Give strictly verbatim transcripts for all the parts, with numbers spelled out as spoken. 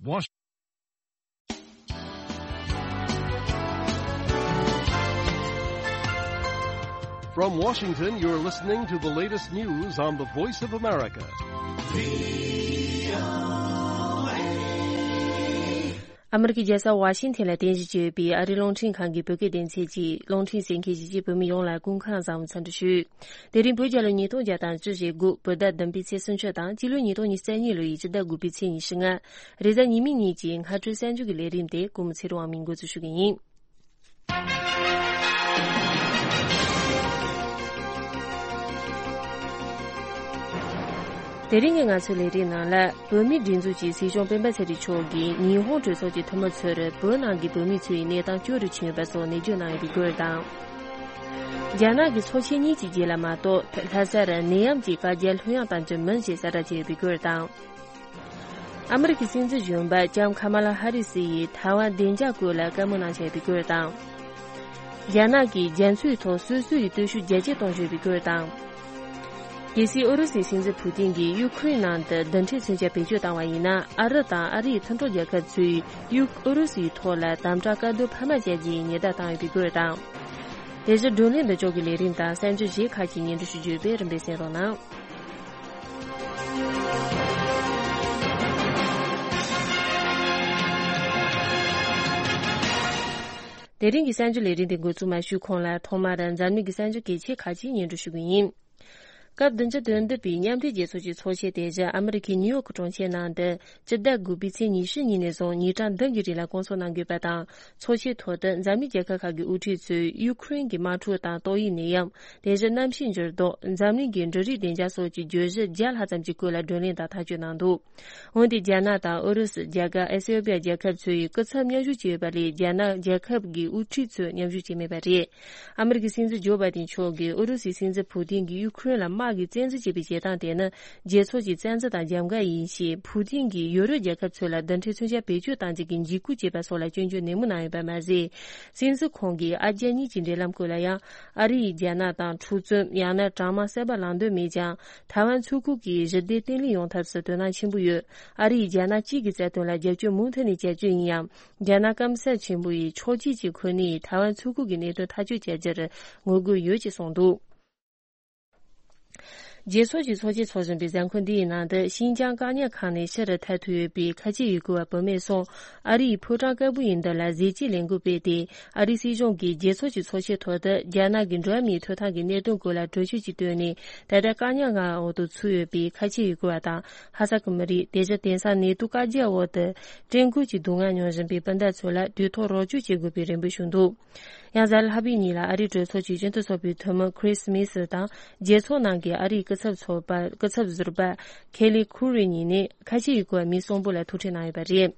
Wash- From Washington, you're listening to the latest news on the Voice of America. ཨ་མི་རི་ཀའི་རྒྱལ་ས་ཝ་ཤིང་ཐན་ལ་རྟེན་གཞི་བྱས་ཡོད་པའི་ཨ་རིའི་རླུང་འཕྲིན་ཁང་གི་བོད་སྐད་སྡེ་ཚན་གྱི་རླུང་འཕྲིན་གསན་མཁན་གཞིས་བྱེས་བོད་མི་ཡོངས་ལ་སྐུ་ཁམས་བཟང་བའི་འཚམས་འདྲི་ཞུ། དེ་རིང་བོད་རྒྱལ་ལོ་ཉིས་སྟོང་བརྒྱ་དང་བཅུ་ཞེ་དགུ་བོད་ཟླ་བདུན་པའི་ཚེས་སུམ་ཅུ་དང་སྤྱི་ལོ་ཉིས་སྟོང་ཉི་ཤུ་རྩ་གཉིས་ལོ་ཡི་སྤྱི་ཟླ་དགུ་པའི་ཚེས་ཉི་ཤུ་ལྔ། རེས་གཟའ་ཉི་མའི་ཉིན་གྱི་སྔ་དྲོའི་གསར་འགྱུར་གྱི་ལས་རིམ་དེ་ཀུན་མོ་ཚེ་རིང་དབང་མོས་འགོ་འཛུགས་ཞུ་གི་ཡིན། དེ་རིང་གི་ང་ཚོའི་ལས་རིམ་ནང་ལ། བོད་མིའི་སྒྲིག་འཛུགས་ཀྱི་སྲིད་སྐྱོང་སྤེན་པ་ཚེ་རིང་མཆོག་གིས་ཉི་ཧོང་གྲོས་ཚོགས་ཀྱི་འཐུས་མི་ཚོར་བོད་ནང་གི་བོད་མི་ཚོའི་གནས་སྟངས་སྐྱོ་རུ་ཕྱིན་ཡོད་པ་སོགས་ནས་བརྗོད་གནང་ཡོད་པའི་སྐོར་དང་། རྒྱ་ནག་གི་ཚོགས་ཆེན་གཉིས་ཀྱི་རྗེས་ལ་མ་གཏོགས་ལྷ་སར་ནད་ཡམས་ཀྱི་བཀའ་རྒྱ་ལྷོད་ཡངས་གཏང་རྒྱུ་མིན་ཞེས་གསལ་བསྒྲགས་བྱས་ཡོད་པའི་སྐོར་དང་། ཨ་མི་རི་ཀའི་སྲིད་འཛིན་གཞོན་པ་ལྕམ་ཁ་མ་ལ་ཧ་རི་སི་ཡིས་ཐའེ་ཝན་བདེ་འཇགས་སྐོར་ལ་བཀའ་མོལ་གནང་བཞིན་པའི་སྐོར་དང་། རྒྱ་ནག་གིས་རྒྱ་མཚོའི་ཐོག་སོ་སོའི་སྟོབས་ཤུགས་རྒྱ་སྐྱེད་གཏོང་བཞིན་པའི་སྐོར་དང་། གལ་སྲིད་ཨུ་རུ་སུའི་སྲིད་འཛིན་ཕུ་ཏིན་གྱིས་ཡུ་ཁུ་རེན་ནང་དུ་རྡུལ་ཕྲན་མཚོན་ཆ་བེད་སྤྱོད་བཏང་བ་ཡིན་ན། ཨ་རི་དང་ཨ་རིའི་མཐུན་གྲོགས་རྒྱལ་ཁབ་ཚོས་ཡུ་ཨུ་རུ་སུའི་ཐོག་ལ་དམ་དྲག་བཀག་སྡོམ་འཕར་མ་བྱ་རྒྱུའི་ཉེན་བརྡ་བཏང་ཡོད་པའི་སྐོར་དང་། དེ་བཞིན་བགྲོ་གླེང་འདི་ཕྱོགས་ཀྱི་ལས་རིམ་དང་གསར་འགྱུར་གཞན་ཁག་ཅིག་སྙན་སྒྲོན་ཞུ་རྒྱུ་ཡོད་པས་རིམ་པས་གསན་རོགས་གནང་། དེ་རིང་གི་གསར་འགྱུར་ལས་རིམ་དེ་འགོ་འཛུགས་མ་ཞུས་གོང་ལ། ཐོག་མར་འཛམ་གླིང་གི་གསར་འགྱུར་གལ་ཆེ་ཁག་ཅིག་སྙན་སྒྲོན་ཞུ་གི་ཡིན། སྐབས་བདུན་ཅུ་དོན་བདུན་པའི་མཉམ་འབྲེལ་རྒྱལ་ཚོགས་ཀྱི་ཚོགས་ཆེན་དེ་བཞིན་ཨ་མི་རི་ཁའི་ནིའུ་ཡོག་གྲོང་ཁྱེར་ནང་དུ་སྤྱི་ཟླ་དགུ་པའི་ཚེས་ཉི་ཤུ་ཉིན་ནས་བཟུང་ཉིན་གྲངས་བདུན་གྱི་རིང་ལ་སྐོང་ཚོགས་གནང་དགོས་པ་དང་། ཚོགས་ཆེན་ཐོག་ཏུ་འཛམ་གླིང་རྒྱལ་ཁབ་ཁག་གི་དབུ་ཁྲིད་ཚོས་ཡུ་ཁུ་རེན་གྱི་དམག་འཁྲུག་དང་ཏོག་དབྱིབས་ནད་ཡམས། དེ་བཞིན་གནམ་གཤིས་འགྱུར་ལྡོག་འཛམ་གླིང་གི་འབྲུ་རིགས་བདེ་འཇགས་སོགས་ཀྱི་བརྗོད་གཞི་བརྒྱ་ལྷག་ཙམ་གྱི་སྐོར་ལ་བགྲོ་གླེང་དང་ཐག་གཅོད་གནང་འདུག་འོན་ཏེ་རྒྱ་ནག་དང་ཨུ་རུ་སུ། རྒྱ་གར། ཨེ་སི་ཡོ་པི་ཡ་རྒྱལ་ཁབ་ཚོས་སྐུ་ཚབ་མཉམ་ཞུགས་བྱས་ཡོད་པ་ལས། རྒྱ་ནག་རྒྱལ་ཁབ་ཀྱི་དབུ་ཁྲིད་ཚོས་མཉམ་ཞུགས་བྱས་མེད་པ་རེད། ཨ་མི་རི་ཀའི་སྲིད་འཛིན་ཇོ་བྷའི་ཏིན་མཆོག་གིས་ཨུ་རུ་སུའི་སྲིད་འཛིན་ཕུ་ཏིན་གྱིས་ཡུ་ཁུ་རེན་ལ་དམག་གིས་བཙན་འཛུལ་བྱས་པའི་བྱེད་སྟངས་དེ་ནི་རྒྱལ་ཚོགས་ཀྱི་བཙན་འཛུལ་དང་རྒྱབ་འགལ་ཡིན་ཞེས། ཕུ་ཏིན་གྱིས་ཡོ་རོབ་རྒྱལ་ཁབ་ཚོ་ལ་རྡུལ་ཕྲན་མཚོན་ཆ་བེད་སྤྱོད་གཏང་རྒྱུ་གི་འཇིགས་སྐུལ་བྱས་པ་སོགས་ལ་སྐྱོན་བརྗོད་ནན་མོ་གནང་ཡོད་པ་མ་ཟད། སྲིད་འཛིན་ཁོང་གིས་ཨ་རྒྱ་གཉིས་ཀྱི་འབྲེལ་ལམ་སྐོར་ལ་ཡང་། ཨ་རི་ཡིས་རྒྱ་ནག་དང་འཁྲུག་རྩོད། ཡང་ན་གྲང་དམག་གསར་པ་ལངས་འདོད་མེད་ཀྱང་། ཐའེ་ཝན་མཚོ་ཁུག་གི་ཞི་བདེ་བརྟན་ལྷིང་ཡོང་ཐབས་སུ་དོ་སྣང་ཆེན་པོ་ཡོད། ཨ་རི་ཡིས་རྒྱ་ནག་གཅིག་གི་རྩ་དོན་ལ་རྒྱབ་སྐྱོར་མུ་མཐུད་ནས་བྱ་རྒྱུ་ཡིན་ཡང་། རྒྱ་ནག་སྐམ་ས་ཆེན་པོ་ཡི་ཕྱོགས་གཅིག་གི་ཁོ་ནས་ཐའེ་ཝན་མཚོ་ཁུག་གི་གནད་དོན་ཐག་གཅོད་བྱ་རྒྱུར་ངོ་རྒོལ་ཡོད་ཅེས་གསུངས་འདུག་རྒྱལ་ཚོགས་ཀྱི་ཚོགས་ཆེན་འཚོགས་བཞིན་པའི་གཟའ་འཁོར་འདིའི་ནང་དུ། ཤིན་ཅང་བཀག་ཉར་ཁང་ནས་ཕྱིར་ཐར་ཐུབ་ཡོད་པའི་ཁ་ཆེ་ཡུལ་སྐོར་བ་བུད་མེད་གསུམ། ཨ་རིའི་ཕོ་བྲང་དཀར་པོ་ཡི་མདུན་ལ་གཟི་བརྗིད་ལས་འགུལ་སྤེལ་ཏེ། ཨ་རིའི་སྲིད་གཞུང་གིས་རྒྱལ་ཚོགས་ཀྱི་ཚོགས་ཆེན་ཐོག་ཏུ་རྒྱ་ནག་གི་འགྲོ་བ་མིའི་ཐོབ་ཐང་གི་གནད་དོན་སྐོར་ལ་གྲོས་ཆོད་ཅིག་བཏོན་ནས། ད་ལྟ་བཀག་ཉར་ཁང་འོག་ཏུ་ཚུད་ཡོད་པའི་ཁ་ཆེ་ཡུལ་སྐོར་བ་དང་ཧ་སག་གི་མི་རིགས། དེ་བཞིན་དེང་སང་ནེ་ཏུ་བཀའ་རྒྱ་འོག་ཏུ་བཀྲེས་སྐོམ་གྱི་སྡུག་བསྔལ་མྱོང་བཞིན་པའི་སྤུན་ཟླ་ཚོ་ལ་དུས་ཐོག་རོགས་སྐྱོར་བྱེད་དགོས་པའི་རེ་འབོད་ཞུས་འདུག་ཡང་གཟའ་ལྷག་པའི་ཉིན་ལ་ཨ་རིའི་གྲོས་ཚོགས་ཀྱི་སྤྱི་འཐུས་ཚོགས་པའི་འཐུས་མི་ཁྲིས་མི་སི་དང་། རྒྱལ་ཚོགས་ནང་གི་ཨ་རིའི་སྐུ་ཚབ་ཚོགས་པ། སྐུ་ཚབ་ཟུར་པ་ཁེ་ལི་ཁུ་རི་གཉིས་ནས་ཁ་ཆེ་ཡུལ་སྐོར་བ་མི་གསུམ་པོ་ལ་ཐུག་འཕྲད་གནང་ཡོད་པ་རེད།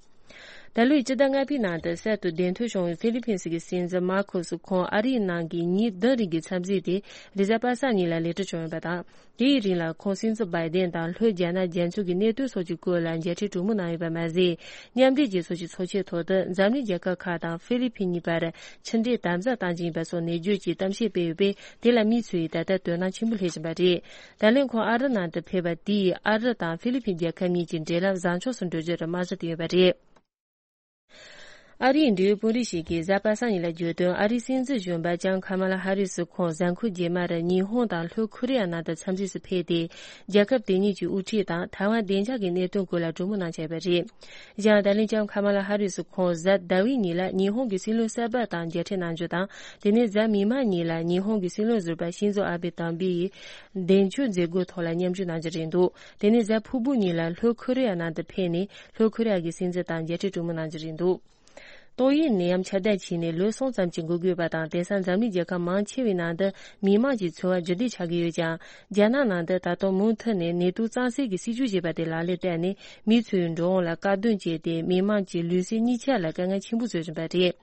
ད་ལོའི་སྤྱི་ཟླ་ལྔ་པའི་ནང་དུ་གསར་དུ་གདན་ཐོབ་བྱུང་བའི་ཧྥི་ལི་ཕིན་སི་གི་སྲིད་འཛིན་མར་ཁོ་སི་ཁོང་ཨ་རིའི་ནང་གི་ཉིན་བདུན་རིང་གི་འཚམས་གཟིགས་དེ་རེས་གཟའ་པ་སངས་ཉིན་ལ་ལེགས་གྲུབ་བྱུང་ཡོད་པ་དང་། དེའི་རིང་ལ་ཁོང་སྲིད་འཛིན་བྷའི་ཌེན་དང་ལྷོ་རྒྱ་ནག་རྒྱ་མཚོ་གི་གནད་དོན་སོགས་ཀྱི་སྐོར་ལ་མཇལ་འཕྲད་གྲོས་མོལ་གནང་ཡོད་པ་མ་ཟད། མཉམ་འབྲེལ་རྒྱལ་ཚོགས་ཀྱི་ཚོགས་ཆེན་ཐོག་ཏུ་འཛམ་གླིང་རྒྱལ་ཁབ་ཁག་དང་ཧྥི་ལི་ཕིན་གཉིས་བར་ཕྱི་འབྲེལ་དམ་ཟབ་གཏང་རྒྱུ་ཡིན་པ་སོགས་ནན་བརྗོད་ཀྱིས་གཏམ་བཤད་སྤེལ་ཡོད་པས། དེ་ལ་མི་ཚོས་ད་ལྟ་དོ་སྣང་ཆེན་པོ་སླེབས་བཞིན་པ་རེད། ད་ལན་ཁོང་ཨ་རི་ནང་དུ་ཕེབས་པ་དེས་ཨ་རི་དང་ཧྥི་ལི་ཕིན་རྒྱལ་ཁབ་གཉིས་ཀྱི་འབྲེལ་ལམ་བཟང་ཕྱོགས་སུ་འགྲོ་རྒྱུར་རྨང་གཞི་བཏིང་ཡོད་པ་རེད། ཨ་རིའི་འབྲེལ་ཡོད་དཔོན་རིགས་ཤིག་གིས་གཟའ་པ་སངས་ཉིན་ལ་བརྗོད་དོན། ཨ་རིའི་སྲིད་འཛིན་གཞོན་པ་ལྕམ་ཁ་མ་ལ་ཧ་རི་སི་ཁོང་གཟའ་འཁོར་རྗེས་མར་ཉི་ཧོང་དང་ལྷོ་ཁོ་རེ་ཡ་ནང་དུ་འཚམས་གཟིགས་སུ་ཕེབས་ཏེ། རྒྱལ་ཁབ་དེ་གཉིས་ཀྱི་དབུ་ཁྲིད་དང་ཐའེ་ཝན་བདེ་འཇགས་ཀྱི་གནད་དོན་སྐོར་ལ་གྲོས་མོལ་གནང་འཆར་ཡོད་པ་རེད། ཡང་ད་ལན་ལྕམ་ཁ་མ་ལ་ཧ་རི་སི་ཁོང་གཟའ་ཟླ་བའི་ཉིན་ལ་ཉི་ཧོང་གི་སྲིད་བློན་གསར་པ་དང་མཇལ་འཕྲད་གནང་རྒྱུ་དང་། དེ་ནས་གཟའ་མིག་དམར་ཉིན་ལ་ཉི་ཧོང་གི་སྲིད་བློན་ཟུར་པ་ཤིན་ཛོ་ཨ་བྷེ་དམ་པའི་གདེང་འཇོག་མཛད་སྒོའི་ཐོག་ལ་མཉམ་ཞུགས་གནང་རྒྱུ་རེད་འདུག་དེ་ནས་གཟའ་ཕུར་བུ་ཉིན་ལ་ལྷོ་ཁོ་རེ་ཡ་ནང་དུ་ཕེབས་ནས། ལྷོ་ཁོ་རེ་ཡ་གི་སྲིད་འཛིན་དང་མཇལ་འཕྲད་གྲོས་མོལ་གནང་རྒྱུ་རེད་འདུག་ཏོག་དབྱིབས་ནད་ཡམས་ཁྱབ་གདལ་ཕྱིན་ནས་ལོ་གསུམ་ཙམ་གྱི་འགོར་དགོས་པ་དང་། དེང་སང་འཛམ་གླིང་རྒྱལ་ཁབ་མང་ཆེ་བའི་ནང་དུ་མི་མང་གི་འཚོ་བ་རྒྱུན་ལྡན་ཆགས་ཀྱི་ཡོད་ཀྱང་། རྒྱ་ནག་ནང་དུ་ད་དུང་མུ་མཐུད་ནས་ནད་དུག་གཙང་སེལ་གྱི་སྲིད་ཇུས་ཅེས་པ་དེ་ལག་ལེན་བསྟར་ནས། མི་ཚོའི་འགྲོ་འོང་ལ་དཀའ་སྡུག་བྱས་ཏེ། མི་མང་གི་ལུས་སེམས་གཉིས་ཆ་ལ་དཀའ་ངལ་ཆེན་པོ་བཟོ་བཞིན་པ་རེད།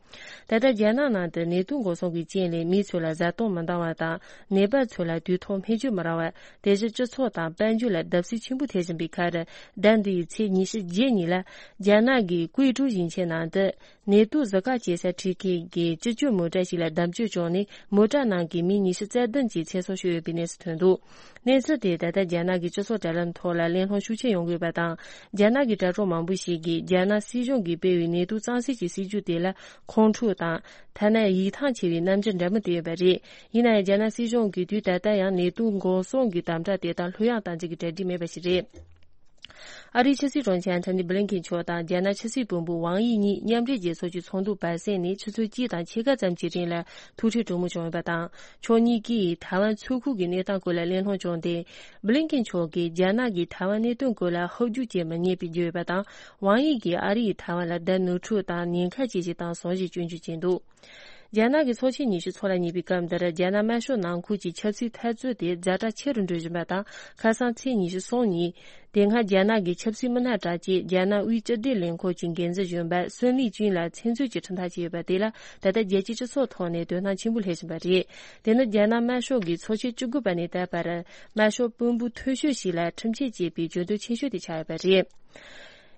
ད་ལྟ་རྒྱ་ནག་ནང་དུ་ནད་དུག་འགོག་སྲུང་གི་རྐྱེན་ལས་མི་ཚོ་ལ་བཟའ་བཏུང་མི་འདང་བ་དང་། ནད་པ་ཚོ་ལ་དུས་ཐོག་སྨན་བཅོས་མི་རག་པ། དེ་བཞིན་སྤྱི་ཚོགས་དང་དཔལ་འབྱོར་ལ་བརྡབ་གསིག་ཆེན་པོ་ཐེབས་བཞིན་པའི་ཁར། ཟླ་འདིའི་ཚེས་ཉི་ཤུ་རྗེས་ཉིན་ལ། རྒྱ་ནག་གི་ཀུའེ་ཀྲོའུ་ཞིང་ཆེན་ནང་དུ། ནེ་ཏུ་གཟི་ཀ་སྐྱེལ་ས་འཕྲུལ་ཁང་གི་སྤྱི་སྤྱོད་མོ་ཊ་ཞིག་ལ་བརྡབ་གཅོད་བྱུང་ནས། མོ་ཊ་ནང་གི་མི་ཉི་ཤུ་རྩ་བདུན་གྱི་ཚེ་སྲོག་ཤོར་ཡོད་པའི་གནས་ཚུལ་ཐོན་འདུག་གནས་ཚུལ་དེ་ད་ལྟ་རྒྱ་ནག་གི་སྤྱི་ཚོགས་དྲ་ལམ་ཐོག་ལ་གླེང་སློང་ཤུགས་ཆེ་ཡོང་གི་ཡོད་པ་དང་། རྒྱ་ནག་གི་དྲ་གྲོགས་མང་པོ་ཞིག་གིས་རྒྱ་ནག་སྲིད་གཞུང་གིས་སྤེལ་བའི་ནེ་ཏུ་གཙང་སེལ་གྱི་སྲིད་ཇུས་དེ་ལ་ཁོང་ཁྲོ་དང་། ཐ་ན་ཡིད་ཐང་ཆད་པའི་རྣམ་འགྱུར་འདྲ་མིན་བསྟན་ཡོད་པ་རེད། ཡིན་ན་ཡང་། རྒྱ་ནག་སྲིད་གཞུང་གིས་དུས་ད་ལྟ་ཡང་ནེ་ཏུ་འགོག་སྲུང་གི་དམ་དྲག་དེ་དང་ལྷོད་ཡངས་གཏོང་རྒྱུ་གི་གྲ་སྒྲིག་མེད་པ་ཞིག་རེད། ཨ་རིའི་ཕྱི་སྲིད་དྲུང་ཆེ་ཨན་ཐོ་ནི་བྷི་ལིན་ཁེན་མཆོག་དང་རྒྱ་ནག་ཕྱི་སྲིད་བློན་པོ་ཝང་དབྱི་གཉིས་མཉམ་འབྲེལ་རྒྱལ་ཚོགས་ཀྱི་ཚོགས་འདུ་བར་གསེང་ནས་ཆུ་ཚོད་གཅིག་དང་ཕྱེད་ཀ་ཙམ་གྱི་རིང་ལ་ཐུག་འཕྲད་གྲོས་མོལ་བྱུང་ཡོད་པ་དང་། ཕྱོགས་གཉིས་ཀས་ཐའེ་ཝན་མཚོ་ཁུག་གི་གནས་སྟངས་སྐོར་ལ་གླེང་སློང་བྱུང་སྟེ། བྷི་ལིན་ཁེན་མཆོག་གིས་རྒྱ་ནག་གིས་ཐའེ་ཝན་གནད་དོན་སྐོར་ལ་ཧོབ་རྒྱུག་བྱེད་མི་ཉན་པའི་བརྗོད་ཡོད་པ་དང་། ཝང་དབྱི་གིས་ཨ་རི་ཡིས་ཐའེ་ཝན་ལ་བརྡ་ནོར་འཁྲུལ་དང་ཉེན་ཁ་ཆེ་ཞིག་དང་ཟུང་ཞིག་སྐྱོན་བརྗོད་བྱས་འདུག་རྒྱ་ནག་གི་ཚོགས་ཆེན་ཉི་ཤུ་ཚོགས་ལ་ཉེ་བའི་སྐབས་འདིར། རྒྱ་ནག་དམར་ཤོག་ནང་ཁུལ་གྱི་ཆབ་སྲིད་འཐབ་རྩོད་དེ་ཛ་དྲག་ཆེ་རུ་འགྲོ་བཞིན་པ་དང་། ཁ་སང་ཚེས་ཉི་ཤུ་གསུམ་ཉིན། དེ་སྔ་རྒྱ་ནག་གི་ཆབ་སྲིད་མི་སྣ་གྲགས་ཅན་རྒྱ་ནག་དབུས་སྤྱི་བདེ་ལས་ཁུངས་ཀྱི་འགན་འཛིན་གཞོན་པ་སུན་ལི་ཅུན་ལ་མཚན་གསོལ་གྱི་ཁྲིམས་ཐག་བཅད་ཡོད་པ་དེ་ལ། ད་ལྟ་རྒྱལ་སྤྱིའི་སྤྱི་ཚོགས་ཐོག་ནས་དོ་སྣང་ཆེན་པོ་སླེབས་བཞིན་པ་རེད། དེ་ནི་རྒྱ་ནག་དམར་ཤོག་གིས་ཚོགས་ཆེན་བཅུ་དགུ་པ་ནས་ད་བར། དམར་ཤོག་དཔོན་པོ་འཐུས་ཤོར་ཞིག་ལ་ཁྲིམས་ཆད་བཅད་པའི་གྱོད་དོན་ཆེ་ཤོས་དེ་ཆགས་ཡོད་པ་རེད།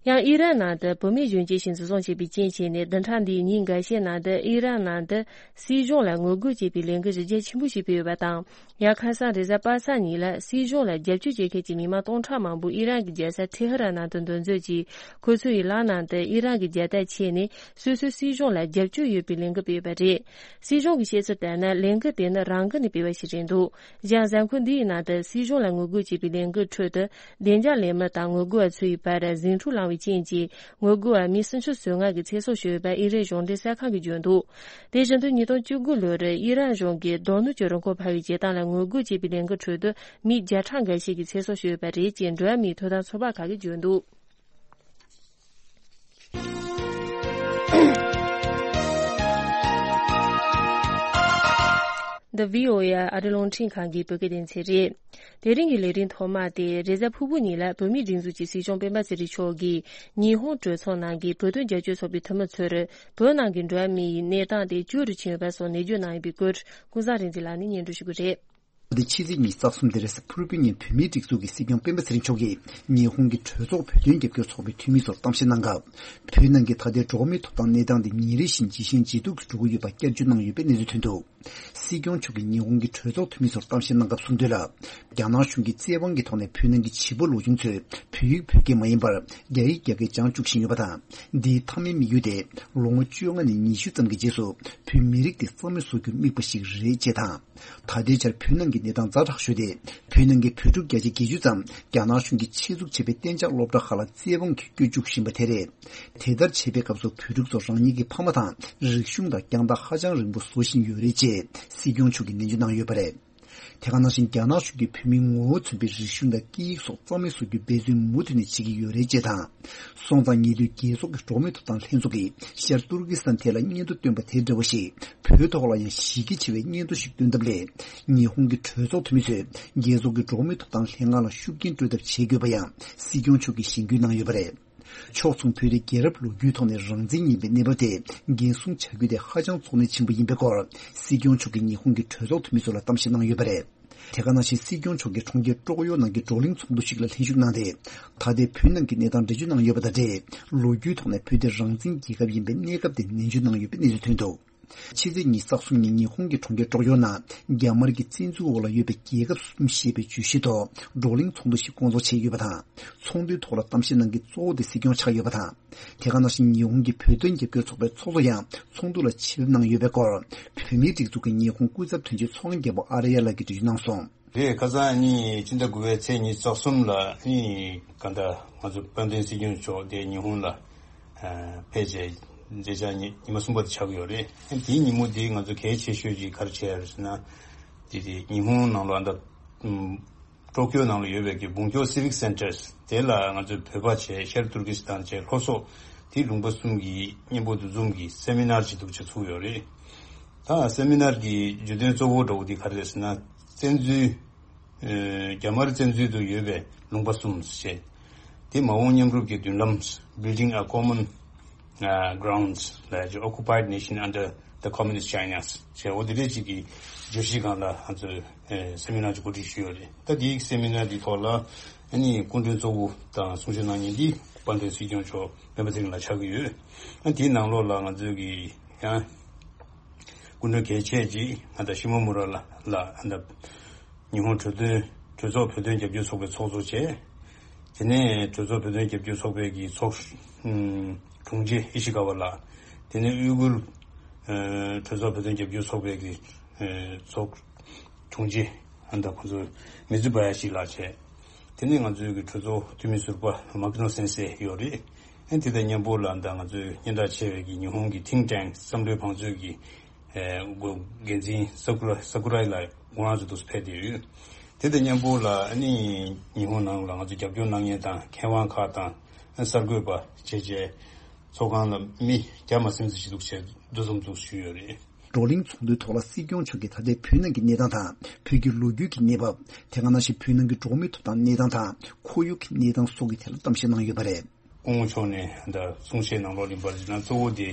ཡང་ཨི་རན་ནང་དུ་བུད་མེད་གཞོན་སྐྱེས་ཤིག་འཛིན་བཟུང་བྱས་པའི་རྐྱེན་བྱས་ནས། བདུན་ཕྲག་འདིའི་ཉིན་འགའ་ཤས་ནང་དུ་ཨི་རན་ནང་དུ་སྲིད་གཞུང་ལ་ངོ་རྒོལ་བྱེད་པའི་ལས་འགུལ་གཞི་རྒྱ་ཆེན་པོ་ཞིག་སྤེལ་ཡོད་པ་དང་། ཡང་ཁ་སང་རེས་གཟའ་པ་སངས་ཉིན་ལ་སྲིད་གཞུང་ལ་རྒྱབ་སྐྱོར་བྱེད་མཁན་གྱི་མི་མང་སྟོང་ཕྲག་མང་པོ་ཨི་རན་གྱི་རྒྱལ་ས་ཐེ་ཧི་རན་ནང་དུ་འདུ་འཛོམས་ཀྱིས། ཁོ་ཚོའི་ལག་ནང་དུ་ཨི་རན་གྱི་རྒྱལ་དར་ཁྱེར་ནས། སོ་སོའི་སྲིད་གཞུང་ལ་རྒྱབ་སྐྱོར་ཡོད་པའི་ལས་འགུལ་སྤེལ་ཡོད་པ་རེད། སྲིད་གཞུང་གི་བཤད་ཚུལ་ལྟར་ན། ལས་འགུལ་དེ་ནི་རང་འགུལ་ནས་སྤེལ་བ་ཞིག་རེད་འདུག་གཞན་གཟའ་འཁོར་འདིའི་ནང་དུ་སྲིད་གཞུང་ལ་ངོ་རྒོལ་བྱེད་པའི་ལས་འགུལ་ཁྲོད་དུ། བདེ་འཇགས་ལས་མི་དང་ངོ་རྒོལ་བ་ཚོའི་བར་ཟིང་འཁྲུག་ལངས་པའི་རྐྱེན་གྱིས། ངོ་རྒོལ་བ་མི་སུམ་ཅུ་སོ་ལྔ་གི་ཚེ་སྲོག་ཤོར་ཡོད་པ་ཨི་རན་གཞུང་འབྲེལ་གསར་ཁང་གིས་བརྗོད་འདུག་དེ་བཞིན་དུ་ཉིས་སྟོང་བཅུ་དགུ་ལོར་ཨི་རན་གཞུང་གིས་རྡོ་སྣུམ་གྱི་རིན་གོང་འཕར་བའི་བྱེད་སྟངས་ལ་ངོ་རྒོལ་བྱེད་པའི་ལས་འགུལ་ཁྲོད་དུ་མི་བརྒྱ་ཕྲག་འགའ་ཤས་ཀྱི་ཚེ་སྲོག་ཤོར་ཡོད་པ་རེད་ཅེས་འགྲོ་བ་མིའི་ཐོབ་ཐང་ཚོགས་པ་ཁག་གིས་བརྗོད་འདུག་འདི་བྷི་ཨོ་ཨེ་ཨ་རི་རླུང་འཕྲིན་ཁང་གི་བོད་སྐད་སྡེ་ཚན་རེད། དེ་རིང་གི་ལས་རིམ་ཐོག་མ་དེ་རེས་གཟའ་ཕུར་བུ་ཉིན་ལ་བོད་མིའི་སྒྲིག་འཛུགས་ཀྱི་སྲིད་སྐྱོང་སྤེན་པ་ཚེ་རིང་མཆོག་གིས་ཉི་ཧོང་གྲོས་ཚོགས་ནང་གི་བོད་དོན་རྒྱབ་སྐྱོར་ཚོགས་པའི་འཐུས་མི་ཚོར་བོད་ནང་གི་འགྲོ་བ་མིའི་གནས་སྟངས་དེ་སྐྱོ་རུ་ཕྱིན་ཡོད་པ་སོགས་ནན་བརྗོད་གནང་ཡོད་པའི་སྐོར་ཀུན་བཟང་རིག་འཛིན་ལགས་ནས་སྙན་སྒྲོན་ཞུ་གི་རེད། དེ་ཕྱི་ཚེས་ཉི་ཤུ་རྩ་གསུམ་དེ་རེས་གཟའ་ཕུར་བུའི་ཉིན་བོད་མིའི་སྒྲིག་འཛུགས་ཀྱི་སྲིད་སྐྱོང་སྤེན་པ་ཚེ་རིང་མཆོག་གིས་ཉི་ཧོང་གི་གྲོས་ཚོགས་བོད་དོན་རྒྱབ་སྐྱོར་ཚོགས་པའི་འཐུས་མི་ཚོར་གཏམ་བཤད་གནང་སྐབས། བོད་ནང་གི་ད་ལྟའི་འགྲོ་བ་མིའི་ཐོབ་ཐང་གནས་སྟངས་དེ་ཉིན་རེ་བཞིན་ཇེ་ཞན་ཇེ་སྡུག་ཏུ་འགྲོ་གི་ཡོད་པ་བསྐྱར་བརྗོད་གནང་ཡོད་པའི་གནས་ཚུལ་ཐོན་འདུག་སྲིད་སྐྱོང་མཆོག་གིས་ཉི་ཧོང་གི་གྲོས་ཚོགས་འཐུས་མི་ཚོར་གཏམ་བཤད་གནང་སྐབས་གསུངས་དོན་ལ། རྒྱ་ནག་གཞུང་གིས་བཙན་དབང་གི་ཐོག་ནས་བོད་ནང་གི་བྱིས་པ་ལོ་ཆུང་ཚོས་བོད་ཡིག་བོད་སྐད་མ་ཡིན་པར་རྒྱ་ཡིག་རྒྱ་སྐད་སྦྱང་བཅུག་བཞིན་ཡོད་པ་དང་། འདིའི་མཐའ་མའི་དམིགས་ཡུལ་དེ་ལོ་ངོ་བཅོ་ལྔ་ནས་ཉི་ཤུ་ཙམ་གྱི་རྗེས་སུ་བོད་མི་རིགས་དེ་རྩ་མེད་བཟོ་རྒྱུར་དམིགས་པ་ཞིག་རེད་ཅེས་དང་། ད་ལྟའི་ཆར་བོད་ནང་གི་གནས་སྟངས་ཛ་དྲག་ཤོས་དེ། བོད་ནང་གི་བོད་ཕྲུག་བརྒྱ་ཆ་བརྒྱད་ཅུ་ཙམ་རྒྱ་ནག་གཞུང་གིས་ཆེད་འཛུགས་བྱས་པའི་གཏན་འཇགས་སློབ་གྲྭ་ཁག་ལ་བཙན་དབང་གིས་བསྐྱོད་བཅུག་བཞིན་པ་དེ་རེད། དེ་ལྟར་བྱས་པའི་སྐབས་སུ་བོད་ཕྲུག་ཚོ་རང་ཉིད་ཀྱི་ཕ་མ་དང་རིག་གཞུང་དང་རྒྱང་ཐག་ཧ་ཅང་རིང་པོ་བཟོ་བཞིན་ཡོད་རེད་ཅེས་སྲིད་སྐྱོང་མཆོག་གིས་ནན་བརྗོད་གནང་ཡོད་པ་རེད། དེ་ག་ནང་བཞིན་རྒྱ་ནག་གཞུང་གིས་བོད་མིའི་ངོ་བོ་མཚོན་པའི་རིག་གཞུང་དང་སྐད་ཡིག་སོགས་རྩ་མེད་བཟོ་རྒྱུའི་འབད་བརྩོན་མུ་མཐུད་ནས་བྱེད་ཀྱི་ཡོད་རེད་ཅེས་དང་། སོང་ཙང་ཉེ་དུས་རྒྱལ་ཚོགས་ཀྱི་འགྲོ་བ་མིའི་ཐོབ་ཐང་ལྷན་ཚོགས་ཀྱིས་ཤར་ཏུར་ཀི་སི་ཐན་ཐད་ལ་སྙན་ཐོ་བཏོན་པ་དེ་འདྲ་བ་ཞིག་བོད་ཐོག་ལ་ཡང་གཞི་རྒྱ་ཆེ་བའི་སྙན་ཐོ་ཞིག་བཏོན་ཐབས་ལས། ཉི་ཧོང་གི་གྲོས་ཚོགས་འཐུས་མི་ཚོས་རྒྱལ་ཚོགས་ཀྱི་འགྲོ་བ་མིའི་ཐོབ་ཐང་ལྷན་ཁང་ལ་ཤུགས་རྐྱེན་སྤྲོད་ཐབས་བྱེད་དགོས་པ་ཡང་སྲིད་སྐྱོང་མཆོག་གིས་གཞེན་སྐུལ་གནང་ཡོད་པ་རེད། ཕྱོགས་མཚུངས་བོད་དེ་རྒྱལ་རབས་ལོ་རྒྱུས་ཐོག་ནས་རང་བཙན་ཡིན་པའི་གནས་བབ་དེ་འགན་སྲུང་བྱ་རྒྱུ་དེ་ཧ་ཅང་གཙོ་གནད་ཆེན་པོ་ཡིན་པའི་སྐོར་སྲིད་སྐྱོང་མཆོག་གིས་ཉི་ཧོང་གི་གྲོས་ཚོགས་འཐུས་མི་ཚོ་ལ་གཏམ་བཤད་གནང་ཡོད་པ་རེད། དེ་ག་ནང་བཞིན་སྲིད་སྐྱོང་མཆོག་གིས་གྲོང་ཁྱེར་ཀྲོག་ཡོ་ནང་གི་བགྲོ་གླེང་ཚོགས་འདུ་ཞིག་ལ་ལྷན་ཞུགས་གནང་སྟེ། ད་ལྟའི་བོད་ནང་གི་གནས་སྟངས་འགྲེལ་བརྗོད་གནང་ཡོད་པ་དང་འབྲེལ། ལོ་རྒྱུས་ཐོག་ནས་བོད་དེ་རང་བཙན་རྒྱལ་ཁབ་ཡིན་པའི་གནས་སྐབས་དེ་ནན་བརྗོད་གནང་ཡོད་པའི་གནས་ཚུལ་ཐོན་འདུག་ཕྱི་ཚེས་ཉི་ཤུ་རྩ་གསུམ་ཉིན་ཉི་ཧོང་གི་གྲོང་ཁྱེར་ཀྲོག་ཡོ་ནང་རྒྱ་དམར་གྱི་བཙན་འཛུལ་འོག་ལ་ཡོད་པའི་རྒྱལ་ཁབ་གསུམ་ཞེས་པའི་བརྗོད་གཞི་ཐོག་བགྲོ་གླེང་ཚོགས་འདུ་ཞིག་བསྐོང་ཚོགས་བྱས་ཡོད་པ་དང་། ཚོགས་འདུའི་ཐོག་ལ་གཏམ་བཤད་གནང་མཁན་གཙོ་བོ་དེ་སྲིད་སྐྱོང་ཆགས་ཡོད་པ་དང་། དེ་ག་ནང་བཞིན་ཉི་ཧོང་གི་བོད་དོན་རྒྱབ་སྐྱོར་ཚོགས་པའི་ཚོགས་གཙོ་ཡང་ཚོགས་འདུ་ལ་ཆེད་ཕེབས་གནང་ཡོད་པའི་སྐོར། བོད་མིའི་སྒྲིག་འཛུགས་ཀྱི་ཉི་ཧོང་སྐུ་ཚབ་དོན་གཅོད་ཚོགས་དབང་རྒྱལ་པོ་ཨ་རི་ཡ་ལགས་ཀྱིས་འགྲེལ་བརྗོད་གནང་སོང་། རེད། ཁ་སང་ནི་ཕྱི་ཟླ་དགུ་པའི་ཚེས་ཉི་ཤུ་རྩ་གསུམ་ལ་ནི་ག་འདྲ་ང་ཚོ་དཔལ་ལྡན་སྲིད་སྐྱོང་མཆོག་དེ་ཉི་ཧོང་ལ་ཕེབས་བྱས་མཛད་འཆར་ཉི་ཉི་མ་གསུམ་པ་དེ་ཆགས་ཀྱི་ཡོད་རེད། དེའི་ཉིན་མོ་དེ་ང་ཚོ་གལ་ཆེ་ཤོས་ཅིག་ག་རེ་བྱས་ཡོད་རེད་ཟེར་ན། དེ་དེ་ཉི་ཧོང་ནང་ལ་ཨ་འདྲ་ཀྲོ་ཀྱོ་ནང་ལ་ཡོད་པའི་གི་文教Civic Centers་དེ་ལ་ང་ཚོས་བོད་པ་བྱས་ཤར་ཏུར་ཀི་སི་ཐན་བྱས་ལྷོ་སོག་དེ་ལུང་པ་གསུམ་གྱི་མཉམ་པོ་འདུ་འཛོམས་ཀྱི་སེ་མི་ནར་ཅིག་འདུག་ཅིག་ཚུགས་ཡོད་རེད། ད་སེ་མི་ནར་གྱི་བརྗོད་དོན་གཙོ་བོ་འདྲ་བོ་དེ་ག་རེ་རེད་ཟེར་ན། བཙན་འཛུལ། ཨ་རྒྱ་དམར་བཙན་འཛུལ་དུ་ཡོད་པའི་ལུང་པ་གསུམ་ཞེས། དེ་མ་འོངས་མཉམ་རུབ་ཀྱི་མདུན་ལམ། Building a Common ཨ་Grounds ལ་ཡ་Occupied Nation Under the Communist China ཞེས་འོ་དེ་འདྲས་ཅིག་གི་བརྗོད་གཞི་སྒང་ལ་ང་ཚོས་ཨ་སེ་མི་ནར་ཅིག་གོ་སྒྲིག་ཞུས་ཡོད་རེད། ད་དེའི་སེ་མི་ནར་དེའི་ཐོག་ལ་ཨ་ནི་སྐུ་མགྲོན་གཙོ་བོ་དང་གསུང་ཆོས་གནང་མཁན་དེ་ དཔལ་ལྡན་སྲིད་སྐྱོང་མཆོག་སྤེན་པ་ཚེ་རིང་ལགས་ཆགས་ཀྱི་ཡོད། ཨ་དེའི་ནང་ལོགས་ལ་ང་ཚོས་ཀྱི་ཡང་སྐུ་མགྲོན་གལ་ཆེ་ཅིག་ང་དང་ཤི་མོ་མུ་ར་ལགས་ལ་ཨ་ད་ཉི་ཧོང་གྲོས་དོན་གྲོས་ཚོགས་བོད་དོན་རྒྱབ་སྐྱོར་ཚོགས་པའི་ཚོགས་གཙོ་བྱས། དེ་ནས་གྲོས་ཚོགས་བོད་དོན་རྒྱབ་སྐྱོར་ཚོགས་པའི་གི་ཚོགས་ཨུམ་དྲུང་ཆེ་ཨི་ཤི་ཀ་བ་ལགས། དེ་ནས་ཨུ་གུར་ཨ་གྲོས་ཚོགས་བོད་དོན་རྒྱབ་སྐྱོར་ཚོགས་པའི་གི་ཨ་ཚོགས་དྲུང་ཆེ་ཨ་ད་ཁོང་ཚོ་མི་ཛུ་བ་ཡ་ཤི་ལགས་བྱས། དེ་ནས་ང་ཚོའི་གི་གྲོས་ཚོགས་འཐུས་མི་ཟུར་པ་མ་ཀི་ནོ་སེན་སེ་ཡོད་རེད། ཨ་དེ་དང་མཉམ་པོ་ལ་ད་ང་ཚོའི་སྙན་གྲགས་ཆེ་བའི་གི་ཉི་ཧོང་གི་ཐིང་ཊེང་བསམ་བློའི་བང་མཛོད་ཀྱི་ཨ་འགོ་འགན་འཛིན་ས་ཀུ་ར་ས་ཀུ་རའི་ལགས་ཁོང་རང་ཚོ་འདུག་ཕེབས་བསྡད་ཡོད། དེ་དང་མཉམ་པོ་ལ་ཨ་ནི་ཉི་ཧོང་ནང་ལ་ང་ཚོ་རྒྱབ་སྐྱོར་གནང་མཁན་དང་མཁས་དབང་ཁག་དང་ཨ་གསར་འགོད་པ་བྱས་བྱས་ཚོགས་ཁང་ལ་མི་བརྒྱ་མ་ཟིན་ཙམ་ཞིག་འདུག་བྱས་འདུ་འཛོམས་འདུག་ཞུས་ཡོད་རེད། བགྲོ་གླེང་ཚོགས་འདུའི་ཐོག་ལ་སྲིད་སྐྱོང་མཆོག་གིས་ད་ལྟའི་བོད་ནང་གི་གནས་སྟངས་དང་བོད་ཀྱི་ལོ་རྒྱུས་ཀྱི་གནས་བབ། དེ་ག་ནང་བཞིན་བོད་ནང་གི་འགྲོ་བ་མིའི་ཐོབ་ཐང་གནས་སྟངས་དང་ཁོར་ཡུག་གི་གནས་སྟངས་སོགས་ཀྱི་ཐད་ལ་གཏམ་བཤད་གནང་ཡོད་པ་རེད། སྐུ་ངོ་མཆོག་ནས་ད་གསུང་བཤད་ནང་ལོགས་ལ་ཡིན་པར་ན་གཙོ་བོ་དེ་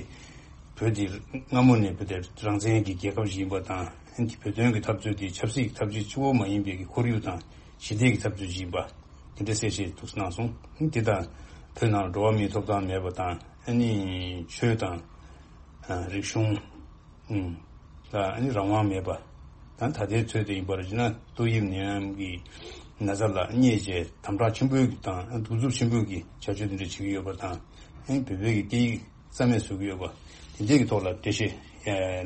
བོད་དེ་སྔ་མོ་ནས་བོད་དེ་རང་བཙན་གྱི་རྒྱལ་ཁབ་ཞིག་ཡིན་པ་དང་། བོད་དོན་གྱི་འཐབ་རྩོད་དེ་ཆབ་སྲིད་ཀྱི་འཐབ་རྩོད་གཅིག་པོ་མ་ཡིན་པའི་གི་ཁོར་ཡུག་དང་ཞི་བདེ་གི་འཐབ་རྩོད་ཅིག་ཡིན་པ་དེ་འདྲ་གསལ་བཤད་འདུག་གནང་སོང་། དེ་དང་བོད་ནང་འགྲོ་བ་མིའི་ཐོབ་ཐང་མེད་པ་དང་ཨ་ནི་ཆོས་དང་རིག་གཞུང་ལ་ཨ་ནི་རང་དབང་མེད་པ་དང་། ད་ལྟའི་ཚོད་དེ་ཡིན་པར་བྱས་ན་ཏོག་དབྱིབས་ནད་ཡམས་ཀྱི་ན་ཚ་ལ་བསྙད་བྱས་དམ་དྲག་ཆེན་པོའི་དང་གདུག་རྩུབ་ཆེན་པོའི་གི་བྱ་སྤྱོད་དེ་འདྲ་བྱེད་ཀྱི་ཡོད་པ་དང་། ཨ་ནི་བོད་པའི་གི་སྐད་ཡིག་རྩ་མེད་བཟོ་གི་ཡོད་པ་དེ་འདྲའི་གི་ཐོག་ལ་འགྲེལ་བཤད་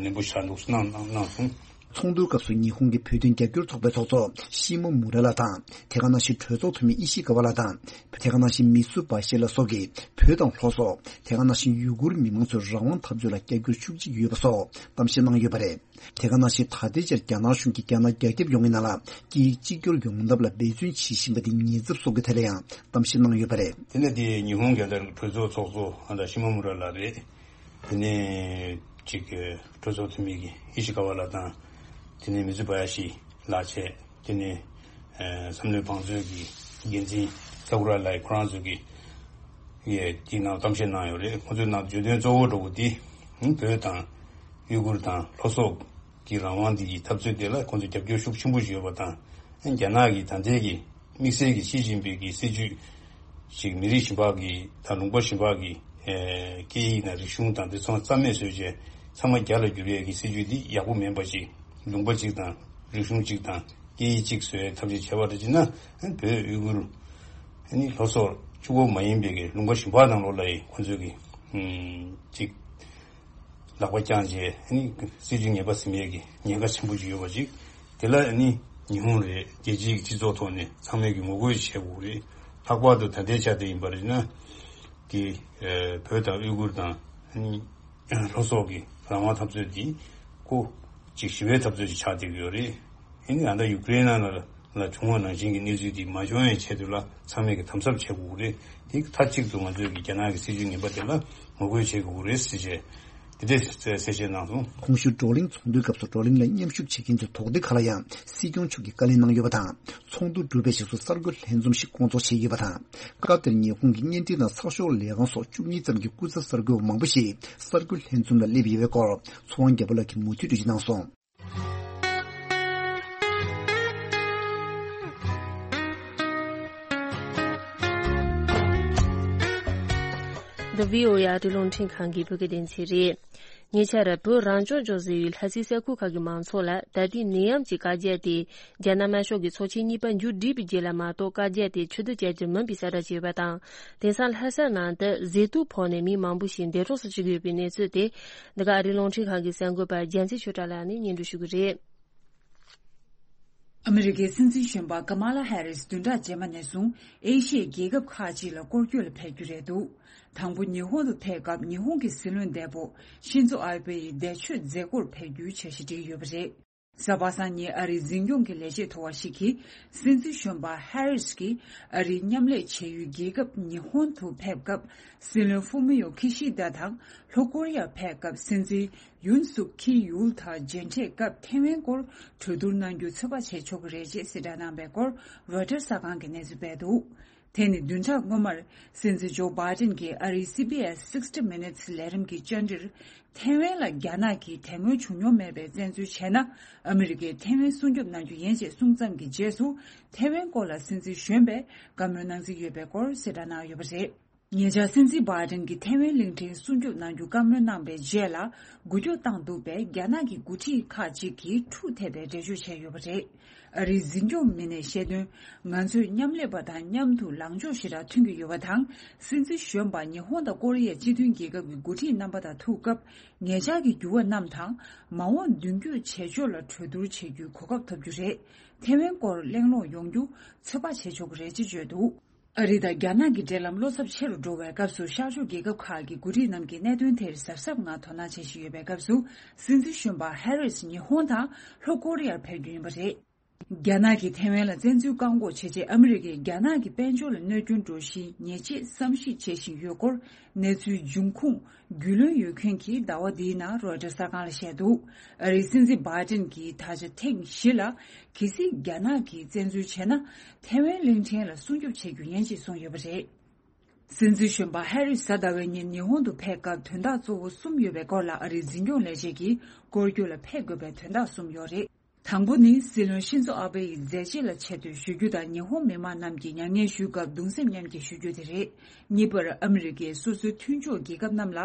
ནན་པོ་ཞིག་འདུག་གནང་གནང་གནང་སོང་། ཚོགས་འདུའི་སྐབས་སུ་ཉི་ཧོང་གི་བོད་དོན་རྒྱབ་སྐྱོར་ཚོགས་པའི་ཚོགས་གཙོ་ཤི་མོ་མུ་ར་ལགས་དང་། དེ་ག་ནང་བཞིན་གྲོས་ཚོགས་འཐུས་མི་ཨི་ཤི་ཀ་བ་ལགས་དང་། དེ་ག་ནང་བཞིན་མི་སུ་བ་ཤེ་ལགས་སོགས་ཀྱིས་བོད་དང་ལྷོ་སོག་དེ་ག་ནང་བཞིན་ཡུ་གུར་མི་མང་ཚོའི་རང་དབང་འཐབ་རྩོད་ལ་རྒྱབ་སྐྱོར་ཤུགས་ཆེ་ཡོད་པ་སོགས་གཏམ་བཤད་གནང་ཡོད་པ་རེད། དེ་ག་ནང་བཞིན་ད་ལྟའི་ཆར་རྒྱ་ནག་གཞུང་གིས་རྒྱ་ནག་རྒྱ་ཁྱབ་ཡོང་བའི་ནང་ལ་སྐད་ཡིག་གཅིག་གྱུར་ཡོང་ཐབས་ལ་འབད་བརྩོན་བྱེད་བཞིན་པ་དེ་ཉེན་ཚབས་སོགས་ཀྱི་ཐད་ལ་ཡང་གཏམ་བཤད་གནང་ཡོད་པ་རེད། དེ་ནས་དེ་ཉི་ཧོང་རྒྱལ་དར་གྱི་གྲོས་ཚོགས་ཚོགས་གཙོ་ཨ་ད་ཤི་མོ་མུ་ར་ལགས་རེད། དེ་ནས་ཅིག་གྲོས་ཚོགས་འཐུས་མི་གི་ཨི་ཤི་ཀ་བ་ལགས་དང་། དེ་ནས་མི་ཛུ་བ་ཡ་ཤི་ལགས་བྱས། དེ་ནས་ཨ་བསམ་བློའི་བང་མཛོད་ཀྱི་འགན་འཛིན་ས་ཀུ་ར་ལགས་ཁོ་རང་ཚོ་གིས་ཡ་དེའི་ནང་གཏམ་བཤད་གནང་ཡོད་རེད། ཁོ་ཚོའི་ནང་བརྗོད་དོན་གཙོ་བོ་འདྲ་བོ་དེ་བོད་དང་ཡུ་གུར་དང་ལྷོ་སོག་གི་རང་དབང་འདི་གི་འཐབ་རྩོད་དེ་ལ་ཁོང་ཚོས་རྒྱབ་སྐྱོར་ཤུགས་ཆེན་པོ་ཞིག་ཡོད་པ་དང་། རྒྱ་ནག་གི་ད་ལྟའི་གི་དམིགས་བསལ་གྱི་ཞི་ཅིན་ཕིང་གི་སྲིད་ཇུས་ཤིག་མི་རིགས་གཞན་པ་གི་དང་ལུང་པ་གཞན་པ་གི་ཨེ་སྐད་ཡིག་དང་རིག་གཞུང་དང་དེ་ཚོ་རྩ་མེད་བཟོས་བྱས་ཚང་མ་རྒྱ་ལ་བསྒྱུར་ཡས་ཀྱི་སྲིད་ཇུས་འདི་ཡག་པོ་མིན་པ་ཅིག་ལུང་པ་གཅིག་དང་རིག་གཞུང་གཅིག་དང་སྐད་ཡིག་གཅིག་བཟོ་ཡས་ཐབས་ཤེས་བྱས་པ་རེད་ཅེ་ན། བོད་ཡུ་གུར་ཨ་ནི་ལྷོ་སོག་གཅིག་པོ་མ་ཡིན་པའི་གི་ལུང་པ་གཞན་པ་ནང་ལོགས་ལ་ཡི་ཁོང་ཚོས་གི་ཨམ་ཅིག་ལག་པ་བརྐྱངས་བྱས་ཨ་ནི་སྲིད་ཇུས་ངན་པ་ཟིན་ཡས་ཀྱི་ཉེན་ཁ་ཆེན་པོ་ཅིག་ཡོད་པ་ཅིག་དེ་ལ་ཨ་ནི་ཉི་ཧོང་རེད། རྒྱལ་སྤྱིའི་སྤྱི་ཚོགས་ཐོག་ནས་ཚང་མས་ཀྱི་ངོ་རྒོལ་བྱེད་དགོས་རེད། ལྷག་པར་དུ་ད་ལྟའི་ཆ་དེ་ཡིན་པ་རེད་ན་གི་ཨ་བོད་དང་ཡུ་གུར་དང་ཨ་ནི་ལྷོ་སོག་གི་རང་དབང་འཐབ་རྩོད་འདི་ཁོ་ཅིག་ཞི་བའི་འཐབ་རྩོད་ཅིག་ཆགས་བསྡད་ཀྱི་ཡོད་རེད། ཨ་ནི་ད་ལྟ་ཡུ་ཀེ་རེན་ནང་ལ་ལ་བྱུང་བ་ནང་བཞིན་གྱི་གནས་ཚུལ་འདི་མ་བྱུང་བའི་ཆེད་དུ་ལ་ཚང་མས་ཀྱི་དམ་ཟབ་བྱེད་དགོས་ཀྱི་རེད། དེ་མཐའ་གཅིག་ཏུ་ང་ཚོས་ཀྱི་རྒྱ་ནག་གི་སྲིད་ཇུས་ངན་པ་དེ་ལ་ངོ་རྒོལ་བྱེད་དགོས་ཀྱི་རེད་ཟེར་བྱས་དེ་འདྲའི་གསལ་བཤད་གནང་སོང་། གོང་ཞུས་བགྲོ་གླེང་ཚོགས་འདུའི་སྐབས་སུ་བགྲོ་གླེང་ལ་མཉམ་ཞུགས་བྱེད་མཁན་ཚོའི་དོགས་འདྲི་ཁག་ལ་ཡང་སྲིད་སྐྱོང་མཆོག་གིས་བཀའ་ལན་གནང་ཡོད་པ་དང་། ཚོགས་འདུ་གྲུབ་པའི་རྗེས་སུ་གསར་འགོད་ལྷན་འཛོམས་ཤིག་སྐོང་ཚོགས་བྱས་ཡོད་པ་དང་། སྐབས་དེར་ཉི་ཧོང་གི་བརྙན་འཕྲིན་དང་ཚགས་ཤོག་ལས་ཁང་སོགས་བཅུ་གཉིས་ཙམ་གྱི་སྐུ་ཚབ་གསར་འགོད་པ་མང་པོ་ཞིག་གསར་འགོད་ལྷན་འཛོམས་ལ་སླེབས་ཡོད་པའི་སྐོར་ཚོགས་དབང་རྒྱལ་པོ་ལགས་ཀྱིས་མུ་མཐུད་འགྲེལ་བརྗོད་གནང་སོང་། འདི་བྷི་ཨོ་ཨེ་ཨ་རིའི་རླུང་འཕྲིན་ཁང་གི་བོད་སྐད་སྡེ་ཚན་རེད། ཉེ་ཆར་བོད་རང་སྐྱོང་ལྗོངས་ཟེར་བའི་ལྷ་སའི་ས་ཁུལ་ཁག་གི་མང་ཚོགས་ལ་ད་ལྟའི་ནད་ཡམས་ཀྱི་བཀའ་རྒྱ་དེ་རྒྱ་ནག་དམར་ཤོག་གི་ཚོགས་ཆེན་གཉིས་པ་མཇུག་བསྒྲིལ་བའི་རྗེས་ལ་མ་གཏོགས་བཀའ་རྒྱ་དེ་ཕྱིར་བསྡུ་བྱ་རྒྱུར་མིན་པའི་གསལ་བསྒྲགས་བྱས་ཡོད་པ་དང་། དེང་སང་ལྷ་ས་ནང་དུ་ཟས་དུག་ཕོག་ནས་མི་མང་པོ་ཞིག་འདས་གྲོངས་སུ་ཕྱིན་ཡོད་པའི་གནས་ཚུལ་དེ་འདི་ག་ཨ་རིའི་རླུང་འཕྲིན་ཁང་གི་གསར་འགོད་པ་རྒྱལ་མཚན་ཆོས་གྲགས་ལགས་ནས་སྙན་སྒྲོན་ཞུ་གི་རེད། ཨ་མི་རི་ཀའི་སྲིད་འཛིན་གཞོན་པ་ཀ་མ་ལ་ཧེ་རིས་བདུན་ཕྲག་རྗེས་མ་ནས་བཟུང་ཨེ་ཤི་ཡའི་རྒྱལ་ཁབ་ཁག་ཅིག་ལ་སྐོར་སྐྱོད་ལ་ཕེབས་རྒྱུ་རེད་འདུག་དང་པོ་ཉི་ཧོང་དུ་ཕེབས་སྐབས་ཉི་ཧོང་གི་སྲིད་བློན་འདས་པོ་ཤིན་ཛོ་ཨ་བྷེ་ཡི་འདས་མཆོད་མཛད་སྒོར་ཕེབས་རྒྱུའི་འཆར་གཞི་བསྒྲིགས་ཡོད་པ་རེད། གཟའ་པ་སངས་ཉིན་ཨ་རིའི་འཛིན་སྐྱོང་གི་ལས་བྱེད་མཐོ་བ་ཞིག་གིས་སྲིད་འཛིན་གཞོན་པ་ཧེ་རིས་ཀྱིས་ཨ་རིའི་མཉམ་ལས་བྱེད་ཡུལ་རྒྱལ་ཁབ་ཉི་ཧོང་དུ་ཕེབས་སྐབས་སྲིད་བློན་ཧྥུ་མི་ཡོ་ཁི་ཤི་དཱ་དང་ལྷོ་ཀོ་རི་ཡར་ཕེབས་སྐབས་སྲིད་འཛིན་ཡུན་སུག་ཁི་ཡུལ་དང་མཇལ་འཕྲད་སྐབས་ཐེ་ཝན་སྐོར་གྲོས་བསྡུར་གནང་རྒྱུ་ཚོད་དཔག་བྱེད་ཆོག་གི་རེད་ཅེས་གསལ་བསྒྲགས་གནང་པའི་སྐོར་རོའི་ཊར་གསར་ཁང་གིས་གནས་ཚུལ་སྤེལ་འདུག་དེ་ནི་བདུན་ཕྲག་སྔོན་མར་སྲིད་འཛིན་ཇོ་བྷའི་ཏིན་གྱིས་ཨ་རིའི་སི་བྷི་ཨེས་Sixty Minutes ལས་རིམ་གྱི་བཅར་འདྲིར་ཐེ་ཝན་ལ་རྒྱ་ནག་གིས་དེ་སྔོན་བྱུང་མྱོང་མེད་པའི་བཙན་འཛུལ་བྱས་ན་ཨ་མི་རི་ཀས་ཐེ་ཝན་སྲུང་སྐྱོབ་གནང་རྒྱུ་ཡིན་ཅེས་གསུངས་ཙམ་གྱི་རྗེས་སུ་ཐེ་ཝན་སྐོར་ལ་སྲིད་འཛིན་གཞོན་པས་བཀའ་མོལ་གནང་རྩིས་ཡོད་པའི་སྐོར་གསལ་བསྒྲགས་གནང་ཡོད་པ་རེད། ཉེ་ཆར་སྲིད་འཛིན་བྷའི་ཏིན་གྱིས་ཐེ་ཝན་གླིང་ཕྲན་སྲུང་སྐྱོབ་གནང་རྒྱུ་བཀའ་མོལ་གནང་པའི་རྗེས་ལ། འགུལ་སྐྱོད་བཏང་འདུག་པས། རྒྱ་ནག་གི་འགོ་ཁྲིད་ཁག་ཅིག་གིས་འཁྲུག་ཐེབས་པའི་འགྲེལ་བརྗོད་བྱས་ཡོད་པ་རེད། ཨ་རིའི་འཛིན་སྐྱོང་མི་སྣས་བཤད་དོན། ང་ཚོས་མཉམ་ལས་པ་དང་མཉམ་དུ་ལངས་ཕྱོགས་ཞེ་དྲག་མཐུན་གྱི་ཡོད་པ་དང་། སྲིད་འཛིན་གཞོན་པ་ཉི་ཧོང་དང་ཀོ་རི་ཡའི་སྤྱི་མཐུན་རྒྱལ་ཁབ་ཀྱི་འགོ་ཁྲིད་རྣམ་པ་དང་ཐུག་སྐབས། ཉེ་ཆར་གྱི་འགྱུར་བ་རྣམས་དང་། མ་འོངས་མདུན་སྐྱོད་བྱེད་ཕྱོགས་ལ་གྲོས་བསྡུར་བྱེད་རྒྱུའི་གོ་སྐབས་ཐོབ་རྒྱུ་རེད། ཐེ་ཝན་སྐོར་གླེང་སློང་ཡོང་རྒྱུ་ཚོད་དཔག་བྱེད་ཆོག་གི་རེད་ཅེས་བརྗོད་འདུག་ཨ་རི་དང་རྒྱ་ནག་གི་འབྲེལ་ལམ་བློ་འཚབ་ཆེ་རུ་འགྲོ་བའི་སྐབས་སུ། ཤར་ཕྱོགས་རྒྱལ་ཁབ་ཁག་གི་འགོ་ཁྲིད་རྣམས་ཀྱིས་གནད་དོན་དེར་གཟབ་གཟབ་ངང་དོ་སྣང་བྱེད་བཞིན་ཡོད་པའི་སྐབས་སུ། སྲིད་འཛིན་གཞོན་པ་ཧེ་རིས་ཉི་ཧོང་དང་ལྷོ་ཀོ་རི་ཡར་ཕེབས་རྒྱུ་ཡིན་པ་རེད། རྒྱ་ནག་གིས་ཐེ་ཝན་ལ་བཙན་འཛུལ་བཀག་འགོག་བྱེད་ཆེད། ཨ་མི་རི་ཀས་རྒྱ་ནག་གི་དཔལ་འབྱོར་ལ་གནོད་སྐྱོན་འགྲོ་གཞི་ཉེས་ཆད་བསམ་གཞིག་བྱེད་བཞིན་ཡོད་སྐོར། གནས་ཚུལ་འབྱུང་ཁུངས་རྒྱུས་ལོན་ཡོད་མཁན་གྱིས་ཟླ་བ་འདིའི་ནང་རོའི་ཊར་གསར་ཁང་ལ་བཤད་འདུག་ཨ་རིའི་སྲིད་འཛིན་བྷའི་ཏིན་གྱིས་ད་ཆ་ཐེངས་བཞི་ལ། གལ་སྲིད་རྒྱ་ནག་གིས་བཙན་འཛུལ་བྱས་ན། ཐེ་ཝན་གླིང་ཕྲན་ལ་སྲུང་སྐྱོབ་བྱེད་རྒྱུ་ཡིན་ཅེས་གསུངས་ཡོད་པ་རེད། སྲིད་འཛིན་གཞོན་པ་ཧེ་རིས་གཟའ་ཟླ་བའི་ཉིན་ཉི་ཧོང་དུ་ཕེབས་སྐབས། དོན་དག་གཙོ་བོ་གསུམ་ཡོད་པའི་སྐོར་ལ། ཨ་རིའི་འཛིན་སྐྱོང་ལས་བྱེད་ཀྱིས་སྐོར་སྐྱོད་ལ་ཕེབས་དགོས་པའི་དོན་དག་གསུམ་ཡོད་རེད། དང་པོ་ནི། སྲིད་བློན་ཤིན་ཛོ་ཨ་བྷེ་ཡི་མཛད་རྗེས་ལ་ཆེ་བསྟོད་ཞུ་རྒྱུ་དང་། ཉི་ཧོང་མི་མང་རྣམས་ཀྱིས་མྱ་ངན་ཞུས་སྐབས་གདུང་སེམས་མཉམ་སྐྱེད་ཞུ་རྒྱུ་དེ་རེད། གཉིས་པར། ཨ་མི་རི་ཀས་སོ་སོའི་མཐུན་ཕྱོགས་རྒྱལ་ཁབ་རྣམས་ལ་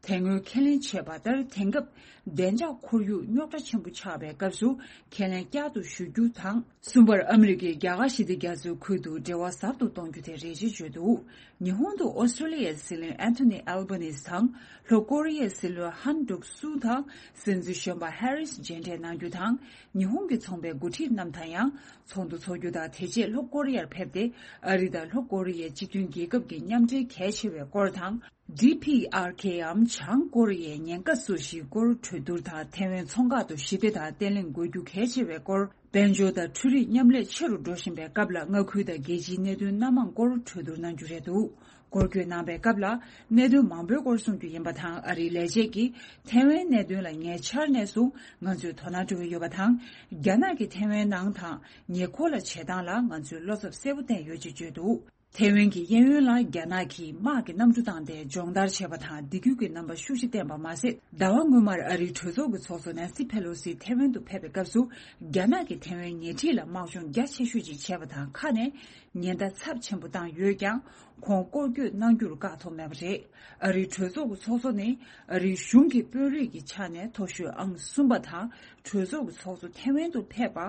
དེ་སྔོན་ཁས་ལེན་བྱས་པ་ལྟར། དེང་སྐབས་བདེ་འཇགས་ཁོར་ཡུག་རྙོག་དྲ་ཆེན་པོ་ཆགས་པའི་སྐབས་སུ་ཁས་ལེན་བསྐྱར་དུ་ཞུ་རྒྱུ་དང་། གསུམ་པར། ཨ་མི་རི་ཀས་རྒྱ་གར་ཞི་བདེ་རྒྱ་མཚོའི་ཁུལ་དུ་འབྲེལ་བ་ཟབ་ཏུ་གཏོང་རྒྱུ་དེ་རེད་ཅེས་བརྗོད་འདུག་ཉི་ཧོང་དུ་ཨོ་སི་ཀྲོ་ལི་ཡའི་སྲིད་བློན་ཨན་ཐོ་ནི་ཨལ་བྷ་ནིས་དང་། ལྷོ་ཀོ་རི་ཡའི་སྲིད་བློན་ཧན་ཌུག་སུ་དང་། སྲིད་འཛིན་གཞོན་པ་ཧེ་རིས་མཇལ་འཕྲད་གནང་རྒྱུ་དང་། ཉི་ཧོང་གི་ཚོང་པའི་འགོ་ཁྲིད་རྣམས་དང་ཡང་ཚོགས་འདུ་འཚོགས་རྒྱུ་དང་། དེ་རྗེས་ལྷོ་ཀོ་རི་ཡར་ཕེབས་ཏེ། ཨ་རི་དང་ལྷོ་ཀོ་རི་ཡའི་སྤྱི་མཐུན་རྒྱལ་ཁབ་ཀྱི་མཉམ་འབྲེལ་གལ་ཆེ་བའི་སྐོར་དང་། ཌི་ཕི་ཨར་ཁེའམ་བྱང་ཀོ་རི་ཡའི་ཉེན་ཁ་སོ་བཞིའི་སྐོར་གྲོས་བསྡུར་དང་། ཐེ་ཝན་མཚོ་འགག་ཏུ་ཞི་བདེ་དང་བརྟན་ལྷིང་དགོས་རྒྱུ་གལ་ཆེ་བའི་སྐོར། དཔལ་འབྱོར་དང་འཕྲུལ་རིག་མཉམ་ལས་ཆེ་རུ་འགྲོ་བཞིན་པའི་སྐབས་ལ། མངའ་ཁུལ་དང་རྒྱལ་སྤྱིའི་གནད་དོན་སྣ་མང་སྐོར་གྲོས་བསྡུར་གནང་རྒྱུ་རེད་འདུག་སྐོར་སྐྱོད་གནང་པའི་སྐབས་ལ། གནད་དོན་མང་པོའི་སྐོར་གསུང་རྒྱུ་ཡིན་པ་དང་། ཨ་རིའི་ལས་བྱེད་ཀྱིས་ཐེ་ཝན་གནད་དོན་ལ་ཉེ་ཆར་ནས་བཟུང་ང་ཚོས་དོ་སྣང་སྤྲོད་ཀྱི་ཡོད་པ་དང་། རྒྱ་ནག་གིས་ཐེ་ཝན་ནང་དང་ཉེ་འཁོར་ལ་བྱེད་སྟངས་ལ་ང་ཚོས་བློ་འཚབ་གསལ་པོ་བསྟན་ཡོད་ཅེས་བརྗོད་འདུག་ཐེ་ཝན་གྱི་གཡས་གཡོན་ལ་རྒྱ་ནག་གིས་དམག་གི་གནམ་གྲུ་བཏང་སྟེ་སྦྱོང་བརྡར་བྱས་པ་དང་། སྡིགས་སྐུལ་གྱི་རྣམ་པ་ཤུགས་ཆེ་བསྟན་པ་མ་ཟད། ཟླ་བ་སྔོན་མར་ཨ་རིའི་གྲོས་ཚོགས་ཀྱི་ཚོགས་གཙོ་ནན་སི་ཕེ་ལོ་སི་ཐེ་ཝན་དུ་ཕེབས་པའི་སྐབས་སུ། རྒྱ་ནག་གིས་ཐེ་ཝན་ཉེ་འཁྲིས་ལ་དམག་སྦྱོང་རྒྱ་ཆེ་ཤོས་ཅིག་བྱས་པ་དང་། ཁ་ནས་ཉེན་བརྡ་ཚབས་ཆེན་པོ་བཏང་ཡོད་ཀྱང་། ཁོང་སྐོར་སྐྱོད་གནང་རྒྱུར་བཀག་ཐོགས་མེད་པ་རེད། ཨ་རིའི་གྲོས་ཚོགས་ཀྱི་ཚོགས་གཙོ་ནི། ཨ་རིའི་གཞུང་གི་དཔོན་རིགས་ཀྱི་ཆ་ནས་མཐོ་ཤོས་ཨང་གསུམ་པ་དང་། གྲོས་ཚོགས་ཀྱི་ཚོགས་གཙོ་ཐེ་ཝན་དུ་ཕེབས་པ་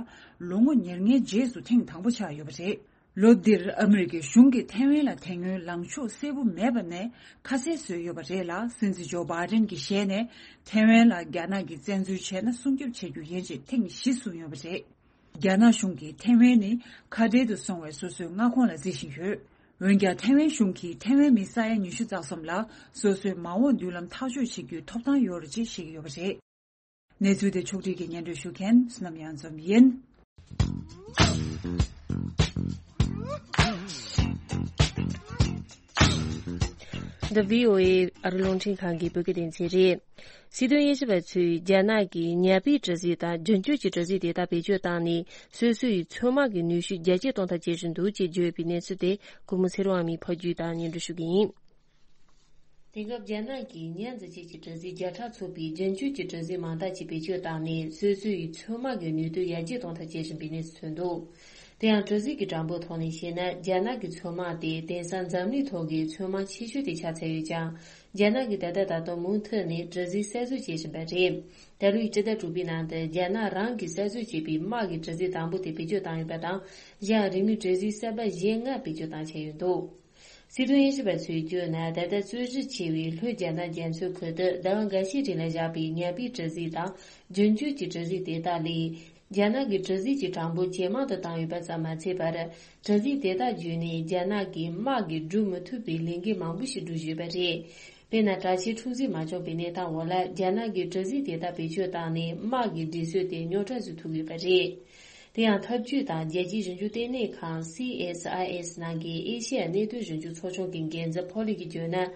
ལོ་ངོ་ཉེར་ལྔའི་རྗེས་སུ་ཐེངས་དང་པོ་ཆགས་ཡོད་པ་རེད། ལོ་འདིར་ཨ་མི་རི་ཀའི་གཞུང་གིས་ཐེ་ཝན་ལ་དེ་སྔོན་ལངས་ཕྱོགས་གསལ་པོ་མེད་པ་ནས་ཁ་གསལ་བཟོས་ཡོད་པ་རེད་ལ། སྲིད་འཛིན་ཇོ་བྷའི་ཏན་གྱི་ཞལ་ནས་ཐེ་ཝན་ལ་རྒྱ་ནག་གིས་བཙན་འཛུལ་བྱས་ན་སྲུང་སྐྱོབ་བྱེད་རྒྱུ་ཡིན་ཞེས་ཐེངས་བཞི་གསུངས་ཡོད་པ་རེད། རྒྱ་ནག་གཞུང་གིས་ཐེ་ཝན་ནི་ཁ་བྲལ་དུ་སོང་བའི་སོ་སོའི་མངའ་ཁོངས་ལ་བརྩི་བཞིན་ཡོད། འོན་ཀྱང་། ཐེ་ཝན་གཞུང་གིས་ཐེ་ཝན་མི་ས་ཡ་ཉི་ཤུ་རྩ་གསུམ་ལ་སོ་སོའི་མ་འོངས་མདུན་ལམ་ཐག་གཅོད་བྱེད་རྒྱུའི་ཐོབ་ཐང་ཡོད་རེད་ཅེས་བཤད་ཀྱི་ཡོད་པ་རེད། གནས་ཚུལ་དེ་ཕྱོགས་སྒྲིག་གིས་སྙན་སྒྲོན་ཞུ་མཁན་བསོད་ནམས་གཡང་འཛོམས་ཡིན། འདི་བྷི་ཨོ་ཨེ་ཨ་རི་རླུང་འཕྲིན་ཁང་གི་བོད་སྐད་སྡེ་ཚན་རེད། སྲིད་དོན་དབྱེ་ཞིབ་པ་ཚོས་རྒྱ་ནག་གིས་ཉ་པའི་གྲུ་གཟིངས་དང་རྒྱུན་སྤྱོད་ཀྱི་གྲུ་གཟིངས་དེ་དག་བེད་སྤྱོད་བཏང་ནས། སོ་སོ་ཡི་མཚོ་དམག་གི་ནུས་ཤུགས་རྒྱ་སྐྱེད་གཏོང་ཐབས་བྱེད་བཞིན་འདུག་ཅེས་བརྗོད་པའི་གནས་ཚུལ་དེ། གུ་མུ་ཚེ་རིང་དབང་མོས་ཕབ་སྒྱུར་དང་སྙན་སྒྲོན་ཞུ་གི་ཡིན། དེང་སྐབས་རྒྱ་ནག་གིས་ཉ་འཛིན་བྱེད་ཀྱི་གྲུ་གཟིངས་བརྒྱ་ཕྲག་ཚོགས་པའི་རྒྱུན་སྤྱོད་ཀྱི་གྲུ་གཟིངས་མང་དག་ཅིག་བེད་སྤྱོད་བཏང་ནས། སོ་སོ་ཡི་མཚོ་དམག་གི་ནུས་སྟོབས་ཡར་རྒྱས་གཏོང་ཐབས་བྱེད་བཞིན་པའི་གནས་སུ་ཐོན་འདུག་དེ་ཡང་གྲུ་གཟིངས་ཀྱི་གྲངས་འབོར་ཐོག་ནས་བཤད་ན། རྒྱ་ནག་གི་མཚོ་དམག་དེ་དེང་སང་འཛམ་གླིང་ཐོག་གི་མཚོ་དམག་ཆེ་ཤོས་དེ་ཆགས་ཚར་ཡོད་ཀྱང་། རྒྱ་ནག་གིས་ད་ལྟ་ད་དུང་མུ་མཐུད་ནས་གྲུ་གཟིངས་གསར་བཟོ་བྱེད་བཞིན་པ་རེད། ད་ལོའི་སྤྱི་ཟླ་དྲུག་པའི་ནང་དུ་རྒྱ་ནག་རང་གིས་གསར་བཟོ་བྱས་པའི་དམག་གི་གྲུ་གཟིངས་དང་པོ་དེ་བེད་སྤྱོད་བཏང་ཡོད་པ་དང་། གཞན་རིང་མིན་གྲུ་གཟིངས་གསར་པ་གཞན་ལྔ་བེད་སྤྱོད་བཏང་ཆོག་ཡོད་འདུག་སྲིད་དོན་དབྱེ་ཞིབ་པ་ཚོས་བརྗོད་ན། ད་ལྟ་རྩོད་གཞི་ཆེ་བའི་ལྷོ་རྒྱ་ནག་རྒྱ་མཚོའི་ཁུལ་དུ་ཟླ་བ་འགའ་ཤས་རིང་ལ་བཞག་པའི་ཉ་པའི་གྲུ་གཟིངས་དང་རྒྱུན་སྤྱོད་ཀྱི་གྲུ་གཟིངས་དེ་དག་ལས། རྒྱ་ནག་གིས་གྲུ་གཟིངས་ཀྱི་གྲངས་འབོར་ཇེ་མང་དུ་བཏང་ཡོད་པ་ཙམ་མ་ཚད་པར། གྲུ་གཟིངས་དེ་དག་བརྒྱུད་ནས་རྒྱ་ནག་གིས་དམག་གིས་སྒྲུབ་མི་ཐུབ་པའི་ལས་འགན་མང་པོ་ཞིག་སྒྲུབ་བཞིན་ཡོད་པ་རེད། དཔེར་ན། གྲྭ་ཆས་འཁྲུག་ཟིང་མ་བྱུང་བའི་གནས་སྟངས་འོག་ལ། རྒྱ་ནག་གིས་གྲུ་གཟིངས་དེ་དག་བེད་སྤྱོད་བཏང་ནས་དམག་གི་སྒྲིག་སྲོལ་དེ་རྙོག་དྲ་བཟོ་ཐུབ་ཡོད་པ་རེད། དེ་ཡང་། འཐབ་ཇུས་དང་རྒྱལ་སྤྱིའི་ཞིབ་འཇུག་ལྟེ་གནས་ཁང་། སི་ཨེས་ཨའི་ཨེས་ནང་གི་ཨེ་ཤེ་ཡ་གནད་དོན་ཞིབ་འཇུག་ཚོགས་ཆུང་གི་འགན་འཛིན་ཕོ་ལི་གིས་བརྗོད་ན།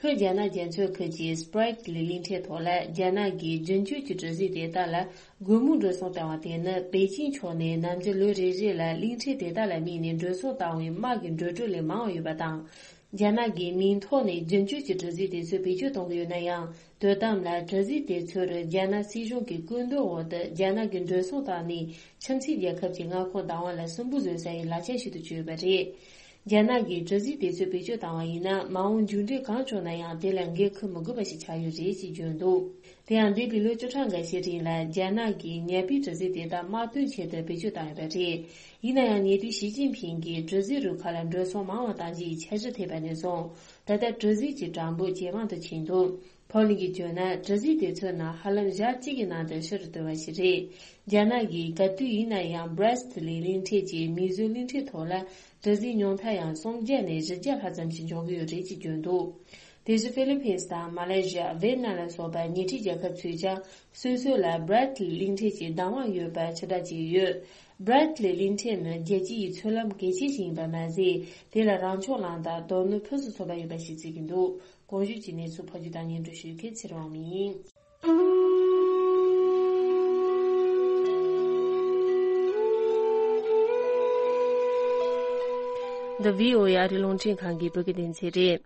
ལྷོ་རྒྱ་ནག་རྒྱ་མཚོའི་ཁུལ་གྱི་སྤྲེག་ལི་གླིང་ཕྲན་ཐོག་ལ་རྒྱ་ནག་གིས་རྒྱུན་སྤྱོད་ཀྱི་གྲུ་གཟིངས་དེ་དག་ལ་སྒོར་མོ་འགྲོ་སོང་བཏང་བ་དེ་ནི། པེ་ཅིང་ཕྱོགས་ནས་ནམ་རྒྱུན་ལོ་རེ་རེ་ལ་གླིང་ཕྲན་དེ་དག་ལ་དམིགས་ནས་འགྲོ་སོང་བཏང་བའི་དམག་གི་འགྲོ་གྲོན་ལས་མང་བ་ཡོད་པ་དང་། རྒྱ་ནག་གིས་མིང་ཐོག་ནས་རྒྱུན་སྤྱོད་ཀྱི་གྲུ་གཟིངས་དེ་ཚོ་བེད་སྤྱོད་གཏོང་གི་ཡོད་ན་ཡང་། དོ་དམ་ལ་གྲུ་གཟིངས་དེ་ཚོར་རྒྱ་ནག་སྲིད་གཞུང་གི་སྐུལ་འདེད་འོག་ཏུ་རྒྱ་ནག་གི་འགྲོ་སོང་བཏང་ནས་ཁྱིམ་མཚེས་རྒྱལ་ཁབ་ཀྱི་མངའ་ཁོངས་བདག་དབང་ལ་སུན་པོ་བཟོ་ས་ཡི་ལག་ཆ་ཞིག་ཏུ་གྱུར་ཡོད་པ་རེད། རྒྱ་ནག་གིས་གྲུ་གཟིངས་དེ་ཚོ་བེད་སྤྱོད་བཏང་བ་ཡིན་ན། མ་འོངས་མཇུག་འབྲས་གང་བྱུང་ན་ཡང་། དེ་ལ་འགན་འཁུར་མི་དགོས་པ་ཞིག་ཆགས་ཡོད་རེད་ཅེས་བརྗོད་འདུག་དེ་ཡང་། འདས་པའི་ལོ་བཅུ་ཕྲག་འགའ་ཤས་རིང་ལ། རྒྱ་ནག་གིས་ཉ་པའི་གྲུ་གཟིངས་དེ་དག་དམག་དོན་ཆེད་དུ་བེད་སྤྱོད་བཏང་ཡོད་པ་རེད། ཡིན་ན་ཡང་། ཉེ་དུས་ཞི་ཅིན་ཕིང་གིས་གྲུ་གཟིངས་རུ་ཁག་ལ་འགྲོ་སོང་མང་བ་བཏང་རྒྱུ་ཡི་འཆར་གཞི་ཐེབས་པ་ནས་བཟུང་། ད་ལྟ་གྲུ་གཟིངས་ཀྱི་གྲངས་འབོར་ཇེ་མང་དུ་ཕྱིན་འདུག་ཕོ་ལིན་གྱིས་བརྗོད་ན། གྲུ་གཟིངས་དེ་ཚོའི་ནང་ཧ་ལམ་ཞག་གཅིག་གི་ནང་དུ་ཕྱི་རུ་བཏོན་པ་ཞིག་རེད། རྒྱ་ནག་གིས་ག་དུས་ཡིན་ན་ཡང་། Brest ལི་གླིང་ཕྲན་གྱི་མིའུ་ཟོའི་གླིང་ཕྲན་ཐོག་ལ་གྲུ་གཟིངས་ཉོ་མཁན་ཡང་སུམ་བརྒྱ་ནས་བཞི་བརྒྱ་ལྷག་ཙམ་ཞིག་འབྱོར་གྱི་ཡོད་རེད་ཅེས་བརྗོད་འདུག་དེ་བཞིན་ཧྥི་ལི་ཕིན་དང་མ་ལེ་ཤི་ཡ། ཝེ་ཏི་ནམ་ལ་སོགས་པ་ཉེ་འཁྲིས་རྒྱལ་ཁབ་ཚོས་ཀྱང་སོ་སོ་ལ་Brest ལི་གླིང་ཕྲན་གྱི་བདག་དབང་ཡོད་པ་ཕྱིར་བསྒྲགས་བྱས་ཡོད། Brest ལི་གླིང་ཕྲན་ནི་རྒྱལ་སྤྱི་ཡི་མཚོ་ལམ་གལ་ཆེ་ཞིག་ཡིན་པ་མ་ཟད། དེ་ལ་རང་སྐྱོང་ལམ་དང་རྡོ་སྣུམ་ཕུན་སུམ་ཚོགས་པ་ཡོད་པ་ཞིག་བརྩི་གི་འདུག་གོང་ཞུས་ཀྱི་གནས་ཚུལ་ཕབ་སྒྱུར་དང་སྙན་སྒྲོན་ཞུ་མཁན་ཚེ་རིང་དབང་མོ་ཡིན། འདི་བྷི་ཨོ་ཨེ་ཨ་རིའི་རླུང་འཕྲིན་ཁང་གི་བོད་སྐད་སྡེ་ཚན་རེད།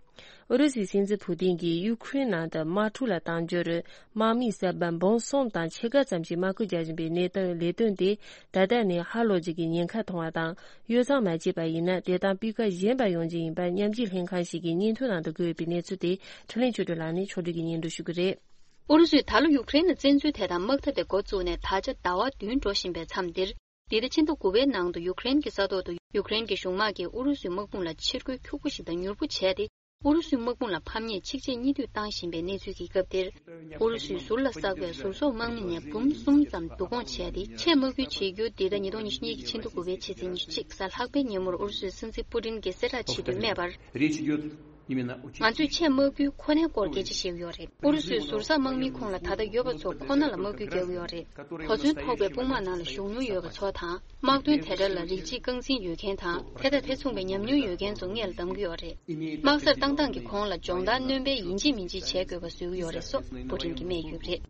ཨུ་རུ་སུའི་སྲིད་འཛིན་ཕུ་ཏིན་གྱིས་ཡུ་ཁུ་རེན་ནང་དུ་དམག་འཁྲུག་ལ་གཏང་རྒྱུར། དམག་མིའི་གསར་པ་འབུམ་གསུམ་དང་ཕྱེད་ཀ་ཙམ་ཞིག་དམག་ཁུལ་རྒྱག་བཞིན་པའི་གནད་དོན་ལས་དོན་དེ། ད་ལྟ་ནས་ཧ་ལོ་རྒྱུ་གི་ཉེན་ཁ་མཐོང་བ་དང་། གཡོ་བསྲང་མ་བྱས་པ་ཡིན་ན། དེ་དང་སྤུས་ཀ་ཞན་པ་ཡོང་རྒྱུ་ཡིན་པ་མཉམ་འབྲེལ་ལྷན་ཁང་ཞིག་གིས་སྙན་ཐོ་ནང་དུ་བཀོད་ཡོད་པའི་གནས་ཚུལ་དེ། འཕྲིན་ལས་ཆོས་སྒྲོན་ལགས་ནས་ཕྱོགས་སྒྲིག་གིས་སྙན་སྒྲོན་ཞུ་གི་རེད། ཨུ་རུ་སུས་ད་ལོ་ཡུ་ཀེ་རེན་ལ་བཙན་འཛུལ་དེ་དང་དམག་འཐབ་དེ་འགོ་བཙུགས་ནས་ད་ཆ་ཟླ་བ་བདུན་འགྲོ་བཞིན་པའི་མཚམས་འདིར། འདི་ཟླ་ཕྱི་ཟླ་དགུ་པའི་ནང་དུ་ཡུ་ཀེ་རེན་གྱི་ས་ཐོག་ཏུ་ཡུ་ཀེ་རེན་གྱི་གཞུང་དམག་གིས་ཨུ་རུ་སུའི་དམག་དཔུང་ལ་ཕྱིར་རྒོལ་ཁྱུག་པོ་ཞིག་དང་མྱུར་པོ་བྱས་ཏེ། ཨུ་རུ་སུའི་དམག་དཔུང་ལ་ཕམ་ཉེས་ཆིག་ཆེད་གཉིས་མཐུད་བཏང་བཞིན་པའི་གནས་ཚུལ་གྱི་སྐབས་འདིར། ཨུ་རུ་སུའི་ཟུར་ལ་བསགས་པའི་ཟུར་གསོག་དམག་མི་ནས་འབུམ་གསུམ་ཙམ་བསྡུ་སྐོང་བྱས་ཏེ། ཆེད་དམག་འཁུར་བྱེད་རྒྱུ། འདི་ཟླ་ཉིས་སྟོང་ཉི་ཤུ་གཉིས་ཀྱི་ཕྱི་ཟླ་དགུ་པའི་ཕྱི་ཚེས་ཉི་ཤུ་གཅིག་གཟའ་ལྷག་པའི་ཉིན་མོར་ཨུ་རུ་སུའི་སྲིད་འཛིན་པུ་ཏིན་གྱིས་གསལ་བསྒྲགས་བྱས་དུས་སྨྲས་པར། Речь идёт именно о том, ང་ཚོས་ཆེད་དམག་འཁུར་ཁོ་ནའི་སྐོར་སྐད་ཆ་བཤད་ཀྱི་ཡོད་རེད། ཨུ་རུ་སུའི་ཟུར་བཟའ་དམག་མིའི་ཁོངས་ལ་ད་ལྟ་ཡོད་པ་ཚོ་ཁོ་ན་ལ་དམག་འཁུར་རྒྱག་གི་ཡོད་རེད། གོ་མཚོན་ཐོགས་པའི་དཔུང་དམག་ནང་ལ་ཞུགས་མྱོང་ཡོད་པ་ཚོ་དང་། དམག་དོན་དེ་འདྲ་ལ་རིགས་གཅིག་རྐང་འཛིན་ཡོད་མཁན་དང་། དེ་དང་དེ་མཚུངས་པའི་ཉམས་མྱོང་ཡོད་མཁན་ཚོ་སྔས་ལ་བདམས་ཀྱི་ཡོད་རེད། དམག་སར་བཏང་སྟངས་ཀྱི་གོང་ལ་སྦྱོང་བརྡར་སྣོན་པའི་ཡིན་གཅིག་མིན་གཅིག་བྱེད་དགོས་པ་བཟོ་གི་ཡོད་རེད་སོགས་པུ་ཏིན་གྱིས་སྨྲས་ཡོད་པ་རེད།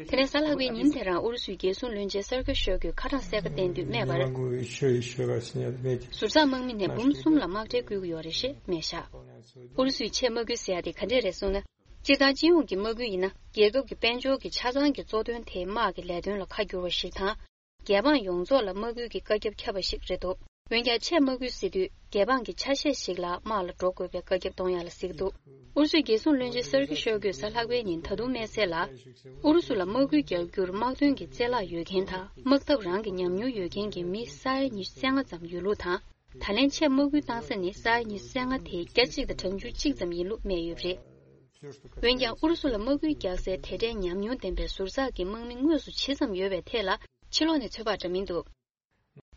དེ་ནས་གཟའ་ལྷག་པའི་ཉིན་དེ་རང་ཨུ་རུ་སུའི་རྒྱལ་སྲུང་བློན་ཆེན་སར་ཀི་ཤོ་གུས་ཁ་གྲངས་གསལ་ཁ་བསྟན་དུས་སྨྲས་པར། ཟུར་བཟའ་དམག་མི་ནས་འབུམ་གསུམ་ལ་དམག་གྲལ་བསྐུལ་གྱི་ཡོད་རེད་ཞེས་སྨྲས་བཞག་ཨུ་རུ་སུའི་ཆེད་དམག་འཁུར་ཟེར་ཡ་དེ་ག་འདྲས་རེད་གསུངས་ན། སྤྱིར་བཏང་སྤྱི་ཡོངས་ཀྱི་དམག་འཁུར་ཡིན་ན། རྒྱལ་ཁབ་ཀྱི་དཔལ་འབྱོར་གྱི་ཆ་ཚང་གི་གཙོ་དོན་དེ་དམག་གི་ལས་དོན་ལ་ཁ་བསྒྱུར་བ་ཞིག་དང་། རྒྱལ་འབངས་ཡོངས་རྫོགས་ལ་དམག་འཁུར་གྱི་བཀའ་ཁྱབ་ཁྱབ་པ་ཞིག་རེད་འདུག་འོན་ཀྱང་ཆེད་དམག་འཁུར་ཟེར་དུས་རྒྱལ་འབངས་ཀྱི་ཆ་ཤས་ཤིག་ལ་དམག་ལ་འགྲོ་དགོས་པའི་བཀའ་ཁྱབ་གཏོང་ཡ་ལ་ཟེར་གྱི་འདུག་ཨུ་རུ་སུའི་རྒྱལ་སྲུང་བློན་ཆེན་སར་ཀི་ཤོ་གུས་གཟའ་ལྷག་པའི་ཉིན་ད་དུང་སྨྲས་གསལ་ལ། ཨུ་རུ་སུ་ལ་དམག་འཁུར་རྒྱག་རྒྱུར་དམག་དོན་གྱི་རྩལ་བརླག་ཡོད་མཁན་དང་། དམག་འཐབ་རང་གི་ཉམས་མྱོང་ཡོད་མཁན་གྱི་མི་ས་ཡ་ཉི་ཤུ་རྩ་ལྔ་ཙམ་ཡོད་ལུགས་དང་། ད་ལན་ཆེད་དམག་འཁུར་བཏང་ས་ནི་ས་ཡ་ཉི་ཤུ་རྩ་ལྔ་དེའི་བརྒྱ་གཅིག་དང་གྲངས་ཆུང་གཅིག་ཙམ་ཡིན་ལུགས་སྨྲས་ཡོད་པ་རེད། འོན་ཀྱང་ཨུ་རུ་སུ་ལ་དམག་འཁུར་རྒྱག་སའི་དེ་འདྲའི་ཉམས་མྱོང་ལྡན་པའི་ཟུར་བཟའ་གི་དམག་མི་དངོས་སུ་ཇི་ཙམ་ཡོད་པའི་ཐད་ལ་ཕྱི་ལོགས་ནས་ཚོད་དཔག་འདྲ་མིན་འདུག་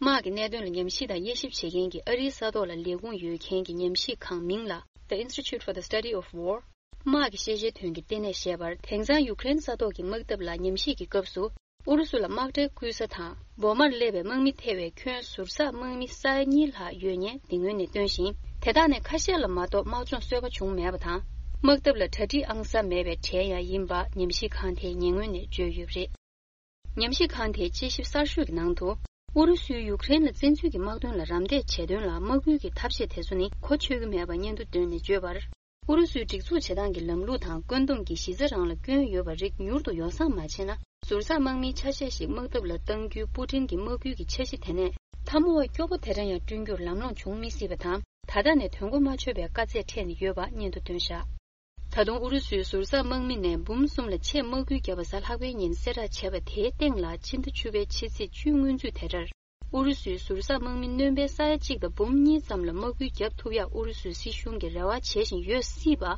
དམག་གི་གནད་དོན་ལ་ཉམས་ཞིབ་དང་དབྱེ་ཞིབ་བྱེད་མཁན་གྱི་ཨ་རིའི་ས་ཐོག་ལ་ལས་ཁུངས་ཡོད་མཁན་གྱི་ཉམས་ཞིབ་ཁང་མིང་ལ་The Institute for the Study of War དམག་གི་ཤེས་བྱའི་དོན་གྱི་ལྟེ་གནས་ཞེས་པར། དེང་སང་ཡུཀ་རེན་ས་ཐོག་གི་དམག་འཐབ་ལ་ཉམས་ཞིབ་ཀྱི་སྐབས་སུ། ཨུ་རུ་སུ་ལ་དམག་གྲལ་བསྐུལ་ས་དང་། འོ་མར་སླེབས་པའི་དམག་མི་ཐེ་བའི་ཁྱོན་ཟུར་བཟའ་དམག་མི་ས་ཡ་གཉིས་ལྷག་ཡོད་ཉེན་འདི་ངོས་ནས་བཏོན་ཞིང་། དེ་དག་ནས་ཁ་ཤས་ལ་མ་གཏོགས་དམག་སྦྱོང་གསོལ་བ་བྱུང་མེད་པ་དང་། དམག་འཐབ་ལ་གྲ་སྒྲིག་ཨང་གསར་མེད་པའི་གྲས་ཡང་ཡིན་པ་ཉམས་ཞིབ་ཁང་དེའི་ཉེ་སྔོན་ནས་བརྗོད་ཡོད་པ་རེད། ཉམས་ཞིབ་ཁང་དེའི་དཔྱད་ཞིབ་གསར་ཤོས་ཀྱི་ནང་དུ། ཨུ་རུ་སུས་ཡུཀ་རེན་ལ་བཙན་འཛུལ་གྱི་དམག་དོན་ལ་རམ་འདེགས་བྱེད་དོན་ལ་དམག་འཁུར་གྱི་ཐབས་ཤེས་དེ་ཚོ་ནི་གོ་ཆོད་ཀྱི་མེད་པ་སྙན་ཐོ་བཏོན་ནས་བརྗོད་པར། ཨུ་རུ་སུའི་སྒྲིག་འཛུགས་བྱེད་སྟངས་ཀྱི་ལམ་ལུགས་དང་བཀོད་འདོམས་ཀྱི་གཞི་རྩ་རང་ལ་སྐྱོན་ཡོད་པ་རིགས་མྱུར་དུ་ཡོ་བསྲང་མ་བྱས་ན། ཟུར་བཟའ་དམག་མིའི་ཆ་ཤས་ཤིག་དམག་འཐབ་ལ་གཏང་རྒྱུའི་པུ་ཏིན་གྱི་དམག་ཁུལ་གྱི་འཆར་གཞི་དེ་ནས་འཐབ་མོ་བ་སྐྱོ་པོ་དེ་འདྲ་ཡང་བསྐྲུན་རྒྱུར་ལམ་ལྷོང་བྱུང་མི་སྲིད་པ་དང་། ད་ལྟ་ནས་དོན་གོ་མ་ཆོད་པའི་དཀའ་ཚེགས་འཕྲད་ནས་ཡོད་པ་སྙན་ཐོ་བཏོན་བཞག་ད་དུང་ཨུ་རུ་སུའི་ཟུར་བཟའ་དམག་མི་ནས་འབུམ་གསུམ་ལ་ཆེད་དམག་ཁུལ་བརྒྱབ་པ་གཟའ་ལྷག་པའི་ཉིན་གསལ་བསྒྲགས་བྱས་པ་དེའི་སྟེང་ལ། ཕྱི་ཟླ་བཅུ་པའི་ཕྱི་ཚེས་བཅུའི་སྔོན་ཚུད་དེ་ལྟར། ཨུ་རུ་སུའི་ཟུར་བཟའ་དམག་མི་སྣོན་པའི་ས་ཡ་གཅིག་དང་འབུམ་གཉིས་ཙམ་ལ་དམག་ཁུལ་བརྒྱབ་ཐུབ་ཡག་ཨུ་རུ་སུའི་སྲིད་གཞུང་གིས་རེ་བ་བྱེད་བཞིན་ཡོད་སྲིད་པ།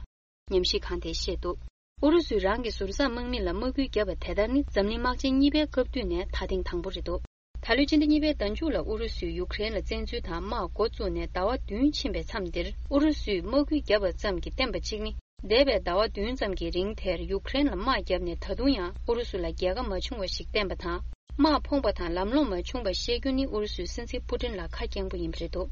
ཉམས་ཞིབ་ཁང་དེས་བཤད་འདུག་ཨུ་རུ་སུས་རང་གི་ཟུར་བཟའ་དམག་མི་ལ་དམག་ཁུལ་བརྒྱབ་པ་དེ་ལྟར་ནི། འཛམ་གླིང་དམག་ཆེན་གཉིས་པའི་སྐབས་དུས་ནས་ད་ཐེངས་དང་པོ་རེད་འདུག་ད་ལོའི་ཕྱི་ཟླ་གཉིས་པའི་ཟླ་མཇུག་ལ་ཨུ་རུ་སུས་ཡུཀ་རེན་ལ་བཙན་འཛུལ་དང་དམག་འགོ་བཙུགས་ནས་ཟླ་བ་བདུན་ཕྱིན་པའི་མཚམས་འདིར། ཨུ་རུ་སུས་དམག་ཁུལ་བརྒྱབ་པ་ཙམ་གྱིས་བསྟན་པ་གཅིག་ནི། འདས་པའི་ཟླ་བ་བདུན་ཙམ་གྱི་རིང་དེར་ཡུཀ་རེན་ལ་དམག་བརྒྱབ་ནས་ད་དུང་ཡང་ཨུ་རུ་སུ་ལ་རྒྱལ་ཁ་མ་བྱུང་བ་ཞིག་བསྟན་པ་དང་། དམག་ཕོངས་པ་དང་ལམ་ལྷོང་མ་བྱུང་བ་བཤད་རྒྱུ་ནི་ཨུ་རུ་སུའི་སྲིད་འཛིན་པུ་ཏིན་ལ་ཁ་སྐྱེངས་པོ་ཡིན་པ་རེད་འདུག་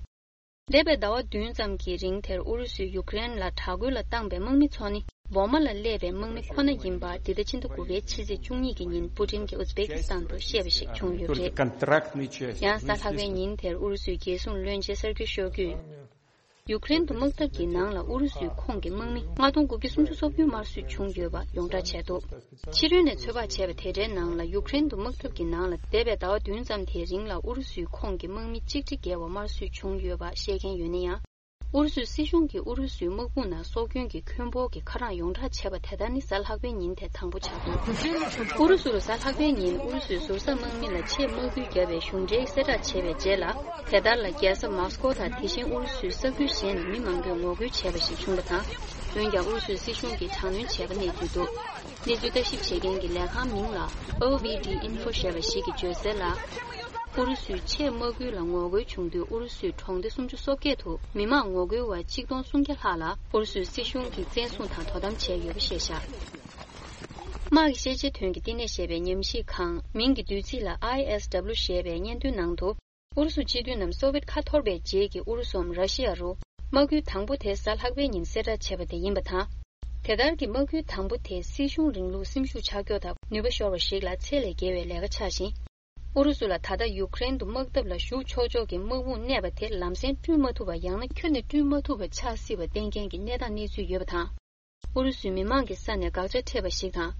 འདས་པའི་ཟླ་བ་བདུན་ཙམ་གྱི་རིང་དེར་ཨུ་རུ་སུས་ཡུཀ་རེན་ལ་དྲག་རྒོལ་ལ་བཏང་པའི་དམག་མི་ཚོ་ནི་འོག་མ་ལ་སླེབས་པའི་དམག་མི་ཁོ་ན་ཡིན་པ། འདི་ཟླ་ཕྱི་ཟླ་དགུ་པའི་ཕྱི་ཚེས་བཅུ་གཉིས་ཀྱི་ཉིན་པུ་ཏིན་གྱིས་ཨུ་ཛི་བེ་ཀི་སི་ཐན་དུ་བཤད་པ་ཞིག་བྱུང་ཡོད་པ་རེད། ཡང་གཟའ་ལྷག་པའི་ཉིན་དེར་ཨུ་རུ་སུའི་རྒྱལ་སྲུང་བློན་ཆེན་སར་ཀི་ཤོ་གུས། ཡུཀ་རེན་དུ་དམག་འཐབ་ཀྱི་ནང་ལ་ཨུ་རུ་སུའི་ཁོངས་ཀྱི་དམག་མི་ལྔ་སྟོང་དགུ་བརྒྱ་སུམ་ཅུ་སོ་བདུན་དམར་གསོད་བྱུང་ཡོད་པ་ཡོངས་བསྒྲགས་བྱས་འདུག་ཕྱི་རོལ་ནས་ཚོད་དཔག་བྱས་པ་དེ་འདྲའི་ནང་ལ་ཡུཀ་རེན་དུ་དམག་འཐབ་ཀྱི་ནང་ལ་འདས་པའི་ཟླ་བ་བདུན་ཙམ་དེའི་རིང་ལ་ཨུ་རུ་སུའི་ཁོངས་ཀྱི་དམག་མི་གཅིག་ཁྲི་བརྒལ་བ་དམར་གསོད་བྱུང་ཡོད་པ་བཤད་མཁན་ཡོད་ན་ཡང་། ཨུ་རུ་སུའི་སྲིད་གཞུང་གིས་ཨུ་རུ་སུའི་དམག་དཔུང་ནང་སྲོག་སྐྱོན་གྱི་ཁྱོན་འབོར་གྱི་ཁ་གྲངས་ཡོངས་བསྒྲགས་བྱས་པ་དེ་ལྟར་ནི་གཟའ་ལྷག་པའི་ཉིན་དེ་དང་པོ་ཆགས་འདུག་ཨུ་རུ་སུ་རུ་གཟའ་ལྷག་པའི་ཉིན་ཨུ་རུ་སུའི་ཟུར་ཟ་དམག་མི་ལ་ཆེས་དམག་སྐུལ་བརྒྱབ་པའི་གཞུང་འབྲེལ་གསལ་བསྒྲགས་བྱས་པའི་རྗེས་ལ། དེ་ལྟར་ལ་རྒྱལ་ས་མོ་སི་ཀོ་དང་དེ་བཞིན་ཨུ་རུ་སུའི་ས་ཁུལ་གཞན་ནས་མི་མང་པོས་ངོ་རྒོལ་བྱས་པ་ཞིག་བྱུང་བ་དང་། འོན་ཀྱང་ཨུ་རུ་སུའི་སྲིད་གཞུང་གིས་དྲག་གནོན་བྱས་པ་གནས་ཚུལ་འདུག་གནས་ཚུལ་ལྟ་ཞིབ་བྱེད་མཁན་གྱི་ལས་ཁང་མིང་ལ་ཨོ་ཝི་ཌི་ཨིན་ཧྥོ་ཞེས་པ་ཞིག་གིས་བརྗོད་གསལ་ལ། ཨུ་རུ་སུའི་ཆེས་དམག་ཁུལ་ལ་ངོ་རྒོལ་བྱུང་དུས་ཨུ་རུ་སུའི་གྲོང་སྡེ་སུམ་ཅུ་སོ་བརྒྱད་དུ་མི་མང་ངོ་རྒོལ་བ་གཅིག་སྟོང་སུམ་བརྒྱ་ལྷག་ལ་ཨུ་རུ་སུའི་སྲིད་གཞུང་གིས་བཙན་བཟུང་དང་དོ་དམ་བྱས་ཡོད་པ་བཤད་བཞག་དམག་གི་ཤེས་བྱའི་དོན་གྱི་བསྟི་གནས་ཞེས་པའི་ཉམས་ཞིབ་ཁང་མིང་གི་བསྡུས་ཚིག་ལ་ཨའི་ཨེས་ཌབ་ལིའུ་ཞེས་པའི་སྙན་ཐོའི་ནང་དུ། ཨུ་རུ་སུ་སྤྱི་མཐུན་ནམ་སོ་ཝེད་ཁ་འཐོར་བའི་རྗེས་ཀྱི་ཨུ་རུ་སུའམ་ར་ཤི་ཡ་རུ། དམག་ཁུལ་དང་པོ་དེ་གཟའ་ལྷག་པའི་ཉིན་གསལ་བསྒྲགས་བྱས་པ་དེ་ཡིན་པ་དང་། དེ་ལྟར་གྱི་དམག་ཁུལ་དང་པོ་དེ་སྲིད་གཞུང་རིང་ལུགས་སེམས་ཤུགས་ཆག་སྐྱོ་དང་ནུས་པ་ཤོར་བ་ཞིག་ལ་ཚད་ལས་བརྒལ་བའི་ལས་ཀ་ཆགས་ཤིང་། ཨུ་རུ་སུ་ལ་ད་ལྟ་ཡུཀ་རེན་དུ་དམག་འཐབ་ལ་ཞུགས་ཆོག་ཆོག་གི་དམག་དཔུང་གནས་པ་དེ་ལམ་སེང་བསྐྲུན་མ་ཐུབ་པ་ཡང་ན་ཁྱོན་ནས་བསྐྲུན་མ་ཐུབ་པ་ཆགས་སྲིད་པ་བསྟན་མཁན་གྱི་གནས་སྟངས་གནས་ཚུལ་ཡོད་པ་དང་། ཨུ་རུ་སུའི་མི་མང་གི་ས་ནས་དགག་བྱ་འཕྲད་པ་ཞིག་དང་།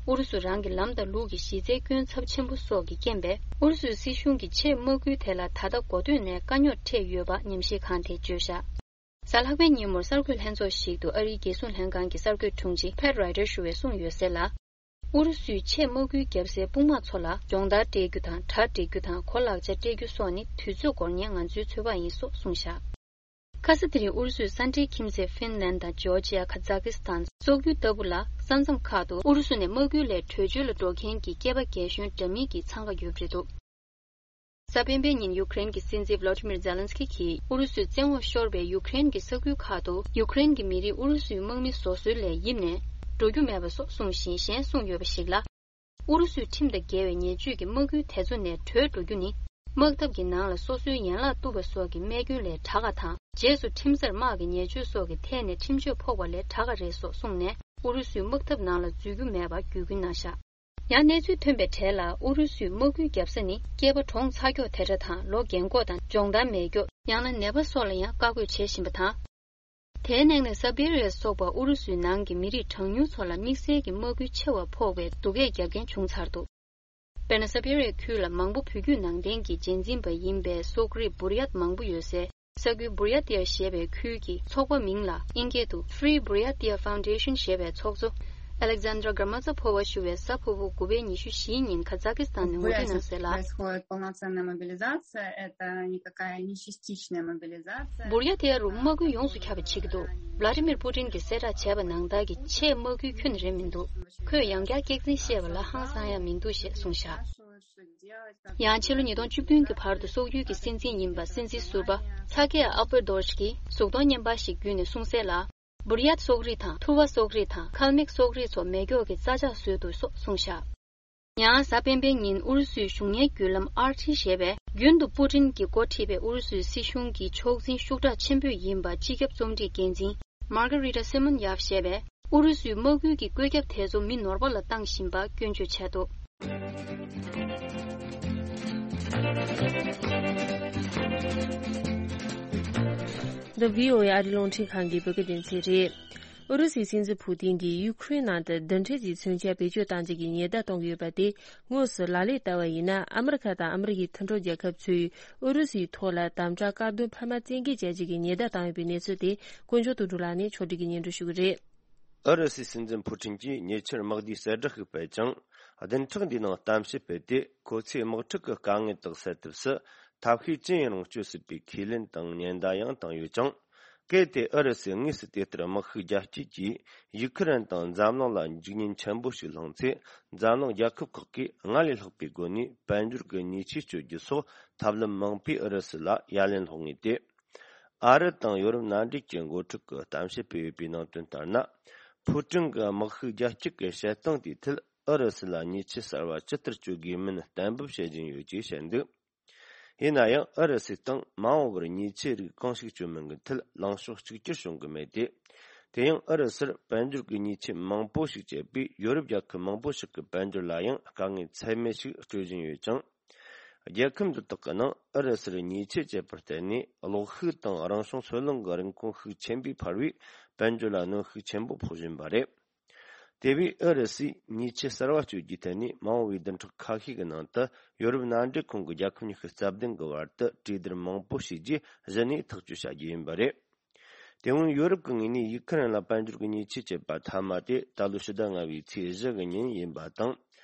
ཨུ་རུ་སུ་རང་གི་ལམ་དང་ལུགས་ཀྱི་གཞི་རྩའི་སྐྱོན་ཚབས་ཆེན་པོ་སོགས་ཀྱི་རྐྱེན་པས། ཨུ་རུ་སུའི་སྲིད་གཞུང་གིས་ཆེས་དམག་ཁུལ་དེ་ལ་ད་ལྟ་འགོ་སྟོད་ནས་དཀའ་རྙོག་འཕྲད་ཡོད་པ་ཉམས་ཞིབ་ཁང་དེས་བརྗོད་བཞག་གཟའ་ལྷག་པའི་ཉིན་མོར་གསར་འགོད་ལྷན་ཚོགས་ཤིག་ཏུ་ཨ་རིའི་རྒྱལ་སྲུང་ལྷན་ཁང་གི་གསར་འགོད་དྲུང་ཆེ་Pat Ryder ཞུ་བས་གསུངས་ཡོད་གསལ་ལ། ཨུ་རུ་སུས་ཆེས་དམག་ཁུལ་བརྒྱབ་སའི་དཔུང་དམག་ཚོ་ལ་སྦྱོང་བརྡར་སྤྲད་རྒྱུ་དང་། གྲ་སྒྲིག་རྒྱུ་དང་གོ་ལག་ཆ་སྤྲད་རྒྱུ་སོགས་ནི་དུས་ཚོད་འགོར་ཉེན་ང་ཚོའི་ཚོད་དཔག་ཡིན་སོགས་གསུངས་བཞག་ཁ་ས་དེ་རིང་ཨུ་རུ་སུའི་ས་འབྲེལ་ཁྱིམ་མཚེས་ཧྥིན་ལན་དང་ཇོར་ཇི་ཡ། ཁ་ཛ་ཀི་སི་ཐན། སོག་ཡུལ་ལྟ་བུ་ལ་ས་མཚམས་ཁག་ཏུ་ཨུ་རུ་སུ་ནས་དམག་ཁུལ་ལས་བྲོས་བྱོལ་ལ་འགྲོ་མཁན་གྱི་སྐྱེས་པ་རྒན་གཞོན་འདྲ་མིན་གྱིས་འཚང་ཁ་ཡོད་པ་རེད་འདུག་གཟའ་སྤེན་པའི་ཉིན་ཡུཀ་རེན་གྱི་སྲིད་འཛིན་Volodymyr Zelensky གྱིས་ཨུ་རུ་སུས་བཙན་འོག་ཤོར་བའི་ཡུཀ་རེན་གྱི་ས་ཁུལ་ཁག་ཏུ་ཡུཀ་རེན་གྱི་མི་རིགས་ཨུ་རུ་སུའི་དམག་མི་བཟོ་སྲོལ་ལས་ཡིབ་ནས་འགྲོ་རྒྱུ་མེད་པ་སོགས་གསུངས་ཤིང་། གཞན་གསུངས་ཡོད་པ་ཞིག་ལ། ཨུ་རུ་སུའི་ཁྲིམས་དང་འགལ་བའི་ཉེས་སྤྱོད་ཀྱིས་དམག་ཁུལ་དེ་ཚོ་ནས་བྲོས་འགྲོ་རྒྱུ་ནི། དམག་འཐབ་ཀྱི་ནང་ལ་སོ་སོའི་ཡན་ལག་གཏུབ་པ་སོགས་ཀྱི་རྨས་སྐྱོན་ལས་དྲག་ག་དང་། རྗེས་སུ་ཁྲིམས་སར་དམག་གི་ཉེས་སྤྱོད་སོགས་ཀྱི་ཐད་ནས་ཁྲིམས་གཅོད་ཕོག་པ་ལས་དྲག་ག་རེད་སོགས་གསུངས་ནས། ཨུ་རུ་སུའི་དམག་འཐབ་ནང་ལ་འཛུལ་རྒྱུ་མེད་པར་བརྒྱུད་སྐུལ་གནང་བཞག་ཡང་གནས་ཚུལ་ཐོན་པའི་གྲས་ལ། ཨུ་རུ་སུས་དམག་ཁུལ་བརྒྱབ་ས་ནི་སྐྱེས་པ་གྲོངས་ཚར་ཀྱོག་དེ་འདྲ་དང་། ལོ་རྒན་འཁོགས་དང་སྦྱོང་བརྡར་མེད་ཀྱོག་ཡང་ན་ནད་པ་སོགས་ལ་ཡང་བཀའ་བཀོད་བྱེད་བཞིན་པ་དང་། དེའི་ནང་ནས་སཱ་བེ་རི་ཡ་སོགས་པ་ཨུ་རུ་སུའི་ནང་གི་མི་རིགས་གྲངས་ཉུང་ཚོ་ལ་དམིགས་བསལ་གྱི་དམག་སྐུལ་ཆེ་བ་ཕོག་པའི་སྡུག་སྐད་རྒྱབ་མཁན་བྱུང་ཚར་འདུག་དཔེར་ན། སཱ་བེ་རི་ཡ་ཁུལ་ལ་མང་པོ་བོད་བརྒྱུད་ནང་བསྟན་གྱི་རྗེས་འཛིན་པ་ཡིན་པའི་སོག་རིགས་བུར་ཡ་ཏི་མང་པོ་ཡོད་སའི་ས་ཁུལ་བུར་ཡ་ཏི་ཡ་ཞེས་པའི་ཁུལ་གྱི་ཚོགས་པ་མིང་ལ་དབྱིན་སྐད་དུ་Free Buryatia Foundation ཞེས་པའི་ཚོགས་གཙོ་Alexandra Gramazopova ཞུ་བས་གཟའ་ཕུར་བུ་དགུ་པའི་ཉི་ཤུ་བཞིའི་ཉིན་ཁ་ཛ་ཀི་སི་ཐན་ནས་ངོ་སྤྲོད་གནང་གསལ་ལ། Бурятии происходит полноценная мобилизация, это никакая не частичная мобилизация. བུར་ཡ་ཏི་ཡ་རུ་དམག་སྐུལ་ཡོངས་སུ་ཁྱབ་པ་བྱེད་ཀྱི་འདུག་ཝླ་ཏི་མིར་པུ་ཏིན་གྱིས་གསལ་བསྒྲགས་བྱས་པ་ནང་ལྟར་གྱི་ཆེས་དམག་སྐུལ་ཁྱོན་ནས་རེད་མི་འདུག་ཁོས་ཡང་བསྐྱར་སྐྱག་རྫུན་བཤད་པ་ལ་ཧང་སང་ཡ་མི་འདུག་ཞེས་གསུངས་བཞག་ཡང་ཕྱི་ལོ་ཉིས་སྟོང་བཅུ་བདུན་གྱི་བར་དུ་སོག་ཡུལ་གྱི་སྲིད་འཛིན་ཡིན་པ་སྲིད་འཛིན་ཟུར་པ་ཚ་ཀེ་ཨ་པར་དོར་ཤ་གིས་གཟུགས་མཐོང་བརྙན་པར་ཞིག་བརྒྱུད་ནས་གསུངས་གསལ་ལ། བུར་ཡ་ཏི་སོག་རིགས་དང་ཐུ་བ་སོག་རིགས་དང་ཁལ་མིག་སོག་རིགས་ཚོ་མེ་སྒྱོགས་ཀྱི་རྩྭ་ལྕགས་བཟོས་འདུག་སོགས་གསུངས་བཞག་ཡང་གཟའ་སྤེན་པའི་ཉིན་ཨུ་རུ་སུའི་གཞུང་གཉེར་བརྒྱུད་ལམ་ཨར་ཊི་ཞེས་པས་རྒྱུན་དུ་པུ་ཏིན་གྱིས་འགོ་ཁྲིད་པའི་ཨུ་རུ་སུའི་སྲིད་གཞུང་གི་ཕྱོགས་འཛིན་ཤུགས་དྲག་ཆེན་པོས་ཡིན་པ་སྤྱི་ཁྱབ་རྩོམ་སྒྲིག་འགན་འཛིན་Margarita Simonyav ཞེས་པས། ཨུ་རུ་སུའི་དམག་ཁུལ་གྱི་བཀོད་ཁྱབ་དེ་ཚོ་མི་ནོར་བ་ལ་བཏང་བཞིན་པ་སྐྱོན་བརྗོད་བྱས་འདུག་འདི་བྷི་ཨོ་ཨེ་ཨ་རིའི་རླུང་འཕྲིན་ཁང་གི་བོད་སྐད་སྡེ་ཚན་རེད། ཨུ་རུ་སུའི་སྲིད་འཛིན་ཕུ་ཏིན་གྱིས་ཡུ་ཁུ་རེན་ནང་དུ་རྡུལ་ཕྲན་གྱི་མཚོན་ཆ་བེད་སྤྱོད་གཏང་རྒྱུ་གི་ཉེན་བརྡ་གཏོང་གི་ཡོད་པ་དེ། དངོས་སུ་ལག་ལེན་བསྟར་བ་ཡིན་ན། ཨ་མི་རི་ཁ་དང་ཨ་མི་རི་ཀའི་མཐུན་གྲོགས་རྒྱལ་ཁབ་ཚོས་ཨུ་རུ་སུའི་ཐོག་ལ་དམ་དྲག་བཀག་སྡོམ་འཕར་མ་བཙན་འགེལ་བྱ་རྒྱུ་གི་ཉེན་བརྡ་བཏང་ཡོད་པའི་གནས་ཚུལ་དེ་དཀོན་མཆོག་དོན་གྲུབ་ལགས་ནས་ཕྱོགས་སྒྲིག་གིས་སྙན་སྒྲོན་ཞུ་གི་རེད། ཨུ་རུ་སུའི་སྲིད་འཛིན་ཕུ་ཀྲིན་གྱིས་ཉེ་ཆར་དམག་སྡེའི་གསལ་བསྒྲགས་ཤིག་སྤེལ་ཅིང་། བདུན་ཕྲག་འདིའི་ནང་གཏམ་བཤད་སྤེལ་ཏེ། ཁོ་ཚོས་དམག་འཁྲུག་གི་དཀའ་ངལ་དག་སེལ་ཐབས་སུ་ཐབས་ཤེས་ཅི་ཡིན་རུང་སྤྱོད་སྲིད་པའི་ཁས་ལེན་དང་ཉེན་བརྡ་ཡང་བཏང་ཡོད་ཅིང་། གལ་ཏེ་ཨུ་རུ་སུས་དངོས་སུ་དེ་ལྟར་དམག་ཤུགས་རྒྱ་སྐྱེད་ཀྱིས་ཡུ་ཁུ་རེན་དང་འཛམ་གླིང་ལ་འཇིགས་ཉེན་ཆེན་པོ་ཞིག་སློང་ཚེ། འཛམ་གླིང་རྒྱལ་ཁབ་ཁག་གིས་སྔར་ལས་ལྷག་པའི་སྒོ་ནས་དཔལ་འབྱོར་གྱི་ཉེས་ཆད་གཅོད་རྒྱུ་སོགས་ཐབས་ལམ་མང་པོས་ཨུ་རུ་སུ་ལ་ཡ་ལན་སློག་ངེས་ཏེ། ཨ་རི་དང་ཡོ་རོབ་མནའ་འབྲེལ་གྱི་འགོ་ཁྲིད་ཀྱིས་གཏམ་བཤད་སྤེལ་ཡོད་པའི་ནང་དོན་ལྟར་ན། ཕུ་ཀྲིན་གྱིས་དམག་ཤུགས་རྒྱ་སྐྱེད་ཀྱི་བྱེད་སྟངས་དེའི་ཐད་ཨུ་རུ་སུ་ལ་ཉེས་ཆད་གསར་བ་ཇི་ལྟར་གཅོད་དགོས་མིན་གཏན་འབེབས་བྱེད་བཞིན་ཡོད་ཅེས་བཤད་འདུག་ཡིན་ན་ཡང་ཨུ་རུ་སུའི་སྟེང་མ་འོངས་པར་ཉེས་ཆད་རིགས་གང་ཞིག་གཅོད་མིན་གྱི་ཐད་ལངས་ཕྱོགས་གཅིག་གྱུར་བྱུང་གི་མེད་དེ། དེ་ཡང་ཨུ་རུ་སུར་དཔལ་འབྱོར་གྱི་ཉེས་ཆད་མང་པོ་ཞིག་བཅད་པས་ཡོ་རོབ་རྒྱལ་ཁབ་མང་པོ་ཞིག་གི་དཔལ་འབྱོར་ལ་ཡང་དཀའ་ངལ་ཚད་མེད་ཞིག་སྤྲོད་བཞིན་ཡོད་ཅིང་། རྒྱལ་ཁབ་འདི་དག་གི་ནང་ཨུ་རུ་སུར་ཉེས་ཆད་བཅད་པར་བརྟེན་ནས་གློག་ཤུགས་དང་རང་བྱུང་སོལ་རླངས་ཀྱི་རིན་གོང་ཤུགས་ཆེན་པོས་འཕར་བས། དཔལ་འབྱོར་ལ་གནོན་ཤུགས་ཆེན་པོ་ཕོག་བཞིན་པ་རེད། དེ་བས་ཨུ་རུ་སུས་ཉེས་ཆད་གསར་བ་གཅོད་རྒྱུའི་ཐད་ནས་མ་འོངས་པའི་བདུན་ཕྲག་ཁ་ཤས་ཀྱི་ནང་དུ་ཡོ་རོབ་མནའ་འབྲེལ་ཁོངས་ཀྱི་རྒྱལ་ཁབ་ཉི་ཤུ་རྩ་བདུན་གྱི་བར་དུ་གྲོས་བསྡུར་མང་པོ་བྱས་རྗེས་གཞི་ནས་ཐག་གཅོད་བྱ་རྒྱུ་ཡིན་པ་རེད། དེ་སྔོན་ཡོ་རོབ་ཀྱི་ངོས་ནས་ཡུ་ཁུ་རེན་ལ་དཔལ་འབྱོར་གྱི་ཉེས་ཆད་བཅད་པ་མཐའ་མ་དེ་ད་ལོ་ཕྱི་ཟླ་ལྔ་པའི་ཚེས་བཞི་གི་ཉིན་ཡིན་པ་དང་།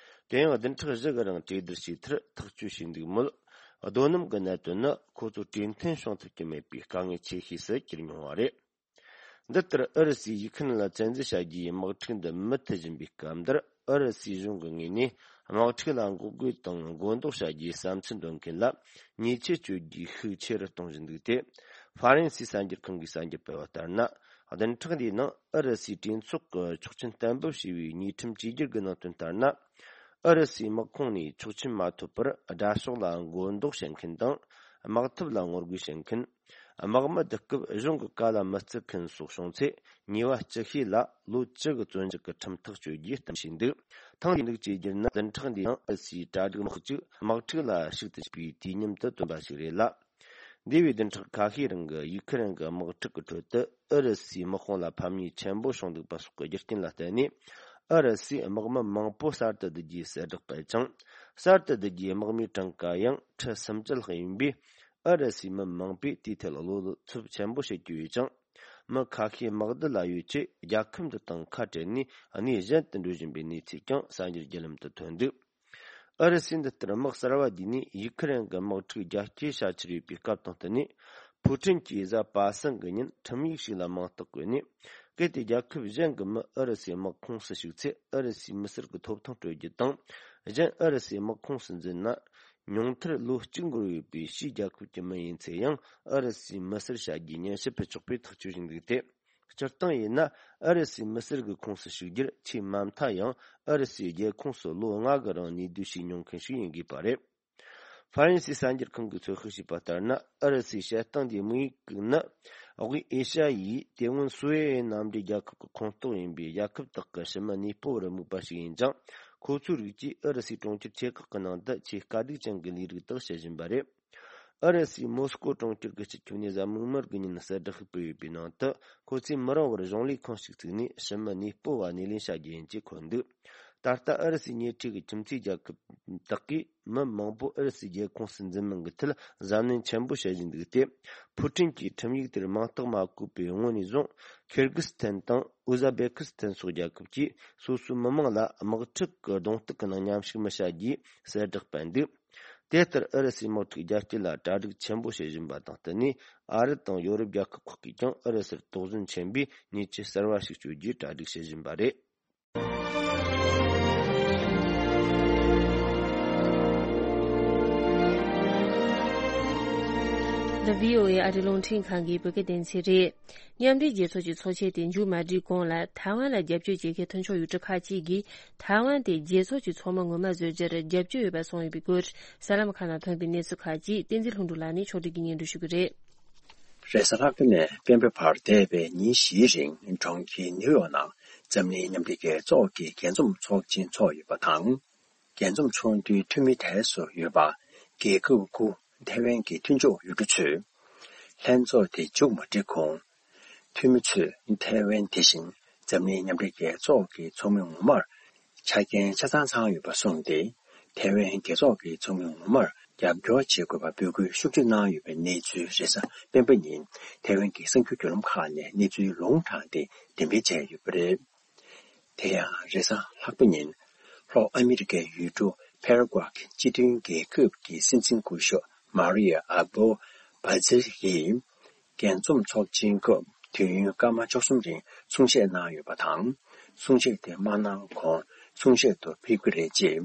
དེ་ཡང་བདུན་ཕྲག་བཞི་གི་རིང་གྲོས་བསྡུར་བྱས་མཐར་ཐག་གཅོད་བྱས་འདུག་མོད། རྡོ་སྣུམ་གྱི་གནད་དོན་ནི་ཁོ་ཚོ་གྲོས་མཐུན་བྱུང་ཐུབ་ཀྱི་མེད་པའི་དཀའ་ངལ་ཆེ་ཤོས་སུ་གྱུར་མྱོང་བ་རེད། འདི་ལྟར་ཨུ་རུ་སུས་ཡུ་ཁུ་རེན་ལ་བཙན་འཛུལ་བྱ་རྒྱུའི་དམག་འཁྲུག་འདི་མུ་མཐུད་བཞིན་པའི་སྐབས་འདིར། ཨུ་རུ་སུའི་གཞུང་གི་ངོས་ནས་དམག་འཁྲུག་ལ་འགོག་རྒོལ་དང་མགོ་འདོགས་བྱ་རྒྱུའི་བསམ་ཚུལ་འདོན་མཁན་ལ་ཉེས་ཆད་གཅོད་རྒྱུའི་ཤུགས་ཆེ་རུ་གཏོང་བཞིན་འདུག་སྟེ། ཧྥ་རན་སིའི་གསར་འགྱུར་ཁང་གིས་གསར་འགྱུར་སྤེལ་བ་ལྟར་ན། བདུན་ཕྲག་འདིའི་ནང་ཨུ་རུ་སུའི་གྲོས་ཚོགས་ཀྱི་ཆོག་མཆན་གཏན་འབེབས་བྱས་པའི་ཉེས་ཁྲིམས་བཅོས་སྒྱུར་གྱི་ནང་དོན་ལྟར་ན། ཨུ་རུ་སུའི་དམག་ཁོངས་ནས་ཆོག་མཆན་མ་ཐོབ་པར་དགྲ་ཕྱོགས་ལ་མགོ་འདོགས་བྱེད་མཁན་དང་། དམག་འཐབ་ལ་ངོ་རྒོལ་བྱེད་མཁན། དམག་མི་བསྡུ་སྐབས་གཞུང་གི་བཀའ་ལ་མི་བརྩི་མཁན་སོགས་བྱུང་ཚེ། ཉེས་པ་བཅུ་བྱས་ལ་ལོ་བཅུ་གི་བཙོན་འཇུག་གི་ཁྲིམས་ཐག་གཅོད་རྒྱུའི་གཏམ་བྱས་འདུག་ཐེངས་འདིའི་གཅོད་རྒྱུ་ནི་བདུན་ཕྲག་འདིའི་ནང་ཨུ་རུ་སུའི་གྲ་སྒྲིག་དམག་འཁྲུག་དམག་འཁྲུག་ལ་ཤུགས་ཏུ་ཕྱིན་པའི་དུས་མཉམ་དུ་བཏོན་པ་ཞིག་རེད་ལ། འདས་པའི་བདུན་ཕྲག་ཁ་ཤས་རིང་གི་ཡུ་ཁུ་རེན་གྱི་དམག་འཁྲུག་གི་ཁྲོད་དུ་ཨུ་རུ་སུའི་དམག་དཔུང་ལ་ཕམ་ཉེས་ཆེན་པོ་བྱུང་འདུག་པ་སོགས་ཀྱི་རྒྱུ་རྐྱེན་ལ་བརྟེན་ནས། ཨུ་རུ་སུས་དམག་མི་མང་པོ་གསར་དུ་བསྡུ་རྒྱུའི་གསལ་བསྒྲགས་སྤེལ་ཅིང་། གསར་དུ་བསྡུ་རྒྱུའི་དམག་མིའི་གྲངས་ཀ་ཡང་ཁྲི་སུམ་ཅུ་ལྷག་ཡིན་པས། ཨུ་རུ་སུའི་མི་མང་པོས་དེའི་ཐད་བློ་འཚབ་ཆེན་པོ་བྱེད་ཀྱི་ཡོད་ཅིང་། མི་ཁ་ཤས་དམག་སྡེ་ལ་ཡོད་ཚེ་རྒྱལ་ཁབ་འདི་དང་ཁ་བྲལ་ནས་གནས་གཞན་དུ་འགྲོ་བཞིན་པའི་གནས་ཚུལ་ཀྱང་གསར་འགྱུར་བརྒྱུད་ལམ་དུ་ཐོན་འདུག་ཨུ་རུ་སུས་འདི་ལྟར་དམག་གསར་བ་བརྒྱུད་ནས་ཡུ་ཁུ་རེན་གྱི་དམག་འཁྲུག་རྒྱ་སྐྱེད་བྱ་འཆར་ཡོད་པའི་སྐབས་དང་བསྟུན་ནས། ཕུའུ་ཁྲིན་གྱིས་གཟའ་པ་སངས་ཀྱི་ཉིན་ཁྲིམས་ཡིག་ཞིག་ལ་མིང་རྟགས་བཀོད་ནས། གལ་ཏེ་རྒྱལ་ཁབ་གཞན་གྱི་མི་ཨུ་རུ་སུའི་དམག་ཁོངས་སུ་ཞུགས་ཚེ། ཨུ་རུ་སུའི་མི་སེར་གྱི་ཐོབ་ཐང་སྤྲོད་རྒྱུ་དང་། གཞན་ཨུ་རུ་སུའི་དམག་ཁོངས་སུ་འཛུལ་ན། ཉུང་མཐར་ལོ་གཅིག་འགོར་ཡོད་པའི་ཕྱིའི་རྒྱལ་ཁབ་ཀྱི་མི་ཡིན་ཚེ་ཡང་ཨུ་རུ་སུའི་མི་སེར་བྱ་རྒྱུའི་མཉེན་ཆས་ཕུད་ཆོག་པའི་ཐག་གཅོད་བྱས་འདུག་སྟེ། སྤྱིར་བཏང་ཡིན་ན་ཨུ་རུ་སུའི་མི་སེར་གྱི་ཁོངས་སུ་ཞུགས་རྒྱུར་ཆེས་མ་མཐའ་ཡང་ཨུ་རུ་སུའི་རྒྱལ་ཁོངས་སུ་ལོ་ལྔ་གི་རིང་གནས་སྡོད་བྱས་མྱོང་མཁན་ཞིག་ཡིན་དགོས་པ་རེད། ཧྥ་རན་སིའི་གསར་འགྱུར་ཁང་གིས་ཚོད་དཔག་བྱས་པ་ལྟར་ན། ཨུ་རུ་སུའི་བྱེད་སྟངས་འདིའི་དམིགས་ཡུལ་ནི། དབུས་ཨེ་ཤ་ཡའི་དེ་སྔོན་སོ་ཝེ་ཡན་མནའ་འབྲེལ་རྒྱལ་ཁབ་ཀྱི་ཁོངས་གཏོགས་ཡིན་པའི་རྒྱལ་ཁབ་དག་གི་ཕྱི་མི་གནས་སྤོ་བར་དམིགས་པ་ཞིག་ཡིན་ཅིང་། ཁོ་ཚོའི་རིགས་ཀྱིས་ཨུ་རུ་སུའི་གྲོང་ཁྱེར་ཆེ་ཁག་གི་ནང་དུ་ཆེས་དཀའ་སྡུག་ཅན་གྱི་ལས་རིགས་དག་བྱེད་བཞིན་པ་རེད། ཨུ་རུ་སུའི་མོ་སི་ཀོ་གྲོང་ཁྱེར་གྱི་སྤྱི་ཁྱབ་ནས་གཟའ་མིག་དམར་གྱི་ཉིན་གསལ་བསྒྲགས་ཤིག་སྤེལ་ཡོད་པའི་ནང་དུ། ཁོ་ཚོས་མི་རིང་བར་གཞུང་ལས་ཁང་ཞིག་བཙུགས་ནས་ཕྱི་མི་གནས་སྤོ་བ་སྣེ་ལེན་བྱ་རྒྱུ་ཡིན་ཅེས་འཁོད་འདུག་ད་ལྟ་ཨུ་རུ་སུའི་ཉེ་འཁྲིས་ཀྱི་ཁྱིམ་མཚེས་རྒྱལ་ཁབ་དག་གིས་མི་མང་པོ་ཨུ་རུ་སུའི་རྒྱལ་ཁོངས་སུ་འཛུལ་མིན་གྱི་ཐད་གཟབ་ནན་ཆེན་པོ་བྱེད་བཞིན་འདུག་སྟེ། ཕུའུ་ཁྲིན་གྱིས་ཁྲིམས་ཡིག་དེར་མིང་རྟགས་མ་བཀོད་པའི་སྔོན་ནས་བཟུང་། ཁིར་གི་སི་ཐན་དང་ཨུ་ཟ་བེ་ཁི་སི་ཐན་སོགས་རྒྱལ་ཁབ་ཀྱིས་སོ་སོའི་མི་མང་ལ་དམག་འཁྲུག་གི་གདོང་གཏུག་གི་ནང་མཉམ་ཞུགས་མི་བྱ་རྒྱུའི་གསལ་བསྒྲགས་སྤེལ་འདུག་དེ་ལྟར་ཨུ་རུ་སུའི་དམག་འཁྲུག་རྒྱ་སྐྱེད་ལ་གྲ་སྒྲིག་ཆེན་པོ་བྱེད་བཞིན་པ་དང་བསྟུན་ནས། ཨ་རི་དང་ཡོ་རོབ་རྒྱལ་ཁབ་ཁག་གིས་ཀྱང་ཨུ་རུ་སུར་དོགས་ཟོན་ཆེན་པོས་ཉེས་ཆད་གསར་བ་ཞིག་གཅོད་རྒྱུའི་གྲ་སྒྲིག་བྱེད་བཞིན་པ་རེད། The VOA ཨ་རི་རླུང་འཕྲིན་ཁང་གི་བོད་སྐད་སྡེ་ཚན་རེད། མཉམ་འབྲེལ་རྒྱལ་ཚོགས་ཀྱི་ཚོགས་ཆེན་དེ་མཇུག་མ་སྒྲིལ་གོང་ལ། ཐའེ་ཝན་ལ་རྒྱབ་སྐྱོར་བྱེད་མཁན་མཐུན་ཕྱོགས་ཡུལ་གྲུ་ཁག་ཅིག་གིས་ཐའེ་ཝན་དེ་རྒྱལ་ཚོགས་ཀྱི་ཚོགས་མི་ངོ་མ་བཟོ་རྒྱུར་རྒྱབ་སྐྱོར་ཡོད་པ་གསུངས་ཡོད་པའི་སྐོར། གསར་ལམ་ཁག་ནང་ཐོན་པའི་གནས་ཚུལ་ཁག་ཅིག་བསྟན་འཛིན་ལྷུན་གྲུབ་ལགས་ནས་ཕྱོགས་སྒྲིག་གིས་སྙན་སྒྲོན་ཞུ་གི་རེད། རེས་གཟའ་ལྷག་པ་ནས་སྤེན་པའི་བར་འདས་པའི་ཉིན་བཞིའི་རིང་གྲོང་ཁྱེར་ནིའུ་ཡོག་ནང་འཛམ་གླིང་མཉམ་འབྲེལ་རྒྱལ་ཚོགས་ཀྱི་རྒྱས་འཛོམས་ཚོགས་ཆེན་འཚོགས་ཡོད་པ་དང་། རྒྱས་འཛོམས་ཚོགས་འདུའི་འཐུས་མི་དེ་སུ་ཡོད་པ། རྒྱལ་ཁབ་དགུ་ཐའེ་ཝན་གྱི་མཐུན་ཕྱོགས་ཡུལ་གྲུ་ཚོས། ལྷན་ཚོགས་དེ་མཇུག་མ་སྒྲིལ་གོང་། འཐུས་མི་ཚོས་ཐའེ་ཝན་དེ་བཞིན་འཛམ་གླིང་མཉམ་འབྲེལ་རྒྱལ་ཚོགས་ཀྱི་ཚོགས་མི་ངོ་མར་ཆ་རྐྱེན་ཆ་ཚང་ཚང་ཡོད་པ་གསུངས་ཏེ། ཐའེ་ཝན་རྒྱལ་ཚོགས་ཀྱི་ཚོགས་མི་ངོ་མར་རྒྱབ་སྐྱོར་བྱེད་དགོས་པ་འབོད་སྐུལ་ཤུགས་ཆེ་གནང་ཡོད་པའི་གནས་ཚུལ་རེས་གཟའ་སྤེན་པ་ཉིན་ཐའེ་ཝན་གྱི་གསར་འགྱུར་བརྒྱུད་ལམ་ཁག་ནས་གནས་ཚུལ་ལུང་དྲངས་ཏེ་འགྲེམས་སྤེལ་བྱས་ཡོད་པ་རེད། དེ་ཡང་རེས་གཟའ་ལྷག་པ་ཉིན་ལྷོ་ཨ་མི་རི་ཀའི་ཡུལ་གྲུ་ཕེ་ར་གུ་ཨེ་གྱི་སྤྱི་མཐུན་རྒྱལ་ཁབ་ཀྱི་སྲིད་འཛིན་སྐུ་ཞབས་མ་རི་ཡ་ཨ་བོ་བྷ་ཛེ་ཡིས། རྒྱས་འཛོམས་ཚོགས་ཆེན་སྐབས་དུས་ཡུན་སྐར་མ་བཅུ་གསུམ་རིང་གསུང་བཤད་གནང་ཡོད་པ་དང་། གསུང་བཤད་དེ་མ་གནང་གོང་གསུང་བཤད་དུ་ཕེབས་ཀྱི་རེད་ཅེས་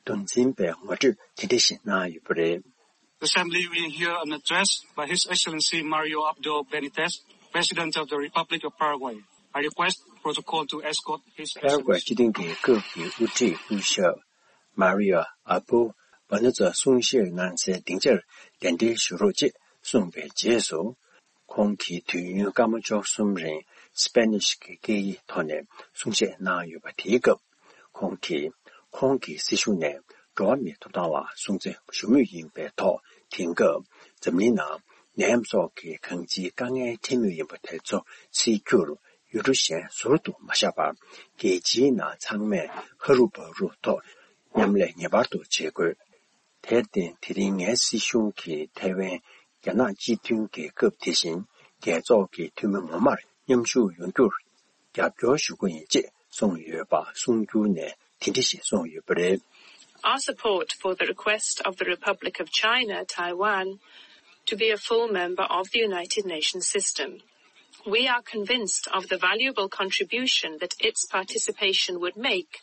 འདུ་འཛིན་པས་ངོ་སྤྲོད་དེ་འདྲ་ཞིག་གནང་ཡོད་པ་རེད། Assembly will hear an address by His Excellency Mario Abdo Benitez, President of the Republic of Paraguay. I request protocol to escort His Excellency. ཕེ་ར་གུ་ཨེ་སྤྱི་མཐུན་རྒྱལ་ཁབ་ཀྱི་དབུ་ཁྲིད་སྐུ་ཞབས་མ་རི་ཡོ་ཨ་བོ་བྷ་ནུ་ཙ་གསུང་བཤད་གནང་སའི་སྡིངས་ཆར་གདན་འདྲེན་ཞུ་རོགས་ཅེས་གསུངས་པའི་རྗེས་སུ། ཁོང་གིས་དུས་ཡུན་སྐར་མ་བཅུ་གསུམ་རིང་སྤེ་ནིཤ་གི་སྐད་ཡིག་ཐོག་ནས་གསུང་བཤད་གནང་ཡོད་པ་དེའི་སྐབས། ཁོང་གིས་ཁོང་གི་སྲིད་གཞུང་ནས་ འགྲོ་བ་མིའི་ཐོབ་ཐང་ལ་སྲུང་བརྩི་ཞུ་མུས་ཡིན་པའི་ཐོག་དེང་སྐབས་འཛམ་གླིང་ནང་ནད་ཡམས་སོགས་ཀྱི་གང་ཅིའི་དཀའ་ངལ་འཕྲད་མུས་ཡིན་པ་དེ་ཚོ་སེལ་རྒྱུར་ཡུལ་གྲུ་གཞན་ཟུར་དུ་མ་བཞག་པར་རྒྱལ་སྤྱིའི་ནང་ཚང་མས་ཧ་རུ་བ་རུ་ཐོག་མཉམ་ལས་ངེས་པར་དུ་བྱེད་དགོས། དེར་བརྟེན་དེ་རིང་ངའི་སྲིད་གཞུང་གིས་ཐའེ་ཝན་རྒྱ་ནག་སྤྱི་མཐུན་གྱི་སྐབས་དེ་བཞིན་རྒྱལ་ཚོགས་ཀྱི་འཐུས་མི་ངོ་མར་མཉམ་ཞུགས་ཡོང་རྒྱུར་རྒྱབ་སྐྱོར་ཞུ་གི་ཡིན་ཅེས་གསུངས་ཡོད་པ་གསུང་སྒྱུར་ནས་དེ་འདྲ་ཞིག་གསུངས་ཡོད་པ་རེད། Our support for the request of the Republic of China, Taiwan, to be a full member of the United Nations system. We are convinced of the valuable contribution that its participation would make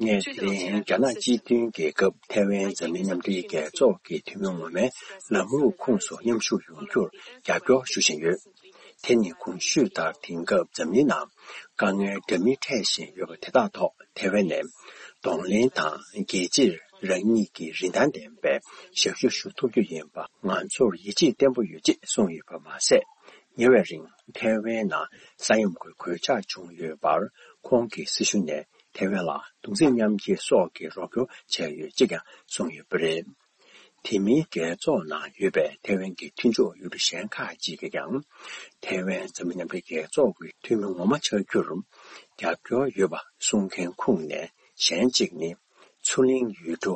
ངས་དེ་རིང་རྒྱ་ནག་སྤྱི་མཐུན་རྒྱལ་ཁབ་ཐའེ་ཝན་འཛམ་གླིང་མཉམ་འབྲེལ་རྒྱལ་ཚོགས་ཀྱི་འཐུས་མི་ངོ་མའི་ལམ་ལུགས་ཁོངས་སུ་མཉམ་ཞུགས་ཡོང་རྒྱུར་རྒྱབ་སྐྱོར་ཞུ་བཞིན་ཡོད། དེ་ནི་གོང་ཞུས་ལྟར་དེང་སྐབས་འཛམ་གླིང་ནང་དཀའ་ངལ་འདྲ་མིན་འཕྲད་བཞིན་ཡོད་པ་དེ་དག་ཐོག་ཐའེ་ཝན་ནས་གདོང་ལེན་དང་རྒྱལ་སྤྱིར་རང་ཉིད་ཀྱི་རིན་ཐང་ལྡན་པའི་ཞབས་ཞུ་ཞུ་ཐུབ་རྒྱུ་ཡིན་པ་ང་ཚོར་ཡིད་ཆེས་བརྟན་པོ་ཡོད་ཅེས་གསུངས་ཡོད་པ་མ་ཟད། ཉེ་བའི་རིང་ཐའེ་ཝན་ནང་ས་ཡོམ་གྱི་གོད་ཆག་བྱུང་ཡོད་པར་ཁོང་གི་སྲི་ཞུ་ནས་ཐའེ་ཝན་ལ་གདུང་སེམས་མཉམ་སྐྱེད་སོགས་ཀྱི་རོགས་སྐྱོར་བྱས་ཡོད་ཅེས་ཀྱང་གསུངས་ཡོད་པ་རེད། དེ་མིན་རྒྱལ་ཚོགས་ནང་ཡོད་པའི་ཐའེ་ཝན་གྱི་མཐུན་ཕྱོགས་ཡུལ་གྲུ་གཞན་ཁག་ཅིག་གིས་ཀྱང་ཐའེ་ཝན་འཛམ་གླིང་མཉམ་འབྲེལ་རྒྱལ་ཚོགས་ཀྱི་འཐུས་མི་ངོ་མ་ཆགས་རྒྱུར་རྒྱབ་སྐྱོར་ཡོད་པ་གསུང་མཁན་ཁོངས་ནས་གཞན་གཅིག་ནི་མཚོ་གླིང་ཡུལ་གྲུ་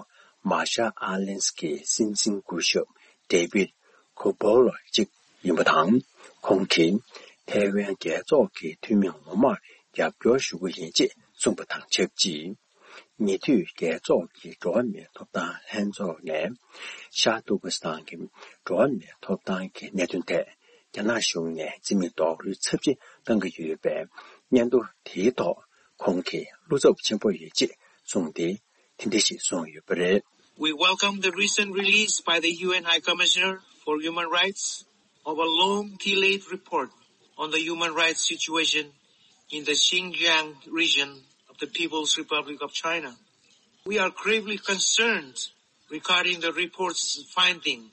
མར་ཤལ་ཨའི་ལེན་སི་གི་སྲིད་འཛིན་སྐུ་ཞབས་ཌེ་བིད་ཁོ་བོ་ལོ་གཅིག་ཡིན་པ་དང་། ཁོང་གིས་ཐའེ་ཝན་རྒྱལ་ཚོགས་ཀྱི་འཐུས་མི་ངོ་མར་རྒྱབ་སྐྱོར་ཞུ་གི་ཡིན་ཅེས་གསུངས་པ་དང་ཆབས་ཅིག་ཉེ་དུས་རྒྱལ་ཚོགས་ཀྱི་འགྲོ་བ་མིའི་ཐོབ་ཐང་ལྷན་ཚོགས་ནས་ཤར་ཏུར་ཀི་སི་ཐན་གྱི་འགྲོ་བ་མིའི་ཐོབ་ཐང་གི་གནད་དོན་ཐད་རྒྱ་ནག་གཞུང་ནས་རྩིས་མེད་རྡོག་རོལ་ཚབས་ཆེ་བཏང་གི་ཡོད་པའི་སྙན་ཐོ་དེའི་ཐོག་ཁོང་གིས་བློ་འཚབ་ཆེན་པོ་ཡོད་ཅེས་གསུངས་ཏེ། དེ་འདྲ་ཞིག་གསུངས་ཡོད་པ་རེད། We welcome the recent release by the U N High Commissioner for Human Rights of a long delayed report on the human rights situation in the Xinjiang region of the People's Republic of China. We are gravely concerned regarding the report's finding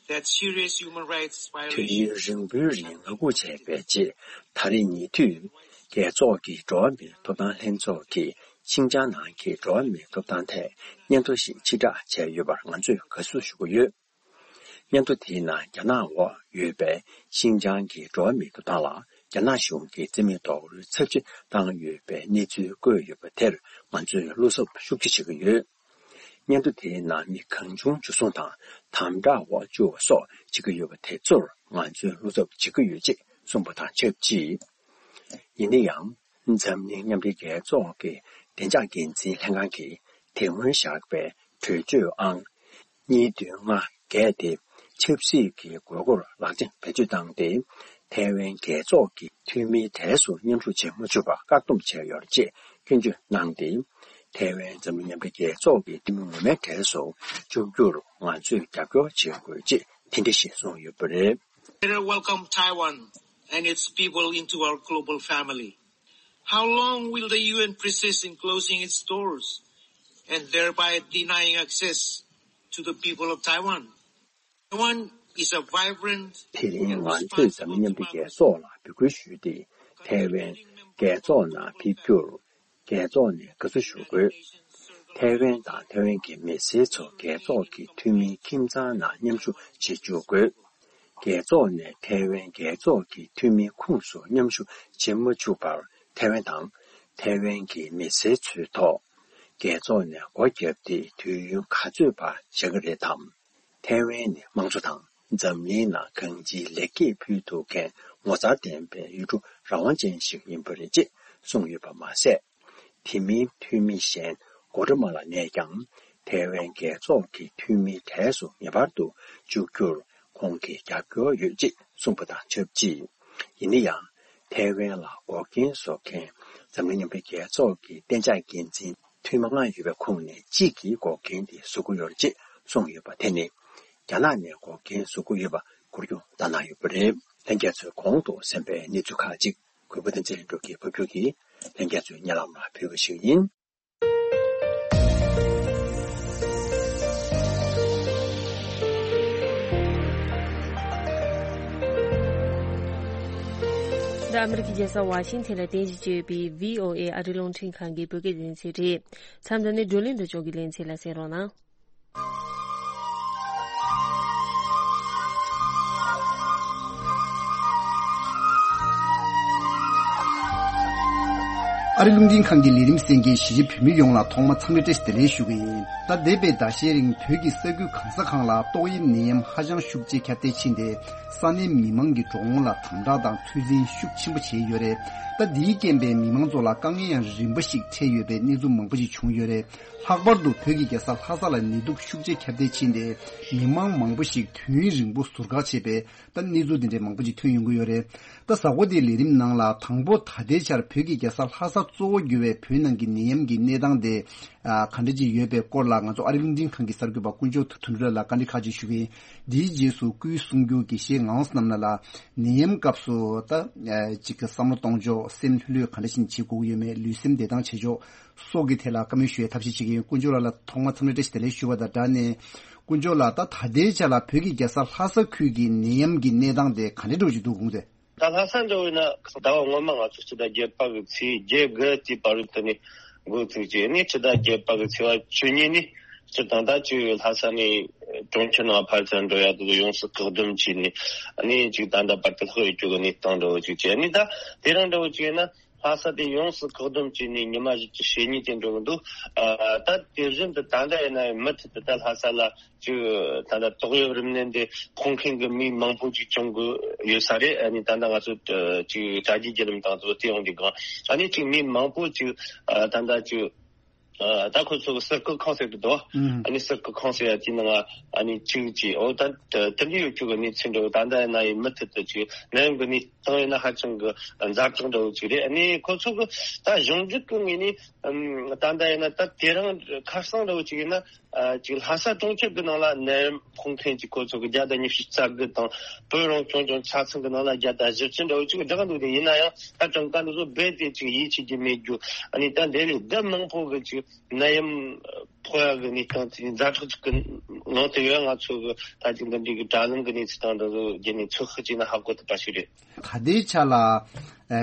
that serious human rights violations དུས་ཡུན་རིང་པོའི་རིང་ངང་སྒུག་བྱས་པའི་རྗེས་ད་རེས་ཉེ་དུས་རྒྱལ་ཚོགས་ཀྱི་འགྲོ་བ་མིའི་ཐོབ་ཐང་ལྷན་ཚོགས་ཀྱིས་ཤིན་ཅང་ནང་གི་འགྲོ་བ་མིའི་ཐོབ་ཐང་ཐད་སྙན་ཐོ་ཞིག་ཕྱིར་བསྒྲགས་བྱས་ཡོད་པར་ང་ཚོས་དགའ་བསུ་ཞུ་གི་ཡོད། སྙན་ཐོ་དེའི་ནང་རྒྱ་ནག་འོག་ཡོད་པའི་ཤིན་ཅང་གི་འགྲོ་བ་མིའི་ཐོབ་ཐང་ལ་རྒྱ་ནག་གཞུང་གིས་རྩིས་མེད་རྡོག་རོལ་ཚབས་ཆེ་བཏང་ཡོད་པའི་གནས་ཚུལ་བཀོད་ཡོད་པ་དེར་ང་ཚོས་བློ་འཚབ་ཤུགས་ཆེ་བྱེད་ཀྱི་ཡོད། སྙན་ཐོ་དེའི་ནང་མི་གང་བྱུང་འཇུ་བཟུང་དང་དམ་དྲག་འོག་བཅུག་པ་སོགས་བྱེད་ཀྱི་ཡོད་པ་དེ་ཚོར་ང་ཚོས་བློ་འཚབ་བྱེད་ཀྱི་ཡོད་ཅེས་གསུངས་པ་དང་ཆབས་ཅིག་ཡིན་ན་ཡང་། འཛམ་གླིང་མཉམ་འབྲེལ་རྒྱལ་ཚོགས་ཀྱི་བདེ་འཇགས་འགན་འཛིན་ལྷན་ཁང་གིས་དེ་སྔོན་བཞག་པའི་གྲོས་ཆོད་ཨང་གཉིས་བདུན་ལྔ་བརྒྱད་དེ་ཆབ་སྲིད་ཀྱི་དགོས་མཁོར་ལག་དེབ་བེད་སྤྱོད་བཏང་སྟེ། ཐའེ་ཝན་རྒྱལ་ཚོགས་ཀྱི་འཐུས་མིའི་གྲས་སུ་མཉམ་ཞུགས་བྱེད་མ་ཆོག་པར་བཀག་སྡོམ་བྱས་ཡོད་ཅེས་སྐྱོན་བརྗོད་གནང་སྟེ། ཐའེ་ཝན་འཛམ་གླིང་མཉམ་འབྲེལ་རྒྱལ་ཚོགས་ཀྱི་འཐུས་མི་ངོ་མའི་གྲས་སུ་འཇུག་རྒྱུར་ང་ཚོས་རྒྱབ་སྐྱོར་བྱེད་དགོས་ཅེས་དེ་འདྲ་ཞིག་གསུངས་ཡོད་པ་རེད། Let us welcome Taiwan and its people into our global family. How long will the U N persist in closing its doors and thereby denying access to the people of Taiwan? Taiwan is a vibrant དེ་རིང་ང་ཚོས་འཛམ་གླིང་མཉམ་འབྲེལ་རྒྱལ་ཚོགས་ལ་འབོད་སྐུལ་ཞུས་ཏེ། ཐའེ་ཝན་རྒྱལ་ཚོགས་ནང་ཕེབས་རྒྱུར་རྒྱལ་ཚོགས་ནས་དགའ་བསུ་ཞུ་དགོས། ཐའེ་ཝན་དང་ཐའེ་ཝན་གྱི་མི་སེར་ཚོ་རྒྱལ་ཚོགས་ཀྱི་འཐུས་མིའི་ཁྱིམ་ཚང་ནང་མཉམ་ཞུགས་བྱེད་བཅུག་དགོས། རྒྱལ་ཚོགས་ནས་ཐའེ་ཝན་རྒྱལ་ཚོགས་ཀྱི་འཐུས་མིའི་ཁོངས་སུ་མཉམ་ཞུགས་བྱེད་མ་བཅུག་པར་ཐའེ་ཝན་དང་ཐའེ་ཝན་གྱི་མི་སེར་ཚོའི་ཐོག་རྒྱལ་ཚོགས་ནས་སྒོ་བརྒྱབ་སྟེ་དུས་ཡུན་ག་ཚོད་བར་བཞག་གི་རེད་དམ། ཐའེ་ཝན་ནི་དམངས་གཙོ་དང་འཛམ་གླིང་ནང་གང་ཅིའི་ལེགས་སྐྱེས་ཕུལ་ཐུབ་མཁན་ངོ་མཚར་ལྡན་པའི་ཡུལ་གྲུ་རང་དབང་ཅན་ཞིག་ཡིན་པ་རེད་ཅེས་གསུངས་ཡོད་པ་མ་ཟད། དེ་མིན་འཐུས་མི་གཞན་གོ་ཏྲ་མ་ལ་ནས་ཀྱང་ཐའེ་ཝན་རྒྱལ་ཚོགས་ཀྱི་འཐུས་མིའི་གྲས་སུ་ངེས་པར་དུ་འཇུག་རྒྱུར་ཁོང་གིས་རྒྱབ་སྐྱོར་ཡོད་ཅེས་གསུངས་པ་དང་ཆབས་ཅིག་ཡིན་ན་ཡང་། ཐའེ་ཝན་ལ་འགོག་རྐྱེན་བཟོ་མཁན་འཛམ་གླིང་མཉམ་འབྲེལ་རྒྱལ་ཚོགས་ཀྱི་གཏན་འཇགས་འགན་འཛིན་འཐུས་མི་ལྔ་ཡོད་པའི་ཁོངས་ནས་གཅིག་གིས་འགོག་རྐྱེན་དེ་བཟོ་གི་ཡོད་ཅེས་གསུངས་ཡོད་པ་དེ་ནི་རྒྱ་ནག་ནས་འགོག་རྐྱེན་བཟོ་གི་ཡོད་པ་འགུལ་སྐྱོད་བཏང་གནང་ཡོད་པ་རེད། ལྷན་རྒྱས་ཚོས་གོང་དུ་གསན་པའི་གནས་ཚུལ་ཁག་ཅིག་གུས་པ་བསྟན་འཛིན་ལྷུན་གྲུབ་ཀྱིས་ཕབ་སྒྱུར་གྱིས་ལྷན་རྒྱས་ཚོའི་སྙན་ལམ་ལ་ཕུལ་བ་ཞིག་ཡིན། འདི་ཨ་མི་རི་ཀའི་རྒྱལ་ས་ཝ་ཤིང་ཐན་ལ་རྟེན་གཞི་བྱས་ཡོད་པའི་བྷི་ཨོ་ཨེ་ཨ་རིའི་རླུང་འཕྲིན་ཁང་གི་བོད་སྐད་སྡེ་ཚན་རེད། མཚམས་འདི་ནས་བགྲོ་གླེང་འདི་ལྗོངས་ཀྱི་ལེ་ཚན་ལ་གསན་རོགས་གནང་། ཨ་རི་རླུང་འཕྲིན་ཁང་གི་ལས་རིམ་གསན་མཁན་གཞིས་བྱེས་བོད་མི་ཡོངས་ལ་ཐོག་མ་འཚམས་འདྲི་བཀྲ་ཤིས་བདེ་ལེགས་ཞུ་གི་ཡིན། ད་འདས་པའི་ཟླ་ཤས་རིང་བོད་ཀྱི་ས་ཁུལ་གང་ས་གང་ལ་ཏོག་དབྱིབས་ནད་ཡམས་ཧ་ཅང་ཤུགས་ཆེ་ཁྱབ་གདལ་ཕྱིན་ཏེ། ས་གནས་མི་མང་གི་འགྲོ་འོང་ལ་དམ་དྲག་དང་ཚོད་འཛིན་ཤུགས་ཆེན་པོ་བྱས་ཡོད་རེད། ད་འདིའི་རྐྱེན་པས་མི་མང་ཚོ་ལ་དཀའ་ངལ་ཡང་རིམ་པ་ཞིག་འཕྲད་ཡོད་པའི་གནས་ཚུལ་མང་པོ་ཞིག་བྱུང་ཡོད་རེད། ལྷག་པར་དུ་བོད་ཀྱི་རྒྱལ་ས་ལྷ་ས་ལ་ནད་དུག་ཤུགས་ཆེ་ཁྱབ་གདལ་ཕྱིན་ཏེ། མི་མང་མང་པོ་ཞིག་དུས་ཡུན་རིང་པོ་ཟུར་བཀག་བྱས་པའི་ད་གནས་ཚུལ་འདི་འདྲའི་མང་པོ་ཞིག་ཐོན་ཡོང་གི་ཡོད་རེད། ད་གཟའ་འཁོར་འདིའི་ལས་རིམ་ནང་ལ་དང་པོ་ད་ལྟའི་ཆར་བོད་ཀྱི་རྒྱལ་ས་ལྷ་ས་གཙོ་བོ་གྱུར་བའི་བོད་ནང་གི་ནད་ཡམས་ཀྱི་གནས་སྟངས་དེ་ཨ་ག་འདྲ་ཅིག་ཡོད་པའི་སྐོར་ལ་ང་ཚོ་ཨ་རི་རླུང་འཕྲིན་ཁང་གི་གསར་འགོད་པ་དཀོན་མཆོག་དོན་གྲུབ་ལགས་ལ་བཀའ་འདྲི་ཁག་ཅིག་ཞུ་གི་ཡིན། འདིའི་རྗེས་སུ་སྐུའི་གསུང་སྒྱུར་དགེ་བཤེས་ངག་དབང་བསོད་ནམས་ལགས་ལ་ནད་ཡམས་སྐབས་སུ་ད་ཨ་ཅིག་གི་བསམ་བློ་གཏོང་ཕྱོགས། སེམས་ལྷོད་ལྷོད་ག་འདྲ་ཞིག་བྱེད་དགོས་ཀྱི་ཡོད་མེད། ལུས་སེམས་བདེ་ཐང་བྱེད་ཕྱོགས་སོགས་ཀྱི་ཐད་ལ་བཀའ་མོལ་ཞུ་བའི་ཐབས་ཤེས་བྱེད་ཀྱི་ཡོད། དཀོན་མཆོག་ལགས་ལ་ཐོག་མར་འཚམས་འདྲི་བཀྲ་ཤིས་བདེ་ལེགས་ཞུ་བ་དང་སྦྲགས་ནས། དཀོན་མཆོག་ལགས། ད་ད་ལྟའི་ཆ་ལ་བོད་ཀྱི་རྒྱལ་ས་ལྷ་ས་ཁུལ་གྱི་ནད་ཡམས་ཀྱི་གནས་སྟངས་དེ་ག་འདྲ་འདྲ་བོ་ཞིག་འདུག་དགོངས་ཏེ། ད་ལྷ་ས་འདྲ་བོ་ཡིན་ན་ཟླ་བ་སྔོན་མ་ང་ཚོ་སྤྱི་ཟླ་བརྒྱད་པ་གི་ཚེས་བརྒྱད་དགུ་དེའི་བར་དུ་ནས་འགོ་བཙུགས་བྱས་ནས་སྤྱི་ཟླ་བརྒྱད་པ་གི་ཚེས་པ་བཅུ་གཉིས་ནས་སྤྱིར་བཏང་ད་ཅིག་ལྷ་ས་ནས་གྲོང་ཁྱེར་ནང་ཕར་ཚུར་འགྲོ་ཡ་དེ་ཚོ་ཡོངས་སུ་བཀག་སྡོམ་བྱས་ནས། ཨ་ནི་ཅིག་ད་ལྟ་བར་དུ་ལྷག་ཡོད་རྒྱུ་གི་གནས་སྟངས་འདྲ་བོ་ཅིག་བྱས། ཨ་ནི་ད་དེ་རིང་འདྲ་བོ་ཅིག་ཡིན་ན། ལྷ་ས་དེ་ཡོངས་སུ་བཀག་སྡོམ་བྱས་ནས་ཉི་མ་བཞི་བཅུ་ཞེ་གཉིས་དེ་འགྲོ་གི་འདུག་ཨ་ད་དེ་བཞིན་དུ་ད་ལྟ་ཡིན་ན་ཡང་མུ་མཐུད་དུ་ད་ལྷ་ས་ལ་ཅིག་ད་ལྟ་ཏོག་དབྱིབས་རིམས་ནད་འདི་ཕོག་མཁན་གྱི་མི་མང་པོ་ཅིག་བྱུང་གི་ཡོད་ས་རེད། ཨ་ནི་ད་ལྟ་ང་ཚོ་ཅིག་དྲ་རྒྱའི་བརྒྱུད་ལམ་དང་དེ་ཚོ་བལྟས་ཡོང་དུས་སྒང་། ཨ་ནི་ཅིག་མི་མང་པོ་ཅིག་ཨ་ད་ལྟ་ཅིག་ཨ་ད་ཁོ་ཚོ་གི་ཟུར་བཀག་ཁང་ཟེར་གི་འདུག་ཨ་ནི་ཟུར་བཀག་ཁང་ཟེར་ཡ་དེའི་ནང་ཨ་ནི་ཅིག་ཅིག་འོ་ད་དེ་འདྲ་ཡོད་རྒྱུ་གི་གནས་ཚུལ་འདྲ་བོ་ད་ལྟ་ཡིན་ན་ཡང་མུ་མཐུད་དུ་ཅིག་ནད་ཡམས་ཀྱི་གནས་སྟངས་ཡིན་ན་ཧ་ཅང་གི་ཛ་དྲག་འདྲ་བོ་ཅིག་རེད། ཨ་ནི་ཁོ་ཚོ་གི་ད་གཞུང་འཛུགས་ཀྱི་ངོས་ནས་ཨམ་ད་ལྟ་ཡིན་ན་ད་དེ་རིང་ཁ་སང་འདྲ་བོ་ཅིག་ཡིན་ན་ཨ་ཅིག་ལྷ་ས་གྲོང་ཁྱེར་གྱི་ནང་ལ་ནད་ཡམས་ཕོག་མཁན་ཅིག་ཁོ་ཚོ་གི་བརྒྱ་དང་ཉི་ཤུ་རྩ་དགུ་དང་། བོད་རང་སྐྱོང་ལྗོངས་ཆ་ཚང་གི་ནང་ལ་བརྒྱ་དང་བཞི་བཅུ་འདྲ་བོ་ཅིག་བསྒྲགས་འདུག་དེ་ཡིན་ན་ཡང་ད་གྲངས་ཀ་འདི་ཚོ་རྦད་དེ་ཅིག་ཡིད་ཆེས་རྒྱུ་མེད་རྒྱུ། ཨ་ནི་ད་འདི་ལས་ལྡབ་མང་པོ་གི་ཅིག་ནད་ཡམས་ཕོག་ཡག་གི་གནས་སྟངས་དེ་ཛ་དྲག་ཅིག་གི་ངང་དུ་ཡོད། ང་ཚོ་གི་ད་ཅིག་འདི་འདྲའི་གི་དྲ་ལམ་གི་གནས་ཚུལ་དང་འདི་ཚོ་བརྒྱུད་ནས་ཚོད་དཔག་བྱས་ན་ཧ་གོ་ཐུབ་པ་ཞིག་རེད། ད་ལྟའི་ཆ་ལ་ཨ་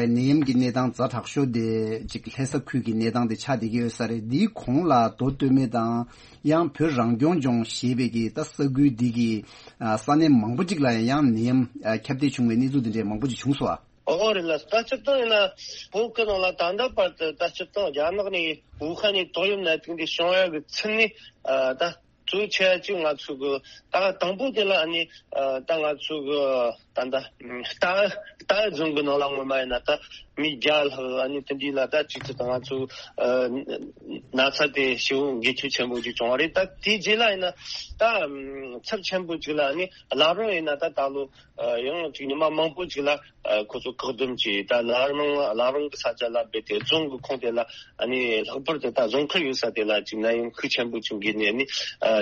ནད་ཡམས་ཀྱི་གནས་སྟངས་ཛ་དྲག་ཤོས་དེ་ཅིག་ལྷ་ས་ཁུལ་གྱི་གནས་སྟངས་དེ་ཆགས་བསྡད་ཀྱི་ཡོད་ས་རེད། འདིའི་གོང་ལ་མདོ་སྟོད་སྨད་དང་ཡང་བོད་རང་སྐྱོང་ལྗོངས་ཞེས་པའི་གི་ད་ས་ཁུལ་འདི་གི་ཨ་ས་གནས་མང་པོ་ཅིག་ལ་ཡང་ཡང་ནད་ཡམས་ཨ་ཁྱབ་གདལ་བྱུང་བའི་གནས་ཚུལ་དེ་འདྲའི་མང་པོ་ཅིག་བྱུང་སོང་ཨ། ཨོ་རེད་ལ། ད་སྤྱིར་བཏང་ཡིན་ན་བོད་ཀྱི་ནང་ལ་ད་ལྟ་བར་དུ་ད་སྤྱིར་བཏང་རྒྱ་ནག་ནས་ཝུ་ཧན་ནས་ཏོག་དབྱིབས་ནད་དུག་འདི་བྱུང་ཡག་གི་ཚུལ་ནི་ཨ་ད་གཙོ་ཆེ་བ་ཅིག་ང་ཚོ་གི་ད་དང་པོ་དེ་ལ་ཨ་ནི་ཨ་ད་ང་ཚོ་གི་ད་ད་རྟའུ་རྟའུ་རྫོང་གི་ནང་ལ་སྔོན་མ་ཡིན་ན་ད་མི་བརྒྱ་ལྷག་ཨ་ནི་དེ་འདྲའི་ལ་ད་ཅིག་ཅིག་ད་ང་ཚོ་ཨ་ན་ཚ་དེ་ཞེ་པོ་འགོས་ཁྱབ་ཆེན་པོ་ཅིག་བྱུང་བ་རེད། ད་དེའི་རྗེས་ལ་ཡིན་ན་ད་ཚབས་ཆེན་པོ་ཅིག་ལ་ཨ་ནི་བླ་བྲང་ཡིན་ན་ད་ད་ལོ། ཡང་ཅིག་ཉི་མ་མང་པོ་ཅིག་ལ་ཁོ་ཚོ་བཀག་སྡོམ་བྱས། ད་བླ་བྲང་བླ་བྲང་གི་ས་ཆ་ལ་རྦད་དེ་རྫོང་གི་ཁོངས་དེ་ལ་ཨ་ནི་ལྷག་པར་དུ་ད་རྫོང་ཁག་ཡོད་ས་དེ་ལ་ཅིག་ནད་ཡམས་ཤུགས་ཆེན་པོ་ཅིག་འགོས་ནས་ཨ་ནི་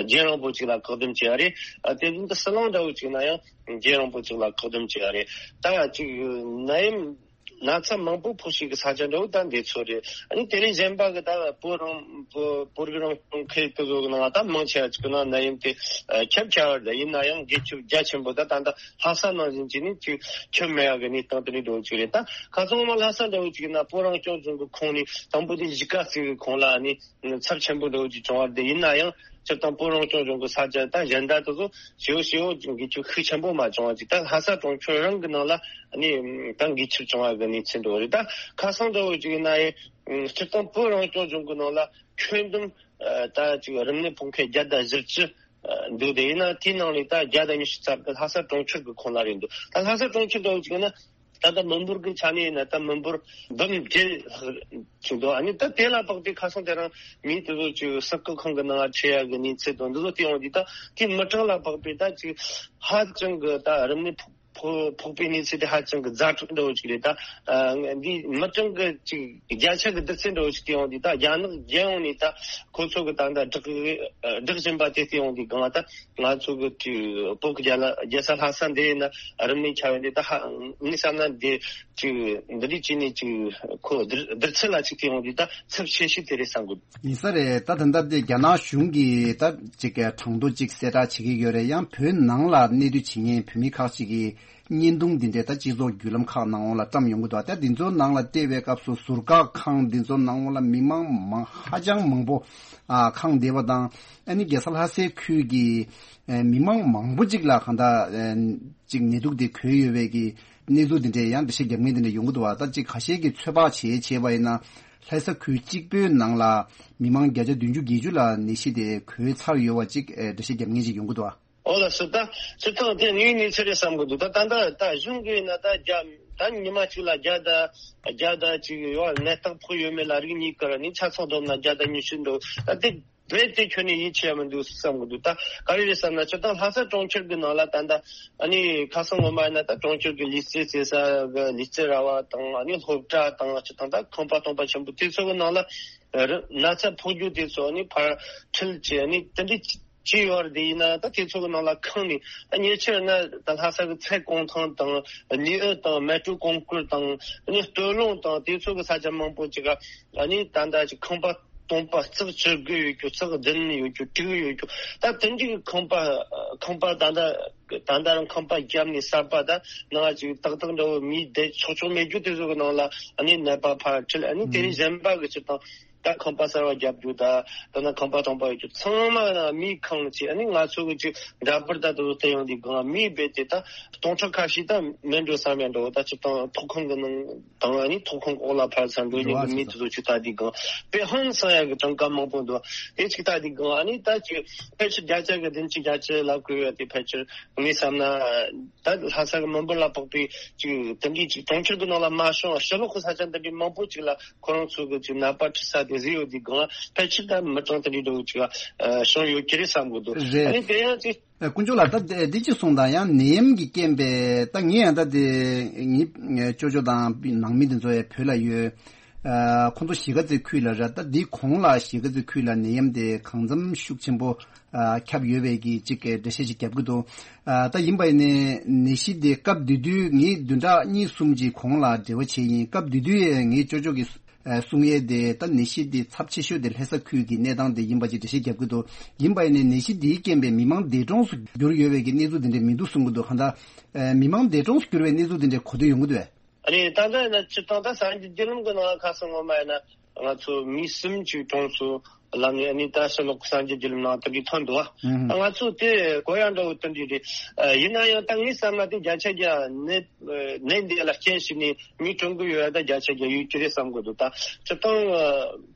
རྒྱུན་རིང་པོ་ཅིག་ལ་བཀག་སྡོམ་བྱས་པ་རེད། དེ་བཞིན་དུ་ཟི་ལིང་འདྲ་བོ་ཅིག་ན་ཡང་རྒྱུན་རིང་པོ་ཅིག་ལ་བཀག་སྡོམ་བྱས་པ་རེད། ད་ཅིག་ནད་ཡམས་ན་ཚ་མང་པོ་ཕོག་ཤེས་ཀྱི་ས་ཆ་འདྲ་བོ་ད་འདི་ཚོ་རེད། ཨ་ནི་དེ་ལས་གཞན་པ་གི་ད་བོད་རང་བོད་བོད་རིགས་རང་སྐྱོང་ཁུལ་དེ་ཚོ་གི་ནང་ད་མང་ཆེ་བ་ཅིག་གི་ནང་ནད་ཡམས་དེ་ཁྱབ་ཆེ་བ་རེད། ཡིན་ན་ཡང་འགོས་ཁྱབ་རྒྱ་ཆེན་པོ་ད་ད་ལྟ་ལྷ་ས་ནང་བཞིན་བྱས་ནས་ཅིག་ཁྱབ་མེད་ཡག་གི་གནས་སྟངས་དེ་འདྲ་འདྲ་བོ་ཅིག་རེད། ད་ཁ་སང་མ་ལྷ་ས་འདྲ་བོ་ཅིག་ཡིན་ན་བོད་རང་སྐྱོང་ལྗོངས་ཀྱི་ཁོངས་ནས་དང་པོ་དེ་གཞིས་ཀ་རྩེ་གི་ཁོངས་ལ་ཨ་ནི་ཚབས་ཆེན་པོ་འདྲ་བོ་ཅིག་བྱུང་བ་རེད། ཡིན་ན་ཡང་སྤྱིར་བཏང་བོད་རང་སྐྱོང་ལྗོངས་ཀྱི་ས་ཆ་ད་གཞན་དག་དེ་ཚོ་ཞེ་པོ་ཞེ་པོ་འགོས་ཁྱབ་ཤུགས་ཆེན་པོ་མ་བྱུང་བ་ཅིག་ད་ལྷ་ས་གྲོང་ཁྱེར་རང་གི་ནང་ལ་ཨ་ནི་ད་འགོས་ཁྱབ་བྱུང་བ་གི་གནས་ཚུལ་འདྲ་བོ་རེད། ད་ཁ་སང་འདྲ་བོ་ཅིག་ཡིན་ན་ཡང་སྤྱིར་བཏང་བོད་རང་སྐྱོང་ལྗོངས་ཀྱི་ནང་ལ་ཁྱོན་བསྡོམས་ད་ཅིག་རིམས་ནད་ཕོག་མཁན་བརྒྱ་དང་བཞི་བཅུ་འདུག་དེ་ཡིན་ན་དེའི་ནང་ནས་ད་བརྒྱ་དང་ཉི་ཤུ་རྩ་དགུ་ལྷ་ས་གྲོང་ཁྱེར་གྱི་ཁོངས་ལ་རེད་འདུག་ད་ལྷ་ས་གྲོང་ཁྱེར་འདྲ་བོ་ཅིག་ཡིན་ན། ད་ལྟ་མི་འབོར་གྱི་ཆ་ནས་ཡིན་ན་ད་མི་འབོར་འབུམ་བརྒྱད་ཅིག་འདུག་ཨ་ནི་ད་དེ་ལ་དཔག་པའི་ཁ་སང་དེ་རིང་མི་དེ་ཚོ་ཅིག་ཟུར་བཀག་ཁང་གི་ནང་ཁྲིད་ཡག་གི་གནས་ཚུལ་དང་འདི་ཚོ་བལྟས་ཡོང་དུས་ད་དེ་མི་གྲངས་ལ་དཔག་པའི་ད་ཅིག་ཧ་ཅང་གི་ད་རིམས་ནད་ཕོག་ཕོག་ཕོག་པའི་གནས་ཚུལ་དེ་ཧ་ཅང་གི་ཛ་དྲག་འདྲ་བོ་ཅིག་རེད། ད་འདི་མི་གྲངས་ཀྱི་ཅིག་བརྒྱ་ཆ་གི་བསྡུར་ཚད་འདྲ་བོ་ཅིག་བལྟས་ཡོང་དུས་ད་རྒྱ་ནག་རྒྱལ་ཡོངས་ནས་ད་ཁོ་ཚོ་གི་ད་ད་བསྒྲགས་བསྒྲགས་བཞིན་པ་དེ་བལྟས་ཡོང་དུས་སྒང་ད། ང་ཚོ་གི་ཅིག་བོད་ཀྱི་རྒྱལ་ལ་རྒྱལ་ས་ལྷ་ས་འདི་ཡིན་ན་རིམས་ནད་ཁྱབ་ཡོང་དུས་ད་ཧ་ངས་བསམ་ན་འདི་ཅིག་འདི་འདྲའི་ཅིག་ནས་ཅིག་ཁོ་བསྡུར་བསྡུར་ཚད་ལ་ཅིག་བལྟས་ཡོང་དུས་ད་ཚབས་ཆེ་ཤོས་དེ་རེད་བསམ་གི། ཡིན་ས་རེད། ད་ད་ལྟ་འདི་རྒྱ་ནག་གཞུང་གིས་ད་ཅིག་གྲངས་ཐོ་ཅིག་གསལ་བསྒྲགས་བྱེད་ཀྱི་ཡོད་རེད། ཡང་བོད་ནང་ལ་གནས་སྡོད་བྱེད་མཁན་བོད་མི་ཁག་ཅིག་གིས་ བརྙན་ཐུང་འདི་འདྲའི་ད་སྤྱི་ཚོགས་བརྒྱུད་ལམ་ཁག་ནང་ལ་བཀྲམ་ཡོང་གི་འདུག་ད་འདི་ཚོ་ནང་ལ་བལྟས་པའི་སྐབས་སུ་ཟུར་བཀག་ཁང་འདི་ཚོ་ནང་ལ་མི་མང་མང་ཧ་ཅང་མང་པོ་ཨ་ཁེངས་བསྡད་པ་དང་། ཨ་ནི་རྒྱལ་ས་ལྷ་སའི་ཁུལ་གྱི་ཨ་མི་མང་མང་པོ་ཅིག་ལ་གང་ལྟར་ཨ་ཅིག་ནད་དུག་དེ་འགོས་ཡོད་པའི་གི་གནས་ཚུལ་འདི་འདྲའི་ཡང་འགྲེལ་བཤད་རྒྱབ་མཁན་འདི་འདྲ་ཡོང་གི་འདུག་བ། ད་ཅིག་ཁ་ཤས་ཀྱིས་ཚོད་དཔག་བྱས་བྱས་པ་ཡིན་ན་ལྷ་ས་ཁུལ་གཅིག་པོའི་ནང་ལ་མི་མང་བརྒྱ་ཆ་བདུན་ཅུ་བརྒྱད་ཅུ་ལ་ནད་གཞི་དེ་འགོས་ཚར་ཡོད་པ་ཅིག་ཨ་འགྲེལ་བཤད་རྒྱབ་མཁན་ཅིག་ཡོང་གི་འདུག་བ། ཨོ་ལགས་སོ། ད་སྤྱིར་བཏང་དེ་དངོས་གནས་ཚུལ་རེད་བསམ་གི་འདུག་ད་ད་ལྟ་ད་གཞུང་གིས་ན་ད་བརྒྱ་ད་ཉི་མ་གཅིག་ལ་བརྒྱ་དང་བརྒྱ་དང་གཅིག་ཡོད་ནད་རྟགས་ཕོག་ཡོད་མེད་ལ་རིགས་གཉིས་ཀར་ནི་ཆ་ཚང་བསྡོམས་ན་བརྒྱ་དང་ཉི་ཤུ་འདུག་ད་དེ་རེད་དེ་ཁྱོན་ནས་ཡིད་ཆེས་ཡ་མི་འདུག་བསམ་གི་འདུག་ད་ག་རེ་རེད་བསམ་ན་སྤྱིར་བཏང་ལྷ་ས་གྲོང་ཁྱེར་གི་ནང་ལ་ད་ད་ཨ་ནི་ཁ་སང་ངོ་མ་ཡིན་ན་ད་གྲོང་ཁྱེར་གི་ལུས་རྩལ་རྩེ་ས་གི་ལུས་རྩལ་ར་བ་དང་ཨ་ནི་སློབ་གྲྭ་དང་སྤྱིར་བཏང་ད་ཁང་པ་སྟོང་པ་ཆེན་པོ་དེ་ཚོ་གི་ནང་ལ་རི་ན་ཚ་ཕོག་རྒྱུ་དེ་ཚོ་ནི་ཕར་ཁྲིད་བྱས་ནི་དེ་འདྲའི་ཅི་ཡོད་རེད་དེ་ཡིན་ན་ད་དེ་ཚོ་གི་ནང་ལ་ཁེངས་ནས་ད་ཉེ་ཆར་ན་ད་ལྷ་ས་གི་ཚལ་གུང་ཐང་དང་ནེའུ་ཨོ་དང་མལ་གྲོ་གུང་དཀར་དང་ནི་སྟོད་ལུང་དང་དེ་ཚོ་གི་ས་ཆ་མང་པོ་ཅིག་ག་ནི་ད་ད་ཅིག་ཁང་པ་སྟོང་པ་རྩེག་བཅུ་དགུ་ཡོད་རྒྱུ་རྩེག་བདུན་ཡོད་རྒྱུ་དྲུག་ཡོད་རྒྱུ་ད་དེ་འདྲའི་ཁང་པ་ཁང་པ་ད་ད། ད་ལྟ་རང་ཁང་པ་བརྒྱབ་ནས་གསར་པ་ད་ནང་ཅིག་ཏག་ཏག་འདྲ་བོ་མི་བསྡད་ཆོག་ཆོག་མེད་རྒྱུ་དེ་ཚོ་གི་ནང་ལ་ཨ་ནི་ནད་པ་ཕར་ཁྲིད་ཨ་ནི་དེ་རིང་གཞན་པ་གི་ཅིག་དང་ད་ཁང་པ་གསར་བ་བརྒྱབ་རྒྱུ་ད་ད་ནང་ཁང་པ་སྟོང་པ་ཡོད་རྒྱུ་ཚང་མ་ན་མིས་ཁེངས་ཅིག་ཨ་ནི་ང་ཚོ་གི་ཅིག་འདྲ་པར་ད་དུ་བལྟས་ཡོང་དུས་གང་མིས་རྦད་དེ་ད་སྟོང་ཕྲག་ཁ་ཤས་ད་མེད་འགྲོ་བསམ་ཡ་འགྲོ་ད་ཅིག་དང་ཐོག་ཁང་གི་ནང་དང་ཨ་ནི་ཐོག་ཁང་འོག་ལ་ཕར་ཚུར་འགྲོ་མྱོང་གི་མི་དེ་ཚོ་ཅིག་ལྟ་དུས་གང་དཔེ་ཧང་སང་ཡ་གི་གྲངས་ཀ་མང་པོ་འདུག་དེ་ཅིག་ལྟ་དུས་གང་ཨ་ནི་ད་ཅིག་ཕལ་ཆེར་བརྒྱ་ཆ་གི་བདུན་ཅུ་བརྒྱད་ཅུ་ལབ་དགོས་ཡ་དེ་ཕལ་ཆེར། ངས་བསམ་ན། ད་ལྷ་ས་གི་མི་འབོར་ལ་དཔག་པའི་ཅིག་དེ་འདྲའི་ཅིག་གྲོང་ཁྱེར་གྱི་ནང་ལ་མ་བྱུང་བ་ཕྱི་ལོགས་ཀྱི་ས་ཆ་འདི་འདྲའི་མང་པོ་ཅིག་ལ་ཁོ་རང་ཚོ་གི་ཅིག་ནད་པ་ཁྲིད་ས་དེ་བཟོས་ཡོད་དུས་སྒང་ལ་ཕལ་ཆེར་ད་མི་གྲངས་དེ་འདྲའི་འདྲ་བོ་ཅིག་ལ་བྱུང་ཡོད་ཀྱི་རེད་བསམ་གི་འདུག་རེད། ཨ་ནི་དེ་ཡང་ཅིག་ཨ་དཀོན་མཆོག་ལགས། ད་འདི་ཅིག་གསུངས་དང་ཡང་ནད་ཡམས་ཀྱི་རྐྱེན་པས་ད་ངས་ཡང་ད་དེ་ངའི་ཅོ་ཅོ་དང་ནང་མི་དེ་ཚོ་ཡང་བོད་ལ་ཡོད། ཨ་ཁོང་ཚོ་གཞིས་ཀ་རྩེ་ཁུལ་ལ་རེད། ད་འདི་གོང་ལ་གཞིས་ཀ་རྩེ་ཁུལ་ལ་ནད་ཡམས་དེ་གང་འཚམ་ཤུགས་ཆེན་པོ། ཨ་ཁྱབ་ཡོད་པའི་གི་ཅིག་གི་འགྲེལ་བཤད་ཅིག་རྒྱབ་ཀྱི་འདུག་ཨ་ད་ཡིན་པ་ཡིན་ནའི་ནད་གཞི་དེ་སྐབས་དེ་དུས་ངས་བདུན་ཕྲག་གཉིས་གསུམ་ཅིག་གོང་ལ་འབྲེལ་བ་བྱས་ཡིན། སྐབས་དེ་དུས་ངའི་ཅོ་ཅོ་གི་ཨ་གསུང་ཡས་དེ་ད་ནད་གཞི་དེ་ཚབས་ཆེ་ཤོས་དེ་ལྷ་ས་ཁུལ་གྱི་གནས་སྟངས་དེ་ཡིན་པ་ཅིག་འགྲེལ་བཤད་རྒྱབ་ཀྱི་འདུག་ཡིན་པ་ཡིན་ནའི་ནད་གཞི་དེའི་རྐྱེན་པས་མི་མང་འདས་གྲོངས་སུ་གྱུར་ཡོད་པའི་གི་གནས་ཚུལ་དེ་འདྲ་མི་འདུག་གསུང་གི་འདུག་གང་ལྟར་ཨ་མི་མང་འདས་གྲོངས་སུ་གྱུར་བའི་གནས་ཚུལ་དེ་འདྲ་གོ་ཐོས་ཡོང་གི་འདུག་གས། ཨ་ནི་ད་ལྟ་ཡིན་ན་སྤྱིར་བཏང་ད་གསར་འགྱུར་བརྒྱུད་ལམ་གྱི་ནང་ལ་ཁ་སང་ངོ་མ་ཡིན་ན་ང་ཚོ་མི་གསུམ་ཅིག་གྲོངས་སོང་ལབ་ནས་ཨ་ནི་ད་ཕྱི་ལོགས་གསར་འགྱུར་བརྒྱུད་ལམ་ནང་དེ་འདྲའི་ཐོན་འདུག་ཨ། ཨང་། ང་ཚོ་དེ་གོ་ཡ་འདྲ་བོ་དེ་འདྲའི་རེད། ཡིན་ན་ཡང་ད་ངའི་བསམ་ན་དེ་བརྒྱ་ཆ་བརྒྱ་ནད་ནད་འདི་ལ་རྐྱེན་བྱས་ནས་མི་གྲོངས་གི་ཡོད་ཡ་ད་བརྒྱ་ཆ་བརྒྱ་ཡོད་ཀྱི་རེད་བསམ་གི་འདུག་ད་སྤྱིར་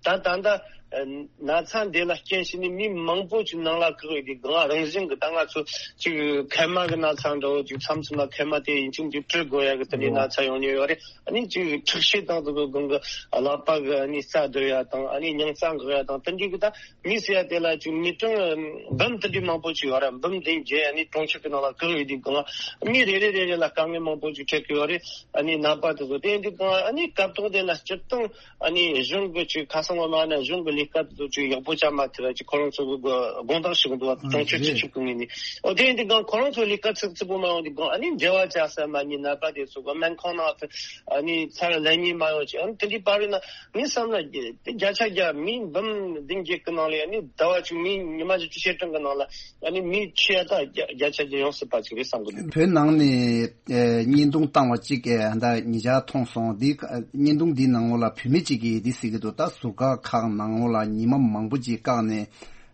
བཏང་ད་ད་ད། ན་ཚ་འདི་ལ་རྐྱེན་བྱས་ནས་མི་མང་པོ་ཅིག་ནང་ལ་བཀག་ཡོད་དུས་སྒང་རང་བཞིན་གྱི་ད་ང་ཚོ་ཅིག་མཁལ་མ་གི་ན་ཚ་འདྲ་བོ་ཅིག་མཚམས་མཚམས་ལ་མཁལ་མ་དེ་ཡིན་ཅིང་ཅིག་བཀྲུ་དགོས་ཡ་གི་དེ་འདྲའི་ན་ཚ་ཡོང་ཉེན་ཡོད་རེད། ཨ་ནི་ཅིག་འཁྲུག་ཤེད་དང་དེ་ཚོ་སྒང་གི་ཀླད་པ་གི་ཨ་ནི་རྩ་སྡུད་ཡ་དང་ཨ་ནི་སྙིང་རྩ་འགག་ཡ་དང་དེ་འདྲའི་གི་ད་མི་ཟེར་ཡ་དེ་ལ་ཅིག་མི་གྲངས་འབུམ་དེ་འདྲའི་མང་པོ་ཅིག་ཡོད་རེད། འབུམ་བདུན་བརྒྱད་ཨ་ནི་གྲོང་ཁྱེར་གི་ནང་ལ་བཀག་ཡོད་དུས་སྒང་མི་རེ་རེ་རེ་རེ་ལ་དཀའ་ངལ་མང་པོ་ཅིག་འཕྲད་གི་ཡོད་རེད། ཨ་ནི་ནད་པ་དེ་ཚོ་དེ་ཡིན་དུས་སྒང་ཨ་ནི་སྐབས་ཐོག་དེ་ན་སྤྱིར་བཏང་ཨ་ནི་གཞུང་གི་ཅིག་ཁ་སང་བ་མ་ན་གཞུང་གི་ལས་ཀ་དེ་ཚོ་ཅིག་ཡག་པོ་བྱ་མ་ཐུབ་པ་ཅིག་ཁོ་རང་ཚོ་གི་དགོངས་དག་ཞུ་གི་འདུག་བ། གྲོང་ཁྱེར་སྤྱི་ཁྱབ་ཀྱི་ངོས་ནས། འོ་དེ་ཡིན་དུས་སྒང་ཁོ་རང་ཚོ་ལས་ཀ་ཚིག་ཚིག་པོ་མ་ཡོང་དུས་སྒང་ཨ་ནི་འབྲེལ་བ་བྱ་ས་མ་ཉེས་ནད་པ་དེ་ཚོ་གི་སྨན་ཁང་ནང་ཨ་ནི་ཚར་ལེན་ཉེས་མ་ཡོང་ཅིག་ཨ་ནི་དེ་འདྲའི་པར་རེད་ན་ངས་བསམ་ན་དེ་བརྒྱ་ཆ་བརྒྱ་མི་འབུམ་བདུན་བརྒྱད་ཀྱི་ནང་ལ་ཨ་ནི་ཟླ་བ་གཅིག་མི་ཉི་མ་བཅུ་བཅུ་ཞེ་གྲངས་ཀྱི་ནང་ལ་ཨ་ནི་མི་ཁྱི་ཡ་ད་བརྒྱ་བརྒྱ་ཆ་བརྒྱ་ཡོང་སྲིད་པ་ཅིག་རེད་བསམ་གི་འདུག་བོད་ནང་ནས། ཨེ་བརྙན་ཐུང་བཏང་བ་གཅིག་གིས་ད་ཉེ་ཆར་མཐོང་སོང་། འདི་བརྙན་ཐུང་འདིའི་ནང་ལོགས་ལ་བུད་མེད་གཅིག་གིས་འདི་ཟེར་གྱི་འདུག་ད་ཟུར་བཀག་ཁག་ནང་ལོགས་ལ་ཉི་མ་མང་པོ་ཅིག་བཀག་ནས་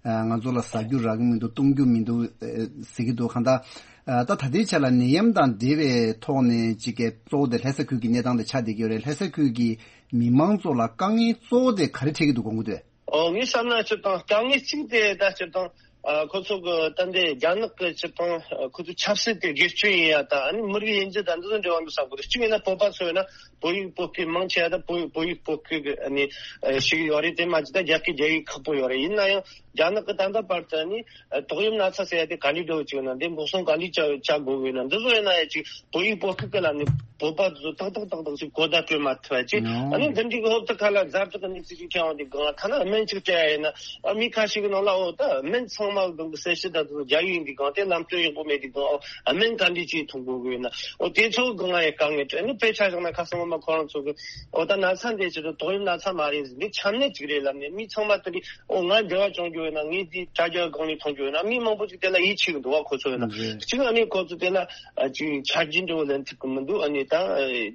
ཨ་ང་ཚོ་ལ་ཟ་རྒྱུ་རག་གི་མི་འདུག་བཏུང་རྒྱུ་མི་འདུག་ཨེ་ཟེར་གྱི་འདུག་གང་ལྟར་ཨ་ད་ད་ལྟའི་ཆ་ལ་ནད་ཡམས་དང་འབྲེལ་བའི་ཐོག་ནས་གཅིག་གིས་གཙོ་བོ་དེ་ལྷ་ས་ཁུལ་གྱི་གནས་སྟངས་དེ་ཆགས་བསྡད་ཀྱི་ཡོད་རེད། ལྷ་ས་ཁུལ་གྱི་མི་མང་ཚོ་ལ་དཀའ་ངལ་གཙོ་བོ་དེ་ག་རེ་འཕྲད་ཀྱི་འདུག་དགོངས་ཀྱི་འདུག་ཨོ་ངས་བསམ་ན་སྤྱིར་བཏང་དཀའ་ངལ་གཅིག་དེ་ད་སྤྱིར་བཏང་ཨ་ཁོ་ཚོ་གི་ད་འདི་རྒྱ་ནག་གི་སྤྱིར་བཏང་ཨ་ཁོ་ཚོ་ཆབ་སྲིད་དེ་སྒེར་གཅོད་ཡིན་ཡ་ད་ཨ་ནི་མི་རིགས་དབྱེ་འབྱེད་ད་འདི་ཚོ་འབྲེལ་བ་འདུག་བསམ་གི་འདུག་གཅིག་ཡིན་ན་བོད་པ་ཚོ་ཡིན་ན་བོད་ཡིག་བོད་སྐད་མང་ཆེ་ཡ་ད་བོད་བོད་ཡིག་བོད་སྐད་གི་ཨ་ནི་ཨ་ཞིག་ཡོད་རེད། དེ་མ་གཅིག་ད་རྒྱ་སྐད་རྒྱ་ཡིག་ཁག་པོ་ཡོད་རེད། ཡིན་ན་ཡང་རྒྱ་ནག་གི་ད་ལྟ་བར་དུ་ཨ་ནི་ཨ་ཏོག་དབྱིབས་ན་ཚ་ཟེར་ཡ་དེ་ག་འདྲ་འགྲོ་གི་ཡོད་ན་འདི་འགོག་སྲུང་ག་འདྲ་བྱ་བྱ་དགོས་གི་ཡོད་ན་འདི་ཚོ་ཡིན་ན་ཡ་ཅིག་བོད་ཡིག་བོད་སྐད་གི་ལ་ནི། བོད་པ་དེ་ཚོ་ཏག་ཏག་ཏག་ཏག་ཅིག་གོ་བརྡ་སྤྲོད་མ་ཐུབ་པ་ཅིག་ཨ་ནི་འདི་འདྲའི་གི་ཧོབ་ཏེ་ཁ་ལ་ཛ་དྲག་གི་གནས་ཚུལ་ཅིག་ཐོན་ཡོང་དུས་སྒང་ཐ་ན་སྨན་ཅིག་སྤྲད་ཡ་ཡིན་ན། ཨ་མི་ཁ་ཤས་ཀྱི་ནང་ལ་འོ་ད་སྨན་ཚང་མ་སྒང་གི་གསལ་བཤད་ད་དེ་ཚོ་རྒྱ་ཡིག་ཡིན་དུས་སྒང་དེ་ལམ་སྟོན་ཡག་པོ་མེད་དུས་སྒང་ཨ་སྨན་ག་འདྲ་ཅིག་འཐུང་དགོས་གི་ཡོད་ན། འོ་དེ་ཚོ་སྒང་ལ་ཡང་དཀའ་ངལ་འཕྲད། ཨ་ནི་དཔེ་ཆ་བཞག་ན་ཁ་སང་ངོ་མ་ཁོ་རང་ཚོ་གི་འོ་ད་ན་ཚ་འདི་ཅི་རེད། ཏོག་དབྱིབས་ན་ཚ་མ་རེད། འདི་ཆམ་ནད་ཅིག་རེད་ལབ་ནས་མི་ཚང་མ་དེ་འདྲའི་འོ་ང་འབྲེལ་བ་བྱུང་རྒྱུ་ཡོད་ན། ངས་འདི་དྲ་རྒྱ་སྒང་ནས་མཐོང་རྒྱུ་ཡོད་ན། མི་མང་པོ་ཅིག་དེ་ལ་ཡིད་ཆེས་གི་འདུག་བ། ཁོ་ཚོ་ཡོད་ན་གཅིག་ཨ་ནི་ཁོ་ཚོ་དེ་ལ་ཨ་ཅིག་ཆ་རྒྱུས་འདྲ་བོ་ལེན་ཐུབ་གི་མི་འདུག་ཨ་ནི་ད་